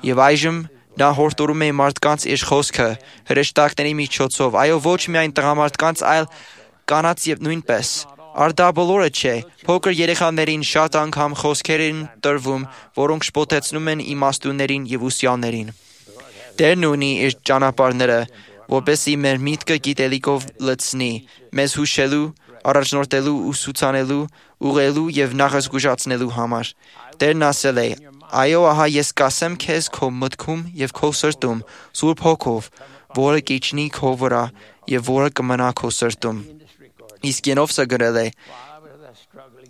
Եվ այժմ նա հորդորում է մարդկանց իր խոսքը հրեշտակների միջոցով, այո, ոչ միայն տղամարդկանց, այլ կանանց և նույնպես։ Առ դա բոլորը չէ, փոքր երեխաներին շատ անգամ խոսքեր են տրվում, որոնք շփոթեցնում են իմաստուններին և ուսյալներին։ Տերն ունի իր ճանապարհները, որպեսզի մեր միտքը գիտելիքով լցնի, մեզ հուշելու, առաջնորդելու, ուսուցանելու, ուղղելու և նախազգուշացնելու համար։ Տերն ասել է. «Այո, ահա ես կասեմ քեզ քո մտքում և քո սրտում Սուրբ Հոգով, որը կիջնի քո վրա և որը կմնա քո սրտում»։ Իսկ Ենովսը գրել է.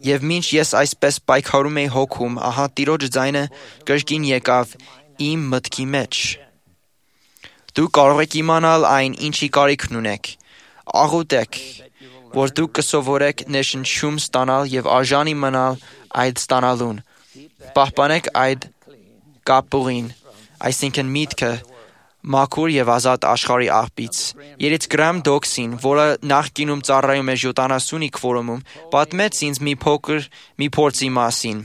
«Եվ մինչ ես այսպես պայքարում էի հոգում, ահա Տիրոջ ձայնը կրկին եկավ իմ մտքի մեջ. դուք կարող եք իմանալ այն, ինչի կարիքն ունեք։ Աղոթեք, որ դուք կսովորեք ներշնչում ստանալ և արժանի մնալ այդ ստանալուն։ Պահպանեք այդ կապուղին, այսինքն միտքը, մաքուր և ազատ աշխարհի աղբից։ Երեց Գրահամ Դոքսին, որը նախկինում ծառայում էր 70-ի քվորումում, պատմեց ինձ մի փորձի մասին։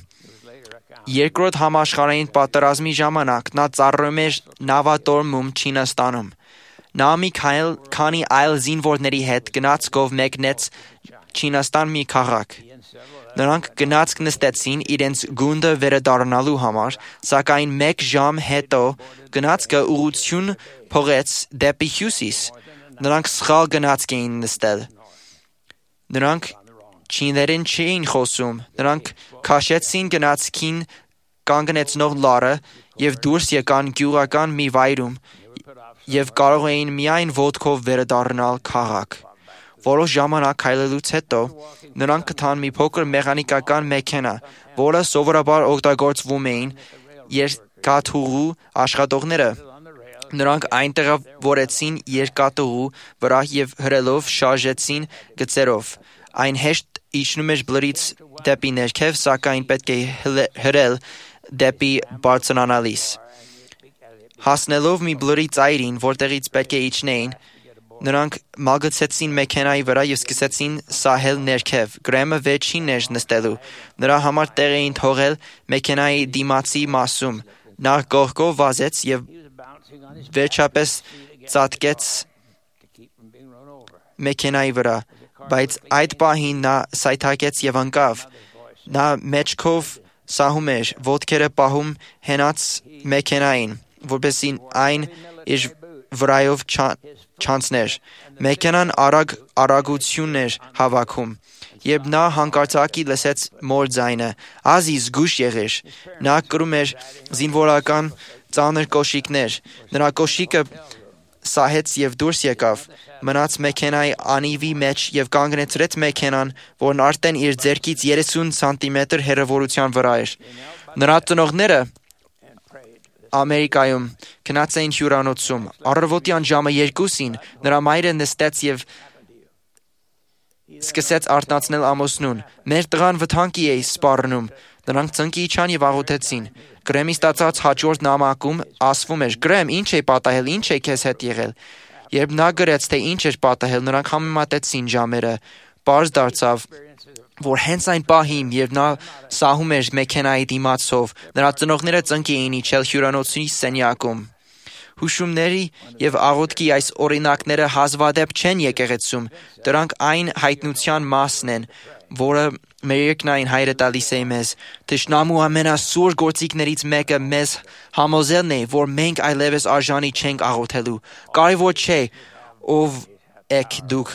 Երկրորդ համաշխարհային պատերազմի ժամանակ նա ծառայում էր նավատորմում Չինաստանում։ Նա մի քանի այլ զինվորների հետ գնացքով մեկնեց Չինաստան մի քաղաք։ Նրանք գնացք նստեցին իրենց գունդը վերադառնալու համար, սակայն 1 ժամ հետո գնացքը ուղղություն փոխեց դեպի հյուսիս։ Նրանք սխալ գնացք էին նստել։ Նրանք չիներեն չէին խոսում։ Նրանք քաշեցին գնացքին կանգնեցնող լարը եւ դուրս եկան գյուղական մի վայրում եւ կարող էին միայն ոտքով վերադառնալ քաղաք։ Որոշ ժամանակ քայլելուց հետո նրանք գտան մի փոքր մեխանիկական մեքենա, որը սովորաբար օգտագործվում էին երկաթուղու աշխատողները։ Նրանք այնտեղավորեցին երկաթուղու վրա եւ հրելով շարժեցին գծերով։ Այն հեշտ իջնում էր բլրից դեպի ներքև, սակայն պետք է հրել դեպի բարձրանալիս։ Հասնելով մի բլրի ծայրին, որտեղից պետք է իջնեին, նրանք մագցեցին մեքենայի վրա եւ սկսեցին սահել ներքև։ Գրեմը վերջինն էր նստելու։ Նրա համար տեղ էին թողել մեքենայի դիմացի մասում։ Նա կողքով վազեց եւ վերջապես ծածկեց մեքենայի վրա, բայց այդ պահին նա սայթաքեց եւ ընկավ։ Նա մեջքով սահում էր, ոտքերը պահում հենած մեքենային, որպեսզի այն իր վրայով չանցներ։ Մեքենան արագություն էր հավաքում։ Երբ նա հանկարծակի լսեց մոր ձայնը, ազի զգույշ եղեր։ Նա կրում էր զինվորական ծանր կոշիկներ։ Նրա կոշիկը սահեց եւ դուրս եկավ, մնաց մեքենայի անիվի մեջ եւ կանգնեցրեց մեքենան, որն արդեն իր ձեռքից 30 սանտիմետր հեռավորության վրա էր։ Նրա ծնողները Ամերիկայում գնաց էին հյուրանոցում։ Առավոտյան ժամը 2-ին նրա մայրը նստեց եւ սկսեց արթնացնել ամուսնուն։ Մեր տղան վտանգի է սպառնում։ Նրանք ծնկի իջան եւ աղոթեցին։ Գրեմի ստացած հաջորդ նամակում ասվում էր. «Գրեմ, ինչ է պատահել, ինչ է քեզ հետ եղել»։ Երբ նա գրեց, թե ինչ էր պատահել, նրանք համեմատեցին ժամերը։ Պարզ դարձավ, որ հենց այն պահին, երբ նա սահում էր մեքենայի դիմացով, նրա ծնողները ծնկի էին իջել հյուրանոցի սենյակում։ Հուշումների եւ աղոթքի այս օրինակները հազվադեպ չեն եկեղեցում, դրանք այն հայտնության մասն են, որը մեր երկնային Հայրը տալիս է մեզ։ Թշնամու ամենասուր գործիքներից մեկը մեզ համոզելն է, որ մենք այլևս արժանի չենք աղոթելու։ Կարևոր չէ ով եք դուք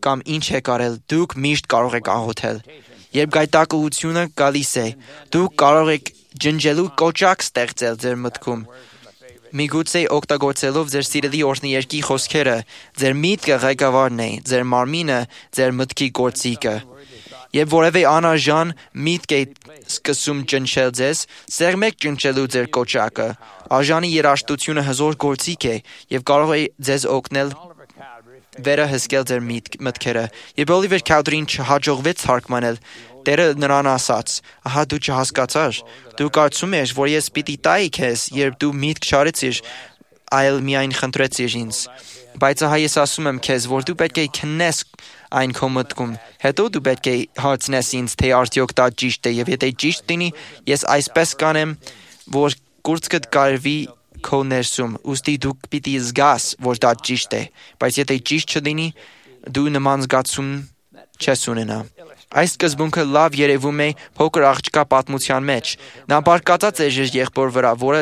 կամ ինչ եք արել, դուք միշտ կարող եք աղոթել։ Երբ գայթակղությունը գալիս է, դուք կարող եք ջնջելու կոճակ ստեղծել ձեր մտքում։ Միգուցե օգտագործելով ձեր սիրելի օրհնիերկի խոսքերը, ձեր միտքը ղեկավարն է, ձեր մարմինը ձեր մտքի գործիքը։ Երբ որևէ անարժան միտք է սկսում ճնշել ձեզ, սեղմեք ճնշելու ձեր կոճակը։ Արժանի երաժշտությունը հզոր գործիք է եւ կարող է ձեզ օգնել վերահսկել ձեր մտքերը։ Երբ Օլիվեր Քաուդրին չհաջողվեց թարգմանել, Տերը նրան ասաց. «Ահա դու չհասկացար։ Դու կարծում ես, որ ես պիտի տայի քեզ, երբ դու միտք չարեցիր, այլ միայն խնդրեցիր ինձ։ Բայց ահա ես ասում եմ քեզ, որ դու պետք է քննես այն քո մտքում։ Հետո դու պետք է հարցնես ինձ, թե արդյոք դա ճիշտ է, եւ եթե ճիշտ լինի, ես այսպես կանեմ, որ կուրծքդ կարվի քո ներսում, ուստի դու պիտի զգաս, որ դա ճիշտ է, բայց եթե ճիշտ չլինի, դու նման զգացում չես ունենա»։ Այս սկզբունքը լավ երևում է փոքր աղջկա պատմության մեջ։ Նա բարկացած էր իր եղբոր վրա, որը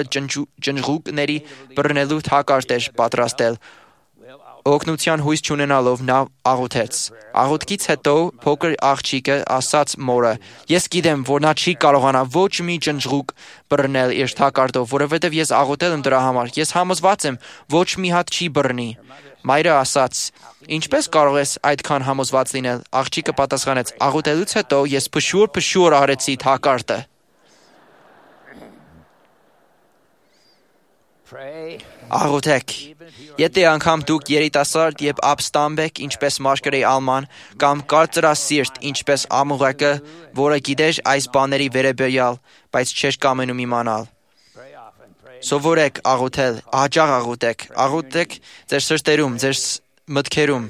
ջնջուկների բռնելու թակարդ էր պատրաստել։ Օգնության հույս չունենալով նա աղոթեց։ Աղոթքից հետո փոքր աղջիկը ասաց մորը. «Ես գիտեմ, որ նա չի կարողանա ոչ մի ջնջուկ բռնել իր թակարդով, որովհետև ես աղոթել եմ դրա համար։ Ես համոզված եմ, ոչ մի հատ չի բռնի»։ Մայրը ասաց. «Ինչպես կարող ես այդքան համոզված լինել»։ Աղջիկը պատասխանեց. «Աղոթելուց հետո ես փշուր արեցի թակարդը»։ Աղոթեք։ Եթե անգամ դուք երիտասարդ եւ ապստամբ եք, ինչպես Մարգարեի Ալման, կամ կարծրասիրտ, ինչպես Ամուղեկը, որը գիտեր այս բաների վերաբերյալ, բայց չէր կամենում իմանալ, սովորեք աղոթել, հաճախ աղոթեք։ Աղոթեք ձեր սրտերում, ձեր մտքերում։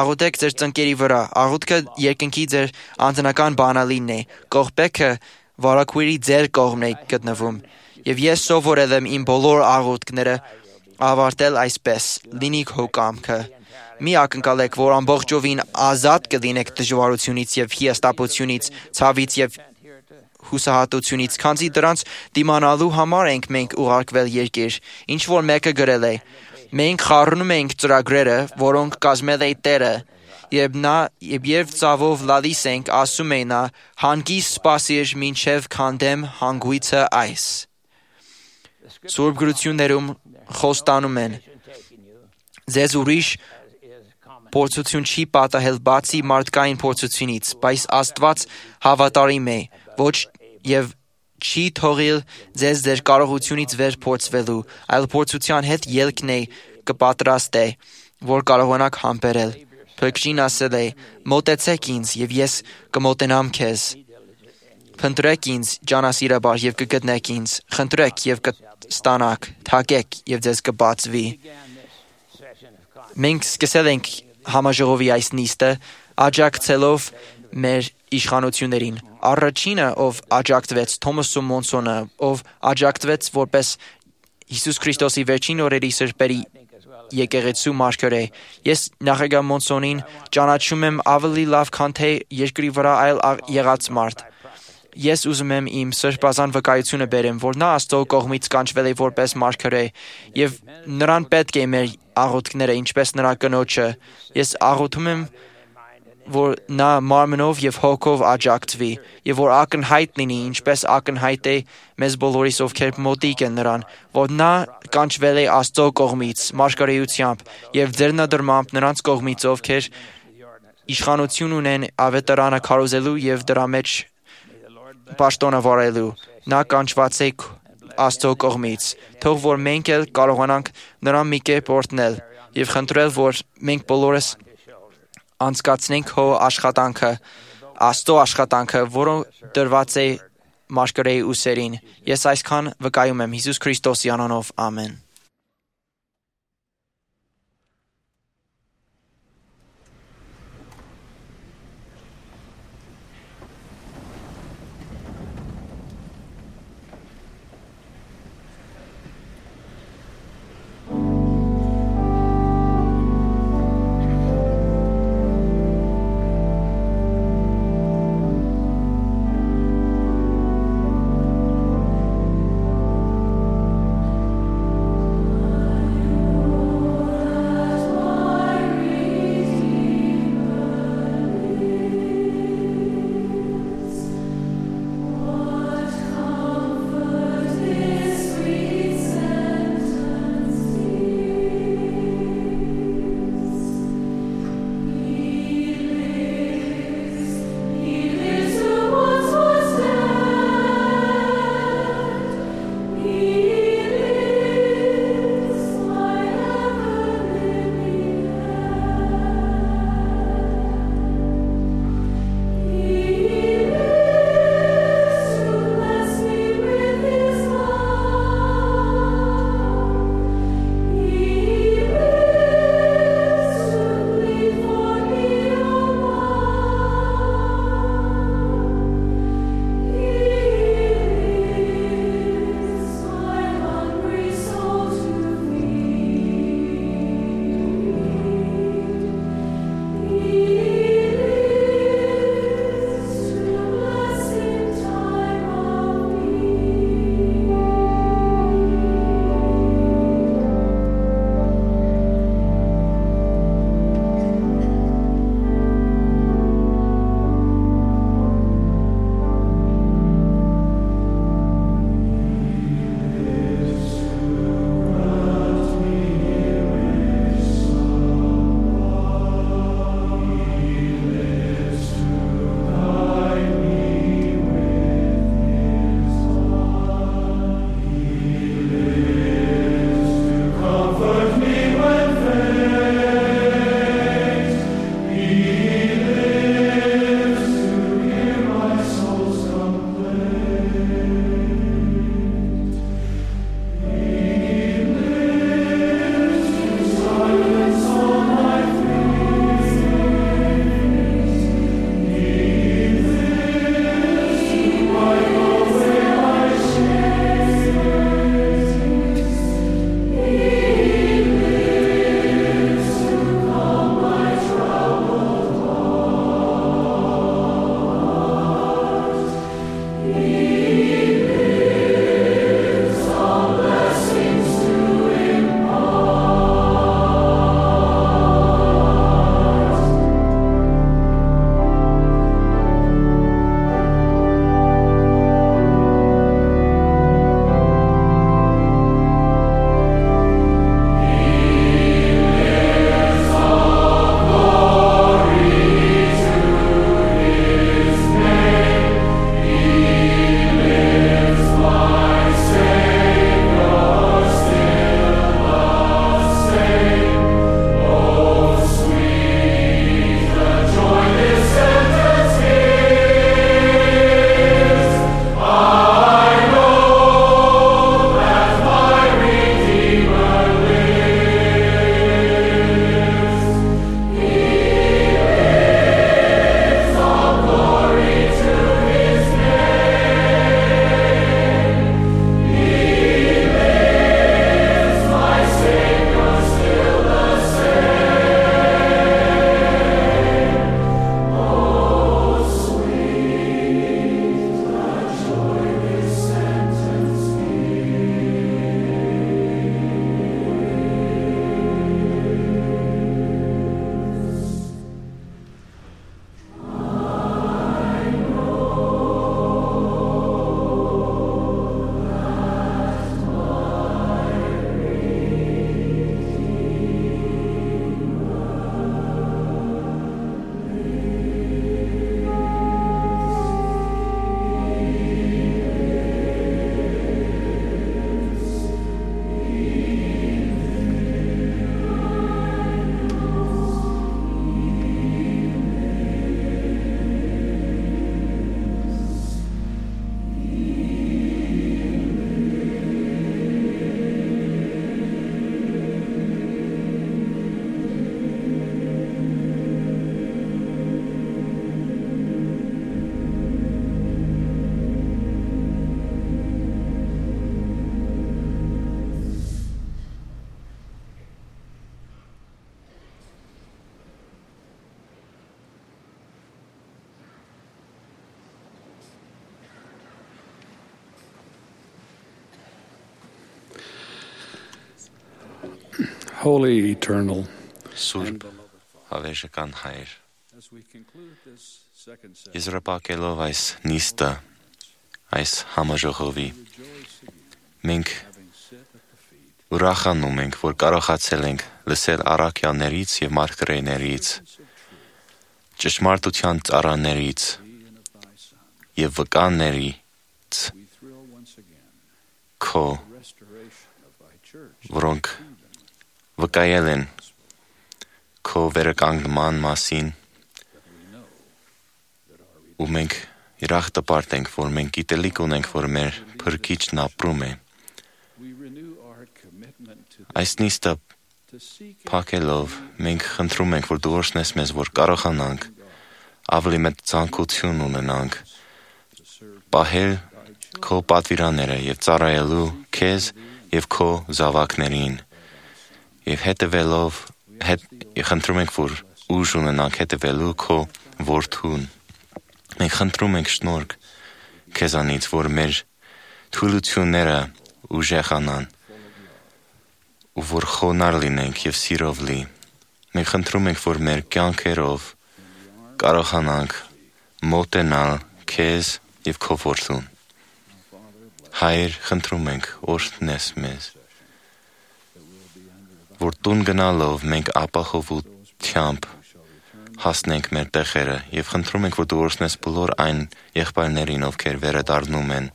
Աղոթեք ձեր ծնկերի վրա։ Աղոթքը երկնքի ձեր անձնական բանալին է։ Կողպեքը վարակույրի ձեր կողմն է գտնվում։ Եվ ես սովորել եմ իմ բոլոր աղոթքները ավարտել այսպես. «Լինի քո կամքը»։ Մի ակնկալեք, որ ամբողջովին ազատ կլինեք դժվարությունից եւ հիասթափությունից, ցավից եւ հուսահատությունից, քանզի դրանց դիմանալու համար ենք մենք ուղարկվել երկիր։ Ինչ որ մեկը գրել է. մենք խառնում ենք ծրագրերը, որոնք կազմել է Տերը, եւ ծավով լալիս ենք, ասում է նա, հանգիստ սպասիր մինչև քանդեմ հանգույցը այս։ Սուրբ գրություններում խոստանում են. ձեզ ուրիշ փորձություն չի պատահել բացի մարդկային փորձությունից, բայց Աստված հավատարիմ է, ոչ եւ չի թողել ձեզ ձեր կարողությունից վեր փորձվելու, այլ փորձության հետ ելքն է կպատրաստե, որ կարողանաք համբերել։ Փրկչին ասել է. մոտեցեք ինձ եւ ես կմոտենամ քեզ։ Փնտրեք ինձ ջանասիրաբար եւ կգտնեք ինձ, խնդրեք եւ կստանաք, թակեք եւ ձեզ կբացվի։ Մենք սկսել ենք համաժողովի այս նիստը աջակցելով մեր իշխանություններին։ Առաջինը, ով աջակցվեց, Թոմասը Մոնսոնը, ով աջակցվեց որպես Հիսուս Քրիստոսի վերջին օրերի սրբերի եկեղեցու մարգարե։ Ես նախագահ Մոնսոնին ճանաչում եմ ավելի լավ, քան թե երկրի վրա այլ եղած մարդ։ Ես ուզում եմ իմ սրբազան վկայությունը բերեմ, որ նա Աստծո կողմից կանչվել է որպես մարգարե, եւ նրան պետք է մեր աղոթքները, ինչպես նրա կնոջը։ Ես աղոթում եմ, որ նա մարմնով եւ հոգով աջակցվի, եւ որ ակնհայտ լինի, ինչպես ակնհայտ է մեզ բոլորիս, ովքեր մոտիկ են նրան, որ նա կանչվել է Աստծո կողմից, մարգարեությամբ եւ ձեռնադրմամբ նրանց կողմից, ովքեր իշխանություն ունեն ավետարանը քարոզելու եւ դրա մեջ պաշտոնը վարելու։ Նա կանչված է Աստծո կողմից։ Թող որ մենք էլ կարողանանք նրան մի կերպ օրհնել եւ խնդրել, որ մենք բոլորս անցկացնենք հո աշխատանքը, Աստծո աշխատանքը, որը դրված է մարգարեի ուսերին։ Ես այսքան վկայում եմ Հիսուս Քրիստոսի անունով, ամեն։ Holy Eternal, Սուրբ հավերժական Հայր, եզրափակելով այս նիստը, այս համաժողովի, մենք ուրախանում ենք, որ կարողացել ենք լսել առաքյալներից և մարգարեներից, ճշմարտության ծառաներից և վկաներից քո, որոնք վկայել են քո վերականգնման մասին, ու մենք ուրախ տպարտ ենք, որ մենք գիտելիք ունենք, որ մեր Փրկիչն ապրում է։ Այս նիստը փակելով մենք խնդրում ենք, որ դու օրհնես մեզ, որ կարողանանք ավելի մեծ ցանկություն ունենանք պահել քո պատվիրանները և ծառայելու քեզ և քո զավակներին և խնդրում ենք, որ ուժ ունենանք հետևելու քո որդուն։ Մենք խնդրում ենք շնորհք քեզանից, որ մեր թուլությունները ուժեղանան ու որ խոնարհ լինենք և սիրով լի։ Մենք խնդրում ենք, որ մեր կյանքերով կարողանանք մոտենալ քեզ և քո որդուն։ Հայր, խնդրում ենք, օրհնես մեզ, որ տուն գնալով մենք ապահովությամբ հասնենք մեր տեղերը և խնդրում ենք, որ դու օրհնես բոլոր այն եղբայրներին, ովքեր վերադառնում են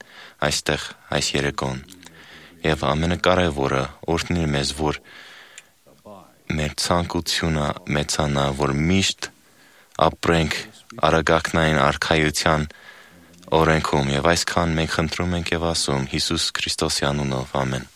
այստեղ այս երեկոն։ Եվ ամենակարևորը, օրհնիր մեզ, որ մեր ցանկությունը մեծանա, որ միշտ ապրենք արագակնային արքայության օրենքում և այսքան մենք խնդրում ենք և ասում Հիսուս Քրիստոսի անունով, ամեն։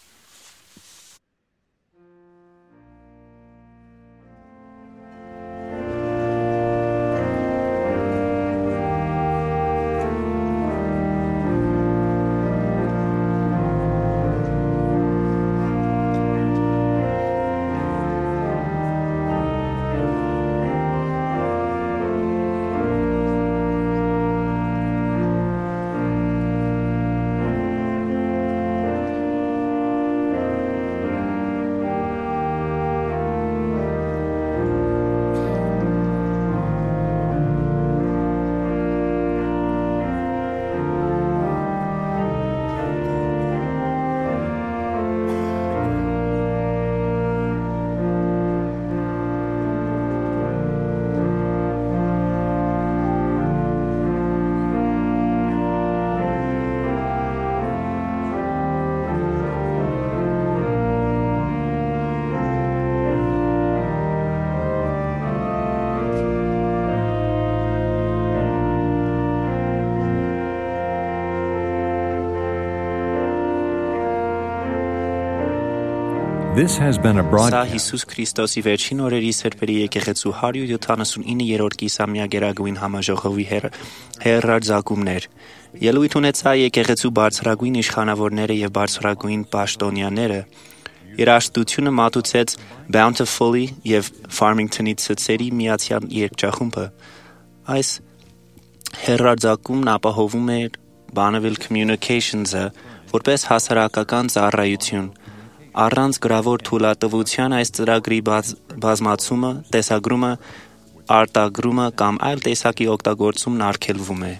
This has been a Սա broadcast. Հիսուս Քրիստոսի վերջին օրերի սրբերի եկեղեցու 179-րդ կիսամյակերագույն համաժողովի հեռարձակումներ։ Ելույթ ունեցա եկեղեցու բարձրագույն իշխանավորները և բարձրագույն պաշտոնյաները։ Երաժշտությունը մատուցեց Bountifully և Farmington-ի ցցերի միացյալ երգչախումբը։ Այս հեռարձակումն ապահովում էր Bonneville Communications-ը որպես հասարակական ծառայություն։ Առանց գրավոր թույլատվության այս ծրագրի բազմացումը, տեսագրումը, արտագրումը կամ այլ տեսակի օգտագործումն արգելվում է։